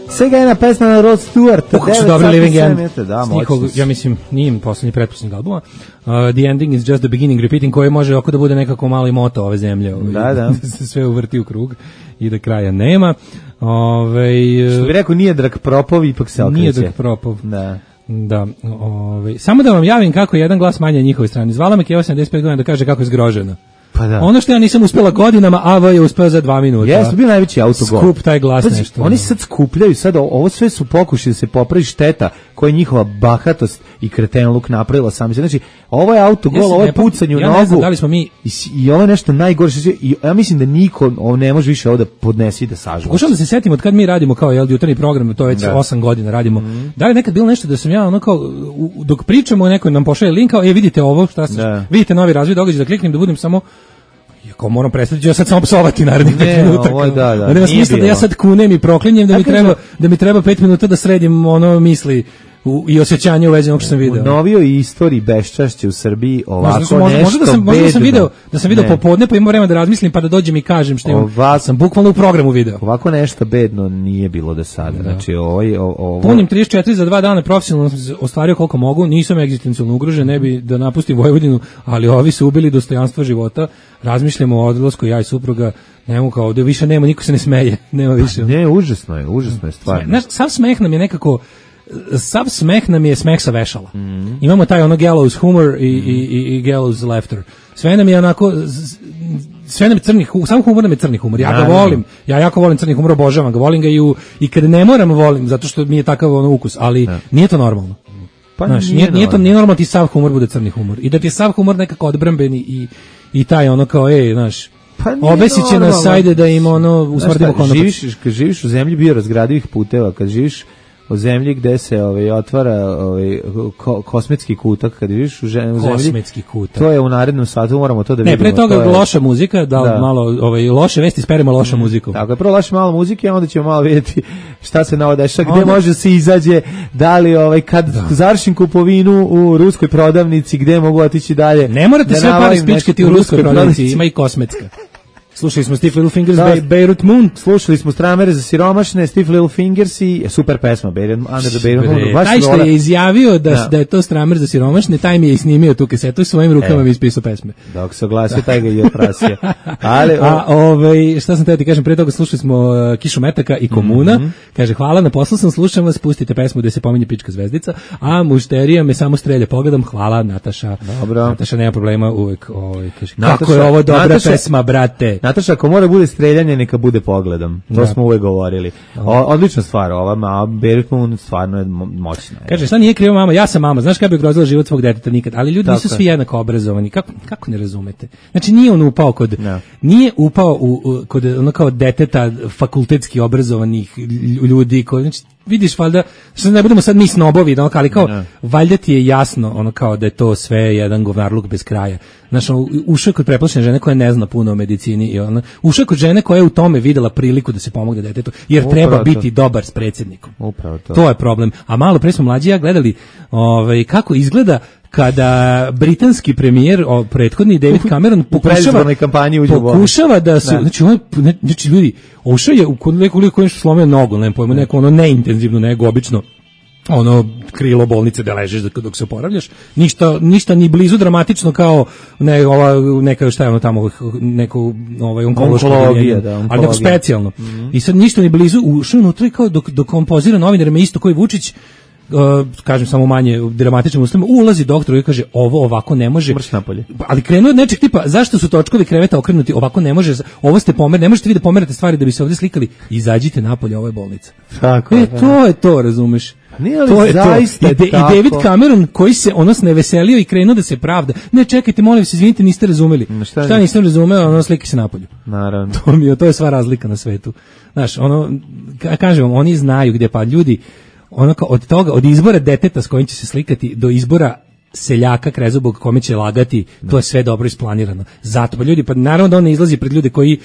Svega jedna pesma na Rod Stewart. Kako su dobri Living End. Da, njihov, ja mislim, nije im poslednji pretposlednjeg albuma. Uh, the ending is just the beginning repeating, koji može oko da bude nekako mali moto ove zemlje. Ovaj, da, da. da se sve uvrti u krug i da kraja nema. Ove, Što bi rekao, nije Drag Propov, ipak se okreće. Nije Drag Propov. Da. Da, ovaj samo da vam javim kako je jedan glas manje na njihovoj strani. Zvala me Keva sedamdeset pet godina da kaže kako je zgrožena. Pa da. Ono što ja nisam uspela godinama, A V je uspeo za dva minuta. Jeste, bio najveći autogol. Skup taj glas Pazi, nešto. Oni sad skupljaju, sad ovo sve su pokušali da se popravi šteta koja je njihova bahatost i kretenluk napravila sami. Znači, ovo je autogol, ja ovo je pucanje u ja nogu. Ne znam da li smo mi... I, i ovo je nešto najgore. I ja mislim da niko ovo ne može više ovo da podnesi i da sažva. Pokušavam da se setim od kad mi radimo kao jel, jutarnji program, to je već osam godina radimo. Mm. Da li nekad bilo nešto da sam ja ono kao, u, dok pričamo, neko nam pošalje link, kao, e, vidite ovo, šta se, vidite novi razvoj događaja, da kliknem da budem samo Iako moram prestati, ja sad samo psovati narednih pet minuta. Ovo, da, da, da nema smisla da ja sad kunem i proklinjem da mi treba da mi treba pet minuta da sredim ono misli u, i osjećanje u vezi onog što sam video. U novijoj istoriji beščašća u Srbiji ovako možda, možda, nešto možda da sam, možda da sam video, da sam video ne. popodne pa imam vremena da razmislim pa da dođem i kažem što imam. Ovako, sam bukvalno u programu video. Ovako nešto bedno nije bilo do sada. Da. Znači, ovo, ovo... Punim trideset četiri za dva dana profesionalno sam ostvario koliko mogu, nisam egzistencijalno ugrožen, ne bi da napustim Vojvodinu, ali ovi su ubili dostojanstvo života. Razmišljamo o odlasku ja i supruga, nemo kao ovde više nema, niko se ne smeje, nema više. Ne, užasno je, užasno je stvarno. Znaš, sav smeh nam je nekako sav smeh nam je smeh sa vešala. Mm. Imamo taj ono gallows humor i, mm. i, i, i gallows laughter. Sve nam je onako sve nam je crni humor, sam humor nam je crni humor. Ja ga volim. Ja jako volim crni humor, obožavam ga. Volim ga i u, i kad ne moram volim zato što mi je takav ono ukus, ali ja. Nije to normalno. Pa znaš, nije, nije, nije to nije normalno ti sav humor bude crni humor. I da ti je sav humor nekako odbrambeni i i taj ono kao ej, znaš, pa obesit će nas ajde da im ono usmrdimo konopac. Živiš, kad živiš u zemlji biorazgradivih puteva, kad živiš u zemlji gde se ovaj otvara ovaj ko, kosmetski kutak, kad živiš u zemlji kosmetski kutak. To je u narednom satu, moramo to da vidimo. Ne, pre toga to je loša muzika, da, da. malo ovaj loše vesti speremo loša mm. muziku. Tako je, prvo loše malo muzike, a onda ćemo malo vidjeti šta se nova dešava, gde onda može se izađe, da li ovaj kad da. završim kupovinu u ruskoj prodavnici, gde mogu otići dalje. Ne morate sve pare spičkati u ruskoj prodavnici, ima i kosmetska. Slušali smo Stiff Little Fingers, da, Be Beirut Moon. Slušali smo Stramere za siromašne, Stiff Little Fingers i super pesma, Beirut, Under the Beirut Moon. Taj što je izjavio da, da. da je to Stramer za siromašne, taj mi je i snimio tu kasetu i svojim rukama e. mi ispisao pesme. Dok se oglasio, taj ga je oprasio. Ali, a ovaj, šta sam te ti kažem, pre toga slušali smo uh, Kišu Metaka i Komuna. Mm -hmm. Kaže, hvala, na poslu sam, slušam vas, pustite pesmu gde se pominje Pička zvezdica, a mušterija me samo strelja pogledom. Hvala, Nataša. Dobro. Nataša nema problema uvek. Ovaj, kaže, Nataša, kako je ovo dobra Nataša, pesma, brate. Nataša, ako mora bude streljanje, neka bude pogledom. To da. smo uvek govorili. O, odlična stvar, ova ma Beirut Moon stvarno je moćna. Kaže, šta nije kriva mama, ja sam mama, znaš kada bi ugrozila život svog deteta nikad, ali ljudi Tako nisu svi jednako obrazovani. Kako, kako ne razumete? Znači nije on upao kod no. nije upao u, u, kod ono kao deteta fakultetski obrazovanih ljudi, koji, znači vidiš valjda, što ne budemo sad mi snobovi, no, ali kao no. valjda ti je jasno ono kao da je to sve jedan govnarluk bez kraja. Znaš, ušao kod preplašene žene koja ne zna puno o medicini i ona, ušao kod žene koja je u tome videla priliku da se pomogne detetu, jer Upravo treba to. biti dobar s predsjednikom. Upravo to. To je problem. A malo pre smo mlađi ja gledali ovaj, kako izgleda kada britanski premijer, o, prethodni David Cameron pokušava, pokušava da se, da. znači, on, znači ljudi, ušao je u neku liku koji je slomio nogu, ne pojma, neko ono neintenzivno, nego obično ono krilo bolnice da ležeš dok se oporavljaš, ništa ništa ni blizu dramatično kao ne ova neka šta je ono tamo neko ovaj onkologija, da, ali neko specijalno. Mm -hmm. I sad ništa ni blizu, ušao unutra kao dok dok kompozira novinarima isto koji Vučić uh, kažem samo manje dramatičnim uslovima, ulazi doktor i kaže ovo ovako ne može. Mrš napolje. Ali krenuo od nečeg tipa zašto su točkovi kreveta okrenuti, ovako ne može, ovo ste pomer, ne možete vi da pomerate stvari da bi se ovdje slikali, izađite napolje, ovo je bolnica. Tako, e, to je to, razumeš? Nije li to je zaista to. I, de, I David Cameron koji se ono ne veselio i krenuo da se pravda. Ne, čekajte, molim se, izvinite, niste razumeli. Šta, šta nisam razumeo, ono sliki se napolju. Naravno. To mi je, to je sva razlika na svetu. Znaš, ono, kažem vam, oni znaju gde, pa ljudi, ono kao od toga, od izbora deteta s kojim će se slikati do izbora seljaka krezubog kome će lagati, to je sve dobro isplanirano. Zato, pa ljudi, pa naravno da on ne izlazi pred ljude koji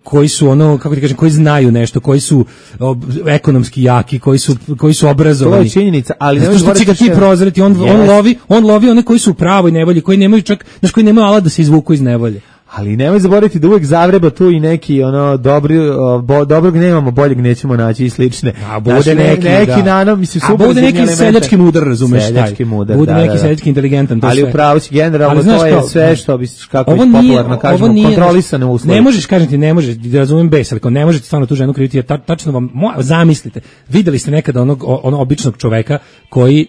koji su ono, kako ti kažem, koji znaju nešto, koji su ob, ekonomski jaki, koji su koji su obrazovani. To je činjenica, ali ne što će ga ti prozreti, on yes. on lovi, on lovi one koji su u pravoj nevolji, koji nemaju čak, znači koji nemaju alat da se izvuku iz nevolje. Ali nemoj zaboraviti da uvek zavreba tu i neki ono dobri bo, dobrog nemamo, boljeg nećemo naći i slične. A bude znači, neki, neki da. nano, mislim super. A bude neki seljački mudar, razumeš, seljački mudar, bude da, neki da, da. seljački inteligentan, to ali sve. Ali upravo si generalno to je sve što bi kako ovo je nije, popularno kažemo, ovo nije, kontrolisane uslovi. Ne možeš kažem ti, ne možeš, da razumem bes, ali ne možete stvarno tu ženu kriviti, jer ta, tačno vam zamislite. Videli ste nekada onog onog običnog čoveka koji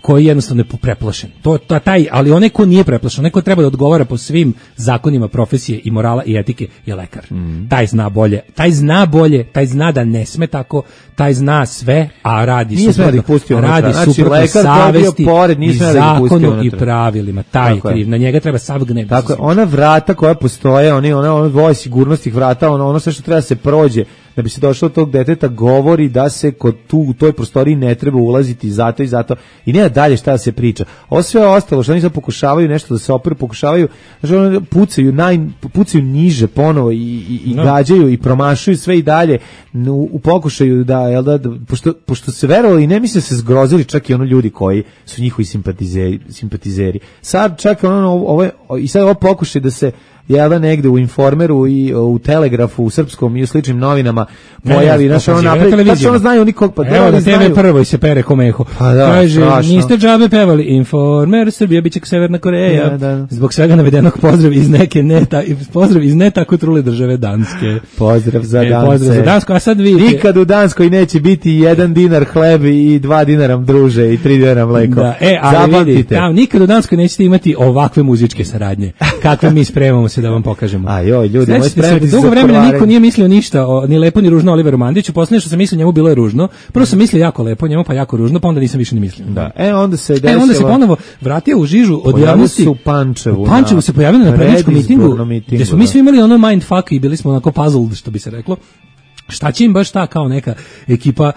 koji jednostavno je preplašen. To, to taj, ali onaj ko nije preplašen, onaj ko treba da odgovara po svim zakonima profesije i morala i etike je lekar. Mm. Taj zna bolje, taj zna bolje, taj zna da ne sme tako, taj zna sve, a radi nije suprotno, radi znači, suprotno savesti pored, i zakonu i pravilima. Taj je kriv, na njega treba sav gneb. Tako je, ona vrata koja postoje, oni, ona, ona dvoje sigurnosnih vrata, ono, ono sve što treba se prođe da bi se došlo od tog deteta, govori da se kod tu u toj prostoriji ne treba ulaziti zato i zato i nema dalje šta da se priča. Ovo sve ostalo što oni sad pokušavaju nešto da se operu, pokušavaju, znači oni pucaju, naj, pucaju niže ponovo i, i, i no. gađaju i promašuju sve i dalje u, u pokušaju da, jel da, pošto, pošto se verovali i ne misle se zgrozili čak i ono ljudi koji su njihovi simpatizeri, simpatizeri. Sad čak ono, ovo, i sad ovo pokušaj da se jel da negde u Informeru i u Telegrafu, u Srpskom i u sličnim novinama pojavi, znaš, ono napravi, tačno ono znaju nikog, pa evo na te ve prvoj se pere ko meho. Pa da, kaže, strašno. Niste džabe pevali, Informer, Srbija biće kao Severna Koreja, da, da. Zbog svega navedenog pozdrav iz neke ne, ta, pozdrav iz ne tako trule države Danske. Pozdrav za e, Danske. Pozdrav za Dansku, a sad vidite. Nikad u Danskoj neće biti jedan dinar hleb i dva dinara druže i tri dinara mleko. Da, e, ali vidite, tam, nikad u Danskoj nećete imati ovakve muzičke saradnje, kakve mi spremamo se da vam pokažemo. A joj, ljudi, moj spremati se. Dugo vremena niko nije mislio ništa o, ni lepo ni ružno o Oliveru Mandiću. Poslednje što sam mislio njemu bilo je ružno. Prvo sam mislio jako lepo njemu, pa jako ružno, pa onda nisam više ni mislio. Da. E onda se desilo. E onda se ponovo vratio u žižu od javnosti. U Pančevu. U Pančevu se pojavio na predničkom mitingu, gdje smo mi svi imali ono mindfuck i bili smo onako puzzled, što bi se reklo. Šta će im baš ta kao neka ekipa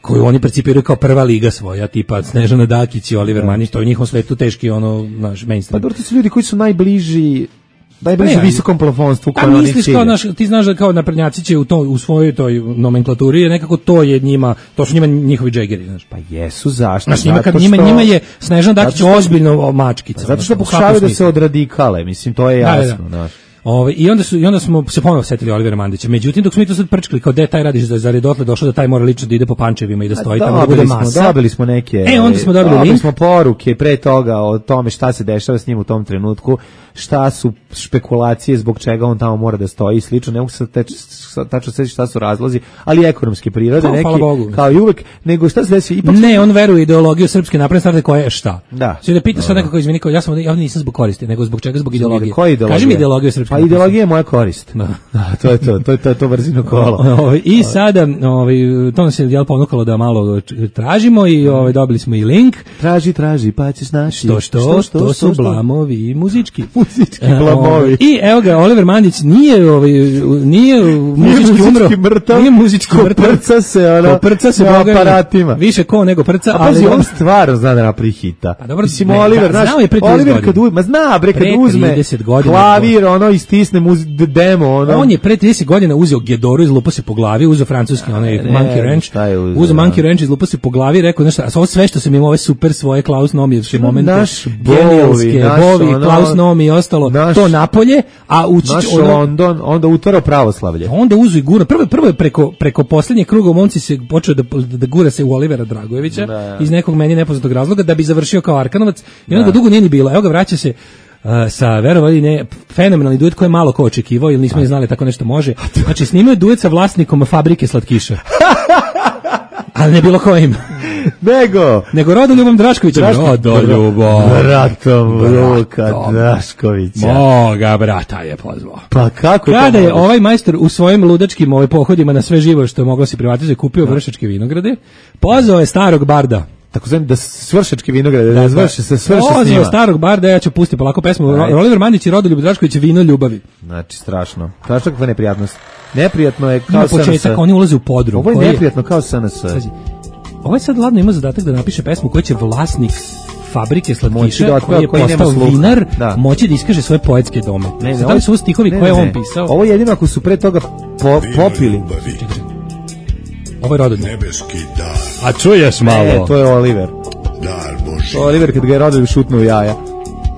koju oni percipiraju kao prva liga svoja, tipa Snežana Dakić i Oliver Mandić, to je u njihovom svetu teški ono naš mainstream. Pa dobro, to su ljudi koji su najbliži najbliže visokom plafonstvu koje oni misliš kao naš, ti znaš da kao naprednjaci će u to u svojoj toj nomenklaturi je nekako to je njima, to su njima njihovi džegeri, znaš. Pa jesu, zašto? Znaš, njima kad njima, njima je Snežana Dakić ozbiljno mačkica. Pa zato što pokušavaju da se odradikale, mislim, to je jasno, znaš. Ove, i onda su i onda smo se ponovo setili Olivera Mandića. Međutim, dok smo mi to sad prčkali kao de taj radiš da za redotle došlo da taj mora lično da ide po Pančevima i da stoji tamo da bude masa. Dobili smo neke. E, onda smo dobili dobili link. smo poruke pre toga o tome šta se dešava s njim u tom trenutku, šta su špekulacije zbog čega on tamo mora da stoji i slično. Ne mogu se tačno seći šta su razlozi, ali ekonomske prirode no, neki kao i uvek, nego šta se desi ipak. Ne, on veruje u ideologiju srpske napredne stranke koja je šta. Da. Sve da pita sad nekako izmeni kao ja sam ja nisam zbog koristi, nego zbog čega zbog ideologije. Kaži mi ideologiju srpske. Pa ideologija je moja korist. Da. Da, to je to, to je to, to brzino kolo. Ovaj i sada, ovaj to nas je jel ponukalo da malo tražimo i ovaj dobili smo i link. Traži, traži, pa ćeš naći. Što što, što, to su blamovi muzički. Muzički blamovi. I evo ga Oliver Mandić nije ovaj nije muzički umro. Mrtav, nije muzički mrtav. Prca se ona. Prca se na aparatima. Više ko nego prca, a ali on stvarno zna da napravi hita. Pa dobro, mislim Oliver, znaš, Oliver kad uzme, ma zna bre kad uzme klavir, ono istisne demo, ono. On je pre trideset godina uzeo Gedoru, izlupao se po glavi, uzeo francuski onaj Monkey Ranch, uzeo Monkey Ranch, izlupao se po glavi, rekao nešto, a ovo sve što sam imao ove super svoje Klaus Nomijevske momente, genijalske, Bovi, Klaus Nomi i ostalo, naš, to napolje, a u naš London, onda utvarao pravoslavlje. Onda uzu i gura, prvo, prvo je preko, preko posljednjeg kruga u momci se počeo da, da gura se u Olivera Dragojevića, da. Iz nekog meni nepoznatog razloga, da bi završio kao Arkanovac, i onda ga dugo nije ni bilo, evo ga vraća se, Uh, sa verovali ne fenomenalni duet koji je malo ko očekivao ili nismo ni znali tako nešto može. Znači snimaju duet sa vlasnikom fabrike slatkiša. ali ne bilo kojim. Nego, nego Rodoljubom Draškovićem. Rodoljubom. Bratom Luka Draškovića. Moga brata je pozvao. Pa kako to? Kada je ovaj majstor u svojim ludačkim ovaj pohodima na sve živo što je moglo se privatizovati kupio Vršačke vinograde, pozvao je starog barda. Tako znam da svršački vinograde, da zvrši se svrši s njima. Pozvao starog barda, ja ću pustiti polako pesmu. Oliver Mandić i Rodoljub Drašković, Vino ljubavi. Znači, strašno. Strašno kakva neprijatnost. Neprijatno je kao S N S. Na početak oni ulaze u podrum. Ovo je neprijatno kao S N S. Ovo je sad ladno ima zadatak da napiše pesmu koja će vlasnik fabrike slatkiša koji je postao vinar da. moći da iskaže svoje poetske dome. Ne, ne, da li su stihovi ne, koje ne, on pisao? Ovo je jedino ako su pre toga po, popili. Ovo je Rodoljub. A čuješ malo? Ne, to je Oliver. Dar Boži. To je Oliver kad ga je Rodoljub šutnuo u jaja.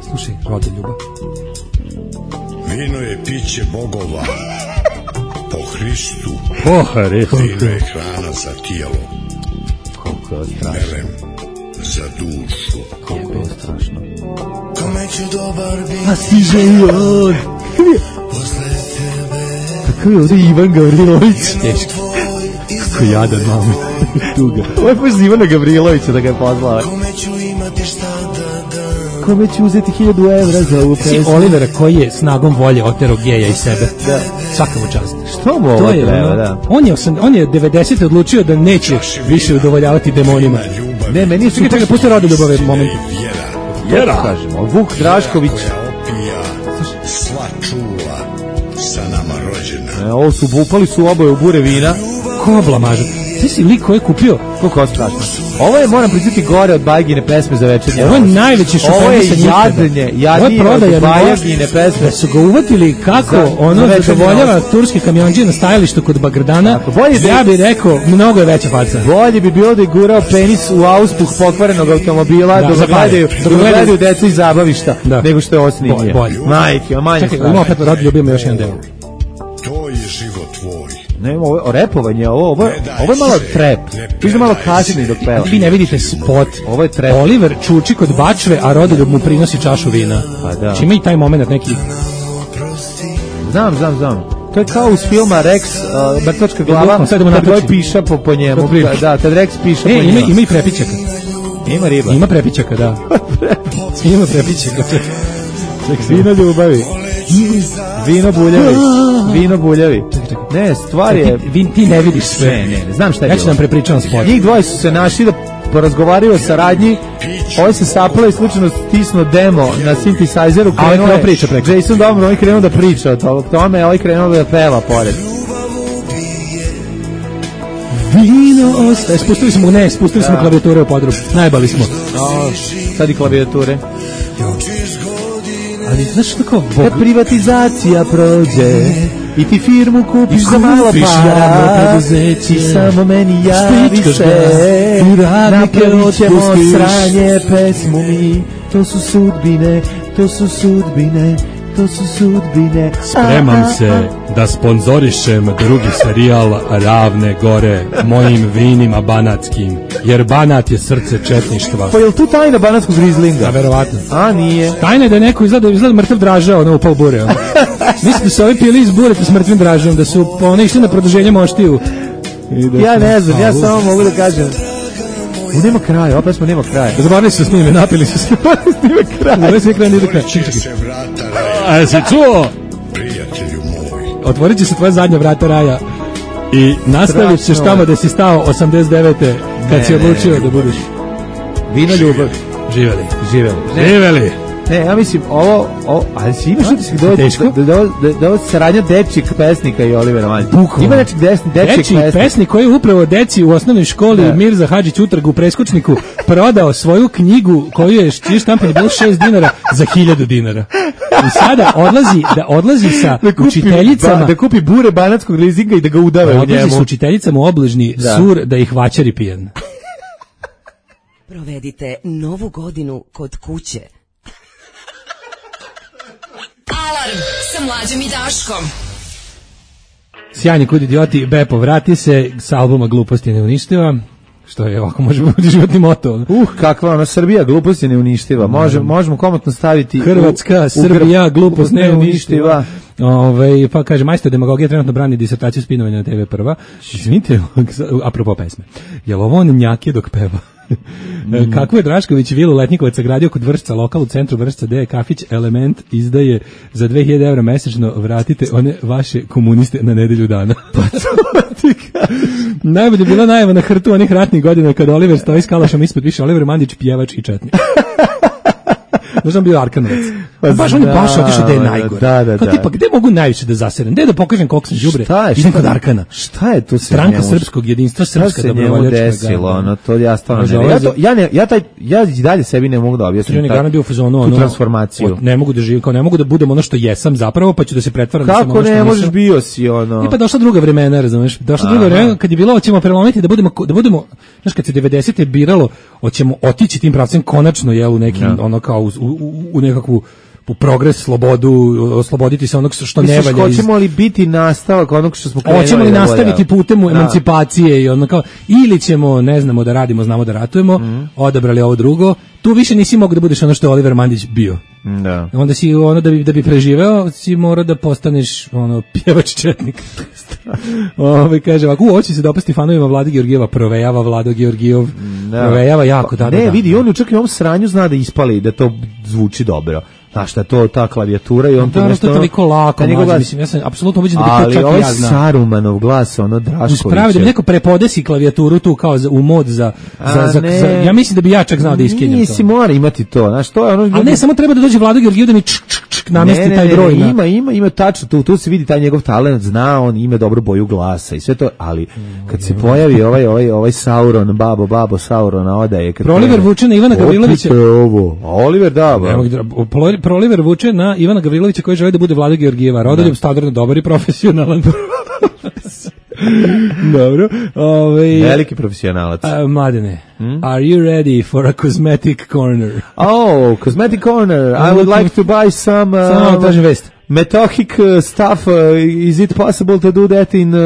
Slušaj, Rodoljuba. Vino je piće bogova. Po Hristu. Po Hristu. Vino je hrana za tijelo. Koliko je strašno. Melem za dušu. Koliko je strašno. Kome ću dobar biti. A si željon. Posle tebe. Kako je ovdje Ivan Gavrilović? Teško. Kako jadan mami. Tuga. Ovo je pošto Ivana Gavrilovića da ga je pozvala. Kome ću imati šta da dam. Kome ću uzeti hiljadu evra za ovu pesmu. Si Olivera koji je snagom volje otero geja iz sebe. Da. Svaka mu čast. Što mu ovo treba, da? On je, osam, on je devedesete odlučio da neće više udovoljavati demonima. Ne, meni su... Čekaj, čekaj, pusti Rodoljubove momente. Jera. Kažemo, Vuk Drašković. Sva čula sa nama rođena. E, ovo su upali su oboje u bure vina. Ko blamažu? Ti si lik koji je kupio? Koliko je strašno. Ovo je, moram priznati, gore od Bajgine pesme za večernje. Ovo je najveći šoferisa njikada. Ovo je jadnje, jadnije od Bajgine pesme. Da su ga uvatili kako za, ono zadovoljava turski kamionđije na stajalištu kod Bagrdana. Tako, ja bih rekao, mnogo je veća faca. Bolje bi bilo da je gurao penis u auspuh pokvarenog automobila da, dok gledaju, gledaju decu iz zabavišta, da. Nego što je ovo snimio. Bolje. Majke, manje strašno. Čekaj, ima opet Rodoljub, ima još jedan deo. To je život tvoj. Ne, ovo je repovanje, ovo, ovo, ovo je malo trep. Piše malo kasnije dok peva. Vi ne vidite spot. Ovo je trep. Oliver čuči kod bačve, a Rodoljub mu prinosi čašu vina. Pa da. Čima i taj moment neki... Znam, znam, znam. To je kao uz filma Rex, uh, Mrtvačka glava, kad Goj piša po, po njemu. Da, kad Rex piša e, po njemu. Ima, ima i prepičaka. Ima riba. Ima prepičaka, da. Ima prepičaka. Vino ljubavi. Vino buljavi. Vino buljavi. Ne, stvar je... Ti, ti ne vidiš sve. Ne, ne, ne, znam šta je ja ću nam prepričavam sport. Njih dvoje su se našli da porazgovaraju o saradnji. Ovo se sapala i slučajno stisnuo demo na synthesizeru. A ovaj krenuo priča preko. Jason dobro, ovaj krenuo da priča o tome, a ovaj krenuo da peva pored. Vino ostaje. Spustili smo, ne, spustili smo klavijature u podrum. Najbali smo. No, sad i klavijature. Ali znaš što kao... Kad privatizacija prođe i ti firmu kupiš za malo para i samo meni javi se, napravit ćemo sranje pesmu mi. To su sudbine, to su sudbine, to su sudbine. Spremam se da sponzorišem drugi serijal Ravne gore mojim vinima banatskim, jer Banat je srce četništva. Pa je li tu tajna banatskog rizlinga? A verovatno. A nije. Tajna je da je neko izgleda, izgleda mrtav dražao, ono upao bure. Ono. Mislim da su ovi pili iz bureta s mrtvim dražom, da su one išli na produženje moštiju. Da ja ne znam, ja samo mogu da kažem. U nema kraja, opet smo nema kraja. Zaboravili se s njime, napili se s njime kraja. Zaboravili se kraj, nije do kraja. Čekaj, čekaj. A jesi čuo? Prijatelju moj. Otvorit će se tvoja zadnja vrata raja i nastavit ćeš tamo da si stao osamdeset devete kad ne, si odlučio ne, ne, da budeš. Vino ljubav. Živeli. Živeli. Ne. Živeli. Ne, ja mislim, ovo, ovo ali si imaš utisak da, da, da, da, da ovo saradnja dečjeg pesnika i Olivera Mandića. Ima nečeg dečjeg pesnika. Pesnik koji je upravo deci u osnovnoj školi ne. Mirza Hadžić Utrg u preskočniku prodao svoju knjigu koju je čiji štampanje bilo šest dinara za hiljadu dinara. I sada odlazi, da odlazi sa da kupi, učiteljicama. Ba, da kupi bure banatskog lizinga i da ga udave u njemu. Odlazi sa učiteljicama u obližni da. Sur da ih vaćari pijan. Provedite novu godinu kod kuće. Alarm sa Mlađom i Daškom. Sjajni kud idioti, Bepo vrati se, s albuma Gluposti ne uništiva. Što je ovako može biti životni moto. Uh, kakva ona Srbija, glupost je neuništiva. Može, možemo komotno staviti Hrvatska, u, Srbija, glupost neuništiva. Ove, pa kaže, majstor demagogije trenutno brani disertaciju spinovanja na te ve prva. Izvinite, apropo pesme. Jel ovo on njake dok peva? Mm. Kako je Drašković vilu Letnikovac sagradio kod Vršca, lokal u centru Vršca, gde je kafić Element izdaje za dve hiljade evra mesečno, vratite one vaše komuniste na nedelju dana. Pa to najbolje je bila najava na hrtu onih ratnih godina kada Oliver stoji s kalašom ispod, piše Oliver Mandić, pjevač i četnik. Možda bio Arkanovac. Pa baš on je baš otišao da je najgore. Da, da, kao tipa, gde mogu najviše da zaserem? Gde da pokažem koliko sam đubre? Idem kod Arkana. Šta je to se Stranka srpskog jedinstva, srpska dobrovoljačka. Desilo, ono, to ja stvarno ne. Ja, to, ja, ne, ja, taj, ja i dalje sebi ne mogu da objasnim taj, bio fazonu, tu ono, transformaciju. Ne mogu da živim, kao ne mogu da budem ono što jesam zapravo, pa ću da se pretvaram. Kako ne možeš, bio si ono? I pa došla druga vremena, razumeš? Došla druga vremena kad je bilo hoćemo prelomiti da budemo da budemo, znaš, kad se devedesete biralo, hoćemo otići tim pravcem konačno je u neki ono kao u, u, u nekakvu u progres, slobodu, osloboditi se onog što ne valja. Hoćemo li biti nastavak onog što smo krenuli? Hoćemo li nastaviti putem u emancipacije i ono kao, ili ćemo, ne znamo da radimo, znamo da ratujemo, mm. odabrali ovo drugo, tu više nisi mogu da budeš ono što je Oliver Mandić bio. Da. Onda si ono da bi, da bi preživeo, si mora da postaneš ono pjevač četnik. Ove, kaže ovako, hoće se dopasti fanovima Vlade Georgijeva, provejava Vlado Georgijev, da. provejava jako, da, da, ne, da, vidi, on čak i ovom sranju zna da ispali, da to zvuči dobro. Znaš šta, to, ta klavijatura i on da, to nešto... Da, to je toliko lako, mlađe, mislim, ja sam apsolutno ubeđen da bi to čak ovaj i ja znao. Ali ovaj Sarumanov glas, ono, Drašković... Uspravi da bi neko prepodesi klavijaturu tu kao za, u mod za... za, za, za ja mislim da bi ja čak znao da iskenjam to. Nisi mora imati to, znaš, to je ono... Ali ne, samo treba da dođe Vlado Georgijev da mi čk, čk, čk, namesti taj broj. Ne, ne, ima, ima, ima tačno, tu, tu se vidi taj njegov talent, zna on, ima dobru boju glasa i sve to, ali kad se pojavi ovaj, ovaj, ovaj Sauron, babo, babo, Saurona odaje... Proliver vuče na Ivana Gavrilovića. Ovo, Oliver, da, Proliver vuče na Ivana Gavrilovića koji želi da bude Vlada Georgijeva. Rodoljub standardno dobar i profesionalan. Dobro. Ovaj veliki profesionalac. Uh, Mladene, hmm? Are you ready for a cosmetic corner? Oh, cosmetic corner. I would like to buy some uh, Samo tražim vest. Metohic uh, stuff. Uh, is it possible to do that in uh,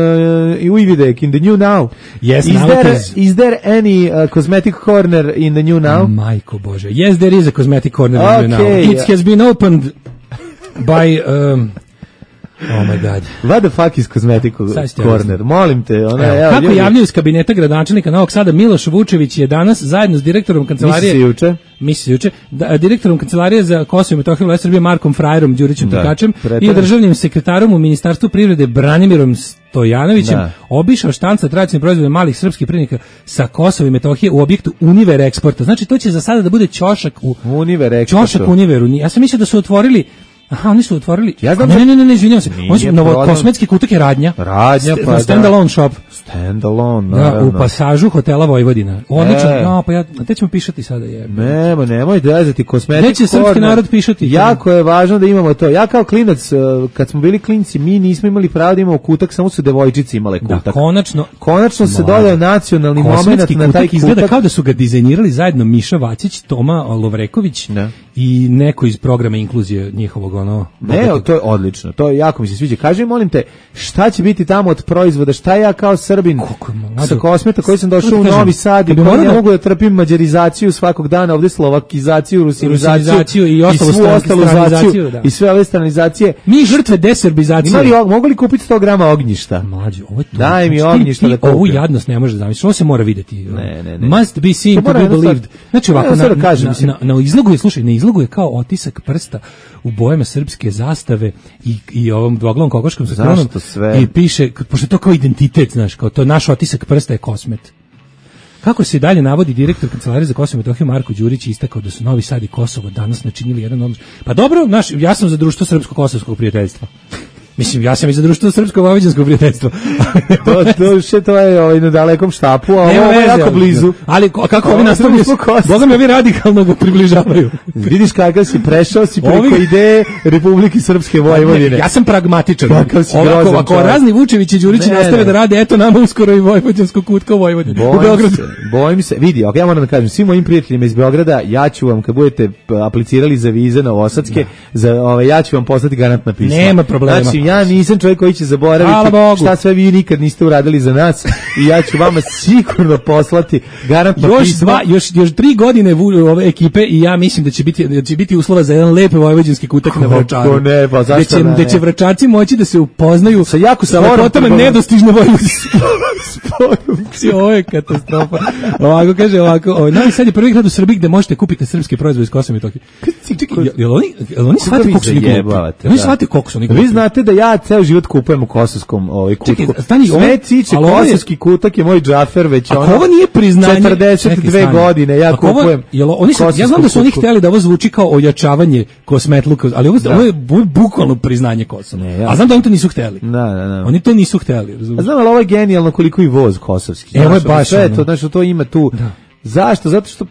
Uvidek, in the new now? Yes, is now there, it is. Is there any uh, cosmetic corner in the new now? Majko Bože. Yes, there is a cosmetic corner okay. in the new now. It has been opened by... Um, oh my god. What the fuck is cosmetic corner? Molim te. Ona, evo, evo, kako ljudi. javljaju iz kabineta gradonačelnika Novog Sada, Miloš Vučević je danas zajedno s direktorom kancelarije... Misli juče? Misli juče. Da, direktorom kancelarije za Kosovo i Metohiju Vlade Srbije Markom Frajerom Đurićem Takačem i državnim sekretarom u Ministarstvu privrede Branimirom Stojanovićem da. Obišao štanca tradicionalnih proizvoda malih srpskih privrednika sa Kosova i Metohije u objektu Univer Eksporta. Znači to će za sada da bude ćošak u Univer Eksporta. Ćošak Univeru. Ja sam mislio da su otvorili Aha, oni su otvorili. Ja znam, ne, ne, ne, ne, izvinjavam se. On je novo kosmetski kutak je Radnja. Radnja, St pa stand alone shop. Stand alone, da, u pasažu hotela Vojvodina. Odlično. E. No, pa ja, te ćemo pišati sada je. Nema, nemoj dezati kosmetik. Neće srpski narod pišati. Jako je važno da imamo to. Ja kao klinac, kad smo bili klinci, mi nismo imali pravo da imamo kutak, samo su devojčice imale kutak. Da, konačno. Konačno se dodao nacionalni momenat na taj kutak. Izgleda kao da su ga dizajnirali zajedno Miša Vacić, Toma Lovreković da. I neko iz programa inkluzije njihovog ono. Ne, to je odlično. To je jako mi se sviđa. Kaži mi, molim te, šta će biti tamo od proizvoda? Šta ja kao Srbin sa Kosmeta koji sam došao u Novi Sad i koji ne mogu da trpim mađarizaciju svakog dana, ovde slovakizaciju, rusinizaciju i, i svu ostalu zaciju i sve ove stranizacije. Mi žrtve deserbizacije. Imali, mogu li kupiti sto grama ognjišta? Mlađe, ovo je to. Daj mi ognjišta da kupim. Ovu jadnost ne može zamisliti. Ovo se mora videti. Ne, ne, ne. Must be seen to be believed. Znači ovako, na, na, na, na izlogu je, slušaj, na izlogu je kao otisak prsta u bojama srpske zastave i, i ovom dvoglavom kokoškom sa kronom i piše, pošto to kao identitet, znaš, kao to naš otisak prsta je Kosmet. Kako se dalje navodi direktor kancelarije za Kosovo i Metohiju Marko Đurić istakao da su Novi Sad i Kosovo danas načinili jedan odnos. Pa dobro, naš, ja sam za društvo srpsko-kosovskog prijateljstva. Mislim, ja sam i za društvo srpsko-vojvođanskog prijateljstva. to, to, še, to je ovaj, na dalekom štapu, a ovo je jako blizu. Ali kako ovi nastavljaju, Boga mi ovi radikalno ga približavaju. Vidiš kakav si prešao, si preko ovi... ideje Republike Srpske Vojvodine. Ja sam pragmatičan. Ovako, ako razni Vučević i Đurići nastave da rade, eto nama uskoro i vojvođanskog kutka u Vojvodini. U Beogradu. Se, bojim se, vidi, ja moram da kažem, svim mojim prijateljima iz Beograda, ja ću vam, kad budete aplicirali za vize novosadske, za, ovaj, ja ću vam poslati garantna pisma. Nema problema. Znači, Ja nisam čovjek koji će zaboraviti šta sve vi nikad niste uradili za nas i ja ću vama sigurno poslati garantno još pismo. Dva, još, još tri godine ove ekipe i ja mislim da će biti, da će biti uslova za jedan lep vojvođanski kutak na Vračaru. Ne, pa zašto da će, ne? Da će Vračarci moći da se upoznaju sa jako sa lepotama nedostižne vojvođanske. Ovo je katastrofa. Ovako kaže, ovako, ovaj, Novi Sad je prvi grad u Srbiji gde možete kupiti srpske proizvode iz Kosova i Metohije. Jel oni, jel oni shvate koliko su oni glupi? Oni shvate koliko su oni glupi? Vi znate da ja ceo život kupujem u kosovskom ovaj kutku. Sve ciče, kosovski kutak je moj džafer već ono. Ovo nije priznanje. četrdeset dve godine ja kupujem. Jel oni su, ja znam da su oni hteli da ovo zvuči kao ojačavanje kosmetluka, ali ovo, ovo je bukvalno priznanje Kosova. A znam da oni to nisu hteli. Da, da, da. Oni to nisu hteli, razumiješ? A znam, ali ovo je genijalno koliko i voz kosovski. Evo je baš sve to, znači to ima tu. Zašto? Zato što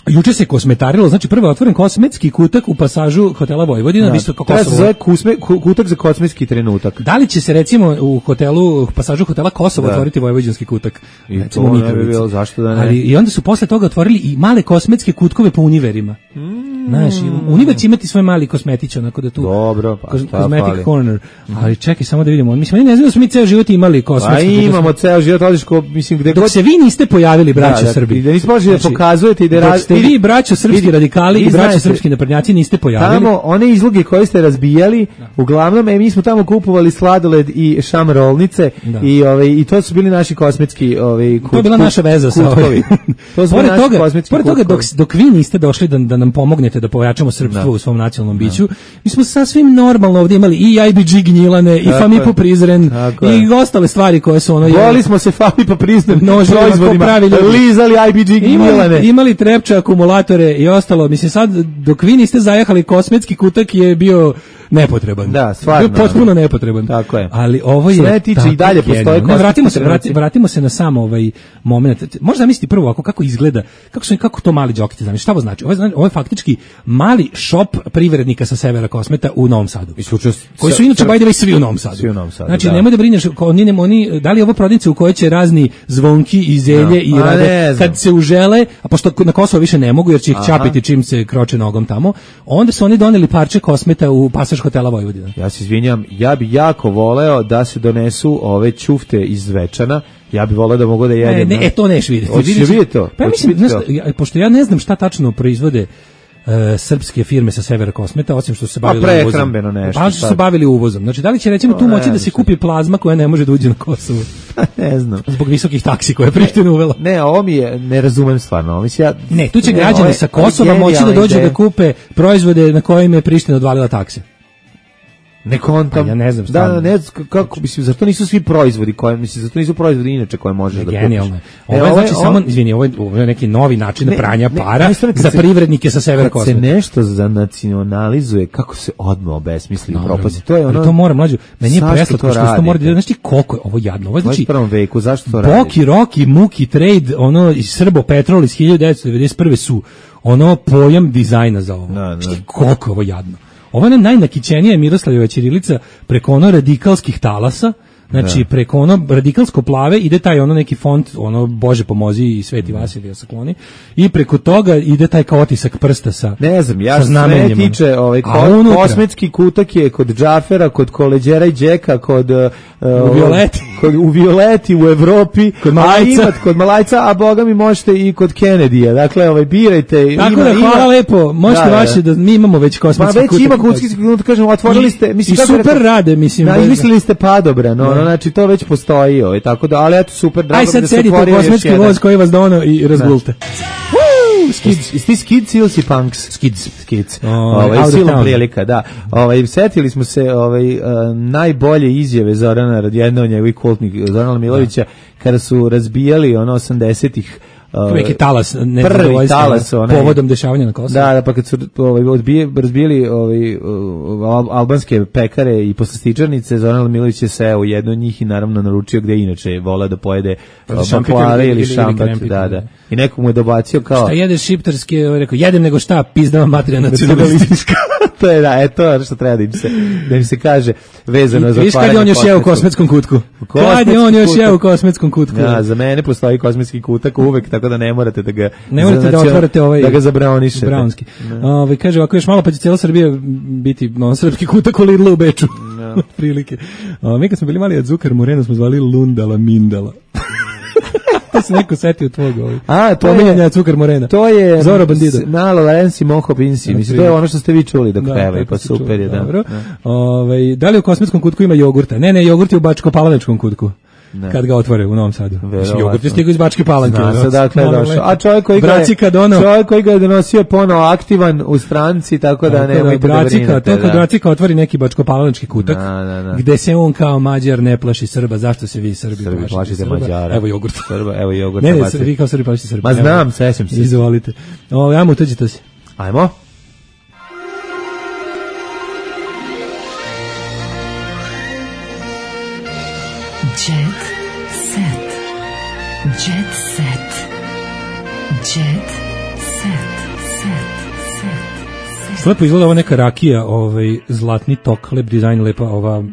juče se kosmetarilo, znači prvo je otvoren kosmetski kutak u pasažu hotela Vojvodina, visto kako Kosovo. Treba se zove kutak za kosmetski trenutak. Da li će se recimo u hotelu, u pasažu hotela Kosovo otvoriti vojvođanski kutak? I recimo to ne bi bilo, zašto da ne? Ali i onda su posle toga otvorili i male kosmetske kutkove po univerima. Mm. Znaš, univer će imati svoj mali kosmetić, onako da tu. Dobro, pa šta Cosmetic fali? corner. Ali čekaj, samo da vidimo. Mislim, oni ne znaju da smo mi ceo život imali kosmetski. Pa imamo ceo život, odliš ko, mislim, gde dok god se vi niste pojavili, braćo da, Srbi. Da nismo moželi da pokazujete i da dok ste vi, braćo srpski radikali i braćo srpski naprednjaci, niste pojavili. Tamo one izloge koje ste razbijali, uglavnom, e, mi smo tamo kupovali sladoled i šamrolnice i ovaj i to su bili naši kosmetski ovaj kut, to je bila naša veza sa ovim. To su pored naši toga, kosmetski pored toga dok, dok vi niste došli da, da nam pomognete da pojačamo srpstvo da. u svom nacionalnom biću, mi smo sasvim normalno ovdje imali i I B G Gnjilane, i Fami po Prizren, i ostale stvari koje su ono... Boli smo se Fami po Prizren proizvodima, lizali I B G Gnjilane. Imali, imali trepče, akumulatore i ostalo. Mislim, sad, dok vi niste zajahali, kosmetski kutak je bio nepotreban. Da, stvarno. Bio potpuno nepotreban. Tako je. Ali ovo je... Sve tiče i dalje postoje ne, vratimo se, vrati, vratimo se na sam ovaj moment. Možda misliti prvo ovako kako izgleda, kako su kako to mali džokiti, znači šta ovo znači? Ovo je, ovo je faktički mali shop privrednika sa severa Kosmeta u Novom Sadu. Koji su inače by the way svi u Novom Sadu. Svi u Novom Sadu. Znači da. Nemoj da brineš, oni ne oni da li je ovo prodavnica u kojoj će razni zvonki i zelje no. i rade kad se užele, a pošto na Kosovo više ne mogu jer će ih ćapiti čim se kroče nogom tamo, onda su oni doneli parče Kosmeta u pasaž hotela Vojvodina. Ja se izvinjam, ja bi jako voleo da se donesu ove ćufte iz Zvečana. Ja bih voleo da mogu da jedem. Ne, ne, e, to neš vidjeti. Hoćeš vidjeti to? Pa ja mislim, znaš, ja, pošto ja ne znam šta tačno proizvode uh, srpske firme sa severa Kosmeta, osim što su se bavili uvozom. Pa prehrambeno nešto. Pa što su se bavili uvozom. Znači, da li će recimo tu moći da se kupi plazma koja ne može da uđe na Kosovo? Ne znam. Zbog visokih taksi koje je Priština uvela. Ne, ovo mi je, ne razumem stvarno. Mislim, ja, ne, tu će ne, građani sa Kosova moći da dođu da kupe proizvode na kojim je Priština odvalila takse. Ne kontam. Pa ja ne znam da, da, ne znam kako, mislim, zato nisu svi proizvodi koje, mislim, zato nisu proizvodi inače koje možeš da kupiš. Genijalno. Ovo je znači samo, izvini, ovo je, ovo je neki novi način ne, pranja ne, para ne, za se, privrednike sa severa Kosova. Kad se nešto zanacionalizuje, kako se odmah obesmisli u propasti. To je ono. Ali to mora mlađu. Meni je preslatko što to mora da znači koliko je ovo jadno. Ovo znači u prvom veku, zašto to radi? Boki, Roki, Muki, Trade, ono iz Srbo Petrol iz hiljadu devetsto devedeset prve su ono pojam dizajna za ovo. Da, da. Koliko je ovo jadno. Ova je najnakićenija Miroslavljeva ćirilica preko ono radikalskih talasa, znači da. Preko ono radikalsko plave ide taj ono neki font, ono Bože pomozi i Sveti Vasilije sakloni, i preko toga ide taj kao otisak prsta sa ne znam, ja sve tiče ovaj ko, kosmetski kutak je kod Džafera, kod Koleđera i Đeka, kod uh, u Violeti, kod u Violeti u Evropi, kod Malajca, a kod Malajca, a boga mi možete i kod Kennedyja. Dakle, ovaj birajte. Tako ima, da hvala ima, lepo. Možete da, vaše da mi imamo već kosmetski kutak. Pa već ima kosmetski kutak, kažemo, otvorili ste, mislim i super rekao, rade, mislim. Da, izmislili ste padobran, no, znači to već postoji, ovaj, tako da, ali eto super, drago mi da se otvorio. Aj sad sedite u kosmetski voz koji vas dono i razgulte. Skids, isti Skids ili si Punks? Skids, Skids. Ovaj silom prilika, da. Ovaj setili smo se ovaj uh, najbolje izjave Zorana Radjedna, njegovih kultnih Zorana Milovića, kada su razbijali ono osamdesetih neki talas nezadovoljstva povodom dešavanja na Kosovu. Da, da, pa kad su ovaj odbije razbili ovaj albanske pekare i poslastičarnice, Zoran Milović je seo u jednu od njih i naravno naručio gde inače vola da pojede baklave ili šampat, da, da. I neko mu je dobacio kao šta jedeš šiptarski, rekao jedem nego šta, pizdava materija nacionalistička. To je da, eto je što treba da im se, da im se kaže vezano za otvaranje. Viš kad je on još jeo u kosmetskom kutku? Kad je on još jeo u kosmetskom kutku? Ja, za mene postoji kosmetski kutak uvek, tako da ne morate da ga ne morate da otvorite ovaj da ga zabraonišete. Brownski. Ovaj kaže ovako još malo pa će cela Srbija biti no srpski kutak u Lidlu u Beču. No. Prilike. O, mi kad smo bili mali od Zukar Moreno smo zvali Lundala Mindala. To se neko setio tvojeg ovih. A, to je Cukar Morena. To je Zoro Bandido. Malo Lorenzi Moho Pinsi. Mislim, to je ono što ste vi čuli dok da, pevaju, pa super je, da. Dobro. Da. Ove, da li u kosmetskom kutku ima jogurta? Ne, ne, jogurt je u Bačko-Palanečkom kutku. Ne. Kad ga otvore u Novom Sadu. Jogurt je stigao iz Bačke Palanke. Zna se dakle je došao. A čovjek koji ga je, čovjek koji ga je donosio ponovo aktivan u stranci, tako da nemojte da brinete. To kad Bracika otvori neki Bačko-Palanečki kutak, da, da, da. Gde se on kao Mađar ne plaši Srba. Zašto se vi Srbi, Srbi plašite Mađara? Evo jogurt. Srba, evo jogurt. Ne, ne, vi kao Srbi plašite Srba. Ma znam, sećam se. Izvolite. O, ajmo, utuđite se. Ajmo. Jet set. Jet set. Jet set. Set. Set. Lepo izgleda ova neka rakija, ovaj zlatni tok, lep dizajn, lepa ova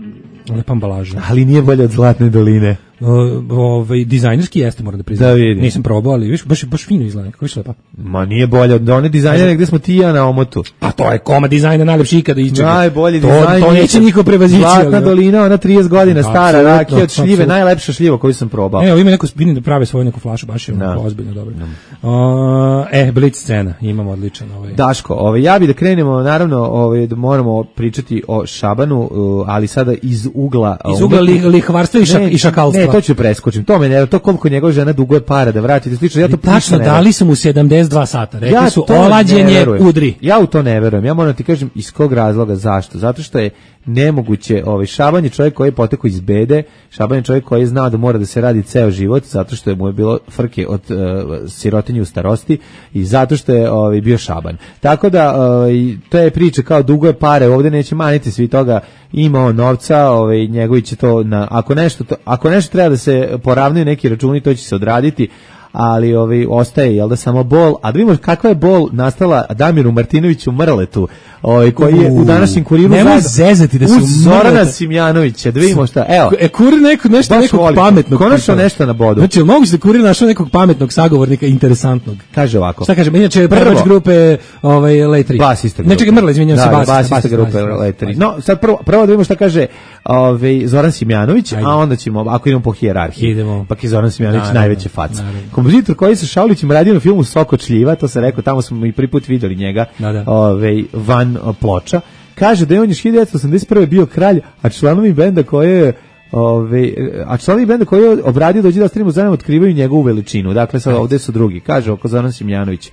lepa ambalaža. Ali nije bolje od Zlatne doline. Uh, ovaj dizajnerski jeste, moram da priznam. Da vidim. Nisam probao, ali viš baš baš fino izgleda, kako je lepa. Ma nije bolje od one dizajnere gde smo ti i ja na omotu. A to je koma dizajna najlepši ikada iščega. Najbolji to, dizajn. To neće niko prevazići. Zlatna dolina, ona trideset godina da, stara, rakija od šljive, absolutno. Najlepša šljiva koju sam probao. Evo ima neko vidim da prave svoju neku flašu, baš je no. ozbiljno dobro. No. Uh, e, Blitz scena, imamo odličan ovaj. Daško, ovaj ja bih da krenemo, naravno, ovaj da moramo pričati o Šabanu, uh, ali sada iz ugla iz ugla li, lihvarstva i, šak, ne, i šakalstva. Ne, to ću preskočiti. To me ne, to koliko njegova žena duguje para da vratite slično. Ja to tačno dali su mu sedamdeset dva sata. Rekli ja su olađenje udri. Ja u to ne verujem. Ja moram ti kažem iz kog razloga, zašto? Zato što je nemoguće, ovaj Šaban je čovjek koji je potekao iz bede, Šaban je čovjek koji je znao da mora da se radi ceo život zato što je mu je bilo frke od uh, sirotinje u starosti i zato što je ovaj bio Šaban. Tako da ovaj to je priča kao duguje pare, ovdje neće maniti svi toga, ima on novca, ovaj njegovi će to na ako nešto to, ako nešto treba da se poravnaju neki računi, to će se odraditi. Ali ovaj ostaje jel da samo bol, a da vidimo kakva je bol nastala Damiru Martinoviću Mrletu, ovaj koji je u današnjem Kuriru nemoj zezati da su Zorana Simjanovića, da vidimo šta. Evo. E Kurir neko nešto nekog volim. Pametnog. Konačno nešto na bodu. Znači, moguće da Kurir našao nekog pametnog sagovornika interesantnog. Kaže ovako. Šta kaže? Inače prvač grupe ovaj Letri. Basista grupe. Ne čekaj, Mrle, izvinjavam se, basista, basista, basista grupe Letri. No, sad prvo prvo da vidimo šta kaže ovaj Zoran Simjanović, ajde. A onda ćemo ako idemo po hijerarhiji. Idemo. Pa je Zoran Simjanović najveća faca. Kompozitor koji sa Šaulićem radio na filmu Soko čljiva, to se rekao, tamo smo i prvi put videli njega, da, da. Ovaj, van ploča. Kaže da je on još hiljadu devetsto osamdeset prve bio kralj, a članovi benda koje je Ove, a članovi benda koji je obradio dođe da ostavimo zajedno otkrivaju njegovu veličinu. Dakle, sad ovdje su drugi. Kaže oko Zoran Simjanović.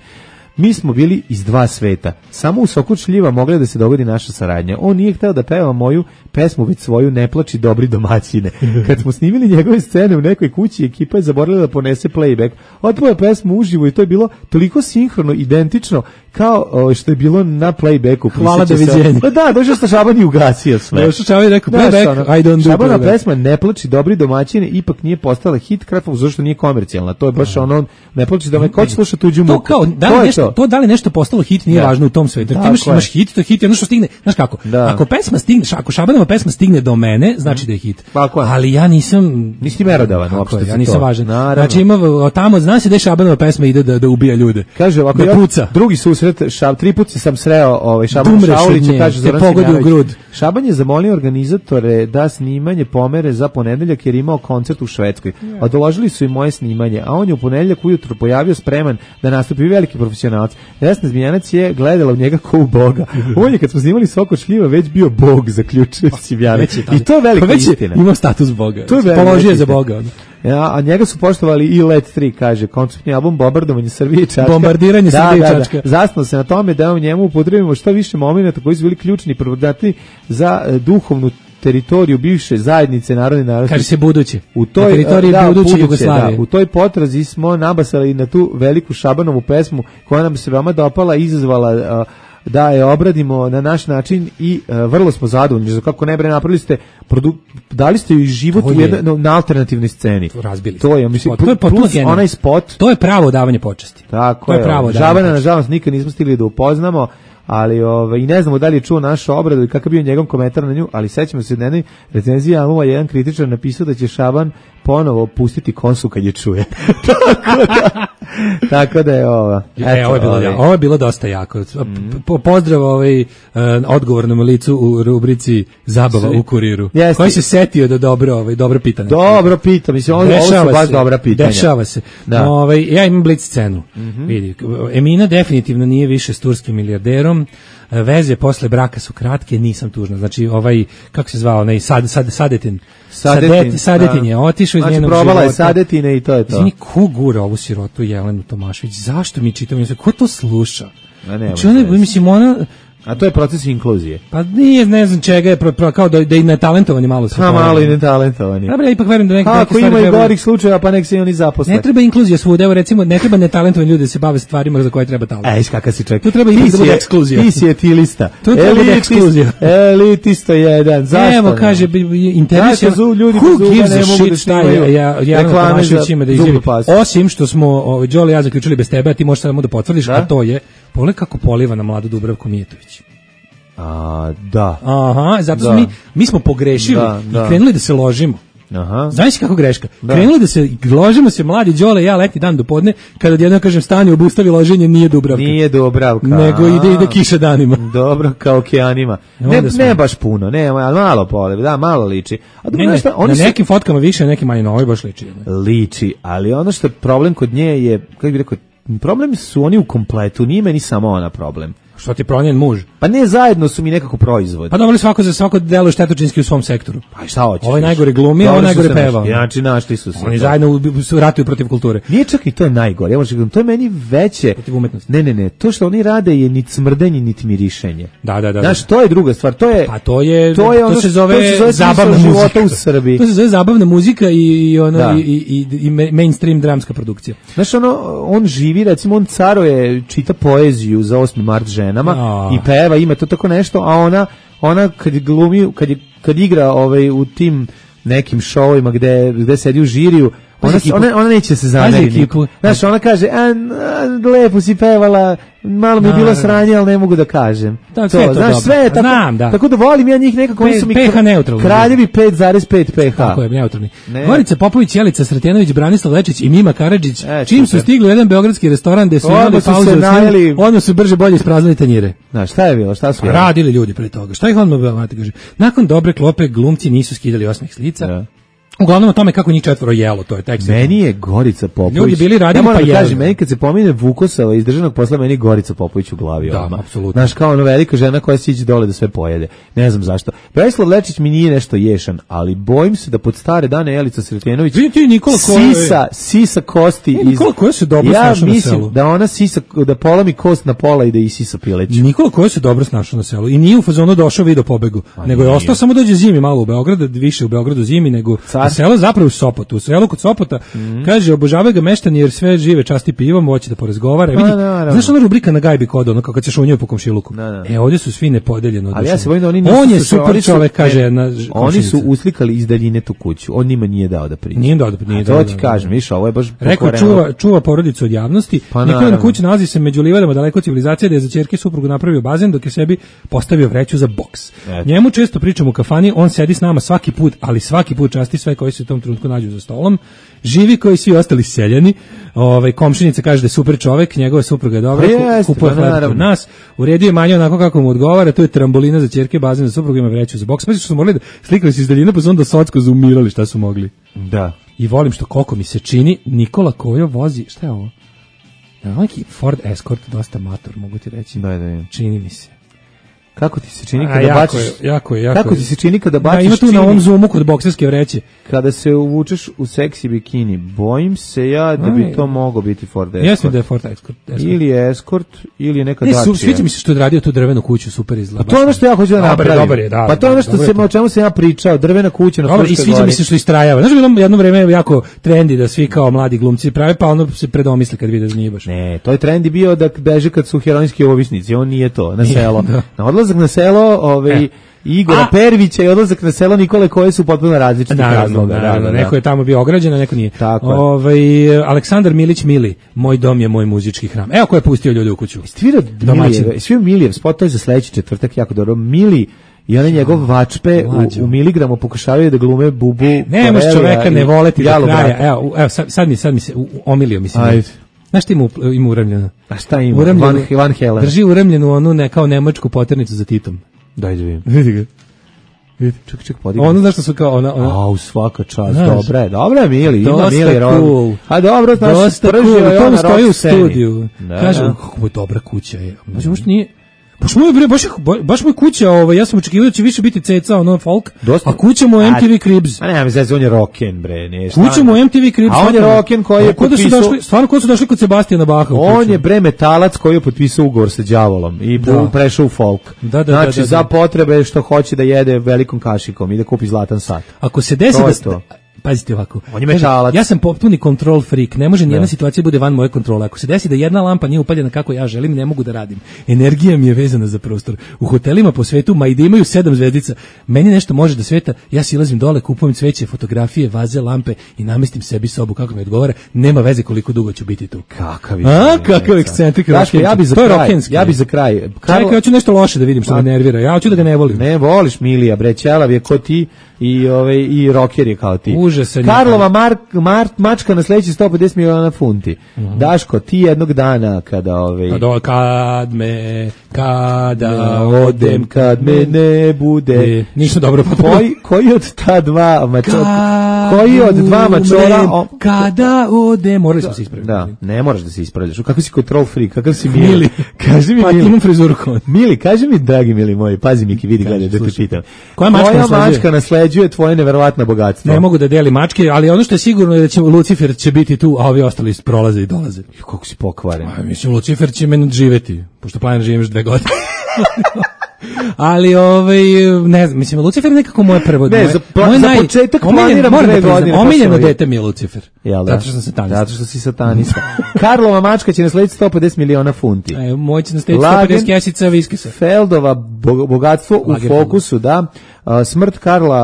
Mi smo bili iz dva sveta. Samo u Soku šljiva mogla da se dogodi naša saradnja. On nije hteo da peva moju pesmu, već svoju Ne plači dobri domaćine. Kad smo snimili njegove scene u nekoj kući, ekipa je zaboravila da ponese playback. Otpeo je pesmu uživo i to je bilo toliko sinhrono, identično kao o, što je bilo na playbacku. Hvala, doviđenja. Pa da, došao sta Šaban i ugasio sve. Došao Šaban i rekao playback, I don't do Šabana pesma Ne plači dobri domaćine ipak nije postala hit, kratko zašto nije komercijalna. To je baš ono Ne plači domaćine. Ko će slušati tuđu muku? To kao, da li nešto, to da li nešto postalo hit nije da. Važno u tom svetu. Ti imaš, imaš hit, to je hit, ono što stigne, znaš kako? Da. Ako pesma stigne, ako Šabanova pesma stigne do mene, znači da je hit. Ali ja nisam nisi merodavan uopšte. Ja nisam važan. Znači ima tamo zna se da Šabanova pesma ide da da ubija ljude. Kaže ovako, ja, drugi susret Šab, tri puta sam sreo ovaj Šaban Šaulić, kaže Zoran Simjanović. Šaban je zamolio organizatore da snimanje pomere za ponedeljak jer imao koncert u Švedskoj. Odložili su i moje snimanje, a on je u ponedeljak ujutro pojavio spreman da nastupi, veliki profesionalac. Vesna Zmijanac je gledala u njega kao u Boga. On je kad smo snimali Soko šljiva već bio Bog, zaključio Simjanović. I to je velika pa istina. Ima status Boga. To je položio za Boga. Ja, a njega su poštovali i Let tri, kaže, konceptni album Bombardovanje Srbije i Čačka. Bombardiranje da, Srbije i Čačka. Da, da. Zasnuo se na tome da u njemu upotrebimo što više momenata koji su bili ključni provodati za uh, duhovnu teritoriju bivše zajednice narodne narodne. Kaže se buduće. U toj teritoriji da, buduće Jugoslavije. Da, u toj potrazi smo nabasali na tu veliku Šabanovu pesmu koja nam se veoma dopala i izazvala uh, da je obradimo na naš način i uh, vrlo smo zadovoljni. Kako ne bre, napravili ste produ- dali ste joj život u jedno, na alternativnoj sceni. To razbili. To je, mislim, to je plus onaj spot. To je pravo davanje počasti. Tako to je. Pravo Žabana nažalost nikad nismo stigli da upoznamo, ali ovaj i ne znamo da li je čuo našu obradu i kakav bio njegov komentar na nju, ali sećamo se da jednoj recenziji albuma jedan kritičar napisao da će Šaban ponovo pustiti kosu kad je čuje. tako, da, tako da je ovo. E, ovo je bilo, ovaj. ovo je bilo dosta jako. Mm. Po, pozdrav ovaj, uh, odgovornom licu u rubrici Zabava Svi. u kuriru. Jeste. Koji se setio da dobro, ovaj, dobro pitanje. Dobro pita, mislim, ovo, ovo su baš se, dobra pitanja. Dešava se. Da. Ovaj, ja imam blic scenu. Mm-hmm. Vidi, Emina definitivno nije više s turskim milijarderom. Veze posle braka su kratke, nisam tužna. Znači, ovaj, kako se zvao, onaj sad, sad, Sadetin. Sadetin, Sadet, Sadetin je otišao iz znači, njenog života. Znači, probala je Sadetine i to je to. Znači, ko gura ovu sirotu Jelenu Tomašević? Zašto mi čitamo? Ko to sluša? A ne, znači, ona, mislim, ona... A to je proces inkluzije. Pa nije, ne znam čega je, pro, pro, kao da, da i netalentovani malo se. Pa malo i netalentovani. Dobro, ja ipak verujem da neke stvari treba... Ako ima i gorih slučajeva, pa nek se i oni zaposle. Ne treba inkluzija svuda, evo recimo, ne treba netalentovani ljudi da se bave stvarima za koje treba talent. Ej, kakav si čovjek. Tu treba i da bude ekskluzija. Ti si etilista. Tu treba bude ekskluzija. Elitisto jedan, zašto? Evo, kaže, interes je... Who gives a shit šta je, ja, ja Tomašević ima da izjavi. Osim što smo, ovaj, Đole i ja zaključili bez tebe, a ti možeš samo da potvrdiš, a to je, pogledaj kako poliva na mladu Dubravku Mijetović. A, da. Aha, zato da. mi, mi smo pogrešili da, da. i krenuli da se ložimo. Aha. Znaš kako greška? Da. Krenuli da se ložimo se mladi Đole i ja leti dan do podne, kada odjednom kažem stani obustavi loženje, nije Dubravka. Nije Dubravka. Nego ide ide kiša danima. Dobro, kao okeanima. Ne, ne baš puno, ne, ali malo pole, da, malo liči. A ne, ne, šta, oni na nekim su... fotkama više, nekim manje, no, ovo baš liči. Ne? Liči, ali ono što je problem kod nje je, kako bih rekao, problem su oni u kompletu, nije meni samo ona problem. Što ti promjen muž? Pa ne, zajedno su mi nekako proizvodi. Pa dobro, svako za svako deluje štetočinski u svom sektoru. Pa šta hoćeš? Ovo je najgore glumi, ovo je najgore peva. Znači, našli su se. Oni zajedno su ratuju protiv kulture. Nije čak i to je najgore. Ja možem, to je meni veće. Protiv umetnosti. Ne, ne, ne. To što oni rade je ni smrdenje, niti mirišenje. Da, da, da. Znaš, to je druga stvar. To je Pa to je to, je ono, to se zove, to se zove zabavna muzika u Srbiji. To se zove zabavna muzika i i ono da. i, i, i mainstream dramska produkcija. Znaš, ono on živi, recimo on caruje, čita poeziju za osmi mart ženama oh. i peva, ima to tako nešto, a ona ona kad glumi, kad je, kad igra ovaj u tim nekim šovovima gde gde sedi u žiriju, ona ona, ona neće se zameriti. Znaš, ona kaže, a, a, lepo si pevala, malo mi je bilo sranje, ali ne mogu da kažem. Da, sve to, znaš, sve je tako, Znam, da. tako da volim ja njih nekako, oni su mi pH neutralni. Kraljevi pet zarez pet pH. Tako je, neutralni. Gorica Popović, Jelica Sretenović, Branislav Lečić i Mima Karadžić, e, čim su stigli u jedan beogradski restoran gde su imali pauzu, onda su brže bolje ispraznili tanjire. Znaš, šta je bilo, šta su jeli? Radili ljudi pre toga. Šta ih odmah kaže? Nakon dobre klope glumci nisu skidali osmeh s lica. Ja. Uglavnom o tome kako njih četvoro jelo, to je tekst. Meni je Gorica Popović. Ljudi bili radili ja pa jeli. Kažem, meni kad se pomine Vukosava iz državnog posla, meni Gorica Popović u glavi. Da, odmah. apsolutno. Znaš, kao ona velika žena koja siđe dole da sve pojede. Ne znam zašto. Branislav Lečić mi nije nešto ješan, ali bojim se da pod stare dane Jelica Sretenović Vidite, Nikola sisa, sisa kosti iz... Nikola koja se dobro ja snašao na selu. Ja mislim da ona sisa, da polomi kost na pola i da isisa pileću. Nikola koja se dobro snašao na selu i nije u fazonu došao video pobegu, a nego je ostao samo dođe zimi malo u Beograd, više u Beogradu zimi nego na selo, zapravo u Sopotu. U selu kod Sopota, mm-hmm. kaže, obožavaju ga meštani jer sve žive časti pivom, hoće da porazgovara. Vidi, znaš ona rubrika na Gajbi kod, ono kako kad se šunjaju po komšiluku. Da, da. E, ovdje su svi nepodeljeno. Ali ja se bojim da oni on je super čovek, kaže na oni su uslikali iz daljine tu kuću. On njima nije dao da priđe. Nije dao da nije dao. To ti kažem, viš, ovo je baš rekao čuva, čuva porodicu od javnosti. Pa Nikolina kuća nalazi se među livadama daleko od civilizacije, da je za ćerke suprugu napravio bazen dok je sebi postavio vreću za boks. Et. Njemu često pričamo u kafani, on sedi s nama svaki put, ali svaki put časti sve koji se u tom trenutku nađu za stolom. Živi koji svi ostali seljani. Ovaj komšinica kaže da je super čovjek, njegova supruga je dobra, kupuje hleb kod nas. Uredio je manje onako kako mu odgovara, to je trambolina za ćerke, bazen za suprugu, ima vreću za boks. Pa što su morali da slikali se iz daljine, pa su onda socko zaumirali šta su mogli. Da. I volim što koliko mi se čini Nikola Kojo vozi, šta je ovo? Ja, neki Ford Escort, dosta mator, mogu ti reći. Da, da, čini mi se. Kako ti se čini kada baciš? Jako je, jako Kako ti se čini kada baciš? Da, ima tu čini, na ovom zoomu kod bokserske vreće. Kada se uvučeš u seksi bikini, bojim se ja da bi to moglo biti Ford Escort. Jesam da je Ford Escort. Escort. Ili je Escort, ili je neka ne, Dacia. Sviđa mi se što je radio tu drvenu kuću, super izgleda. Pa to je ono što ja hoću da napravim. Dobar je, da. Pa to je ono što se, o čemu sam ja pričao, drvena kuća na Fruškoj gori. I sviđa mi se što istrajava. Znaš, bilo jedno vreme jako trendi da svi kao mladi glumci prave, pa ono se predomisle kad vide da nije baš. Ne, to je trendi bio da beže kad su heroinski ovisnici, on nije to, na selo. Na odlazak na selo ovaj, e. Igora a, Pervića i odlazak na selo Nikole koje su potpuno različitih razloga. Da, da, da, neko je tamo bio ograđen, a neko nije. Ovaj Aleksandar Milić Mili, moj dom je moj muzički hram. Evo ko je pustio ljude u kuću. Stvira Milijev, svi Milijev, spot to je za sledeći četvrtak jako dobro. Mili i onaj njegov vačpe u, u miligramu pokušavaju da glume Bubu. Ne možeš čoveka ne voleti do kraja. Evo, evo sad, sad mi, sad mi se omilio mi se. Ajde. Znaš ti ima, ima uremljeno? A šta ima? Van, Van Helen. Drži uremljenu onu ne, kao nemačku poternicu za Titom. Daj da vidim. Vidi ga. Ček, ček, podigam. Ono znaš što su kao ona... ona... Au, svaka čast, dobra je, dobra je Mili, ima Mili cool. A dobro, znaš, dosta cool, to mu stoji u studiju. Da, kaže, da. kako je dobra kuća je. Znači, možda nije... Baš moj bre, baš baš moj kuća, ovaj ja sam očekivao da će više biti ceca, ono folk. Dosta. A kuća mu M T V Cribs. A ne, mislim on je rocken bre, ne. Kuća mu M T V Cribs. A on je rocken koji je potpisao. Došli, stvarno ko su došli kod Sebastijana Baha. On je bre metalac koji je potpisao ugovor sa đavolom i da. prešao u folk. Da, da, znači da, da, za da. potrebe što hoće da jede velikom kašikom i da kupi zlatan sat. Ako se desi da pazite ovako. On je metalac. Ja sam potpuni control freak. Ne može ni jedna situacija bude van moje kontrole. Ako se desi da jedna lampa nije upaljena kako ja želim, ne mogu da radim. Energija mi je vezana za prostor. U hotelima po svetu, ma i da imaju sedam zvezdica, meni nešto može da sveta, ja silazim dole, kupujem cveće, fotografije, vaze, lampe i namestim sebi sobu kako mi odgovara. Nema veze koliko dugo ću biti tu. Kakav je. A, kakav ekscentrik. Ja bi za kraj. Ja bi za kraj. Čekaj, hoću nešto loše da vidim što me nervira. Ja hoću da ga ne volim. Ne voliš Milija, bre, ćelav je ko ti i ovaj i rocker je kao ti. Užasan. Karlova Mark Mart mačka na sledeći sto pedeset miliona funti. Uh-huh. Daško, ti jednog dana kada ovaj kada kad me kada ne, odem kad me ne bude. E, ništa dobro pa koji koji od ta dva mačora koji od dva mačora o, kada odem morali smo se ispraviti. Da, ne moraš da se ispravljaš. Kakav si control freak, kakav si Mili. Mili. Kaži mi pa Mili. Imam frizuru kao. Mili, kaži mi dragi Mili moj, pazi Miki, vidi gledaj da te pitam. Koja mačka, mačka nasleđuje tvoje neverovatno bogatstvo? Ne mogu da delim mačke, ali ono što je sigurno je da će Lucifer će biti tu, a ovi ostali prolaze i dolaze. Kako si pokvaren. A mislim Lucifer će meni živeti, pošto planiram živim još dve godine. Ali ovaj ne znam, mislim Lucifer nekako moje prvo ne, za, pla, moj za naj, početak planiram dve da godine. Omiljeno dete mi je Lucifer. Jel da? Zato što sam satanista. Zato što si satanista. Karlova mačka će naslediti sto pedeset miliona funti. E, moj će naslediti sto pedeset kesica viskisa. Feldova bogatstvo u fokusu, da. Uh, smrt Karla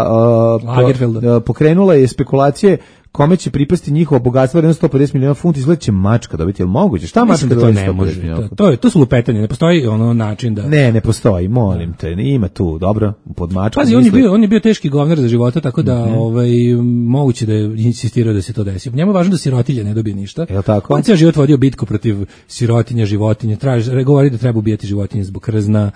uh, po, uh, pokrenula je spekulacije kome će pripasti njihovo bogatstvo od sto pedeset miliona funti, izgleda će mačka dobiti, jel moguće? Šta mačka da to ne može? To, to, je, to su lupetanje, ne postoji ono način da... Ne, ne postoji, molim te, ima tu, dobro, pod mačkom. Pazi, on je, bio, on je bio teški govnar za života, tako da mm-hmm. ovaj, moguće da je insistirao da se to desi. Njemu je važno da sirotilje ne dobije ništa. Jel tako? On cijel život vodio bitku protiv sirotinja, životinja, traži, govori da treba ubijati životinje zbog krzna.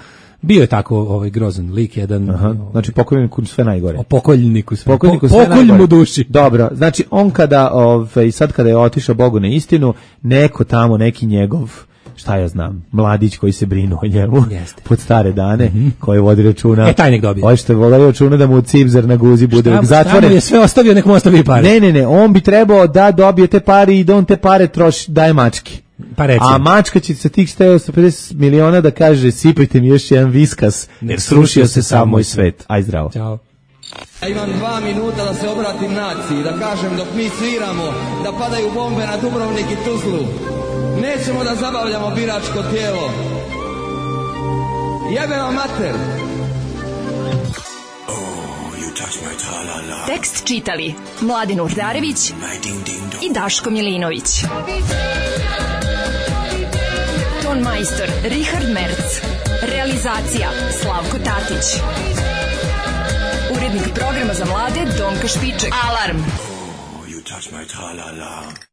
Bio je tako ovaj grozan lik jedan. Aha, znači pokojniku sve najgore. O pokojniku sve. Pokojniku sve najgore. Pokolj mu duši. Dobro, znači on kada ovaj sad kada je otišao Bogu na istinu, neko tamo neki njegov šta ja znam, mladić koji se brinu o njemu Jeste. pod stare dane, mm-hmm. koji vodi računa. E, taj nek dobije. Ovo što vodi računa da mu cipzar na guzi bude šta, zatvoren. Šta je sve ostavio, nek mu ostavi pare. Ne, ne, ne, on bi trebao da dobije te pare i da on te pare troši, daje mački. Pa a mačka će sa tih sto pedeset miliona da kaže sipajte mi još jedan viskas, jer srušio se sam moj svet. Aj zdravo. Ćao. Ja imam dva minuta da se obratim naciji, da kažem dok mi sviramo, da padaju bombe na Dubrovnik i Tuzlu. Nećemo da zabavljamo biračko tijelo. Jebe vam mater. Tekst čitali Mladin Urdarević i Daško Milinović. Ton majstor Richard Merc. Realizacija Slavko Tatić. Urednik programa za mlade Donka Špiček. Alarm! Oh, you touch my tra-la-la.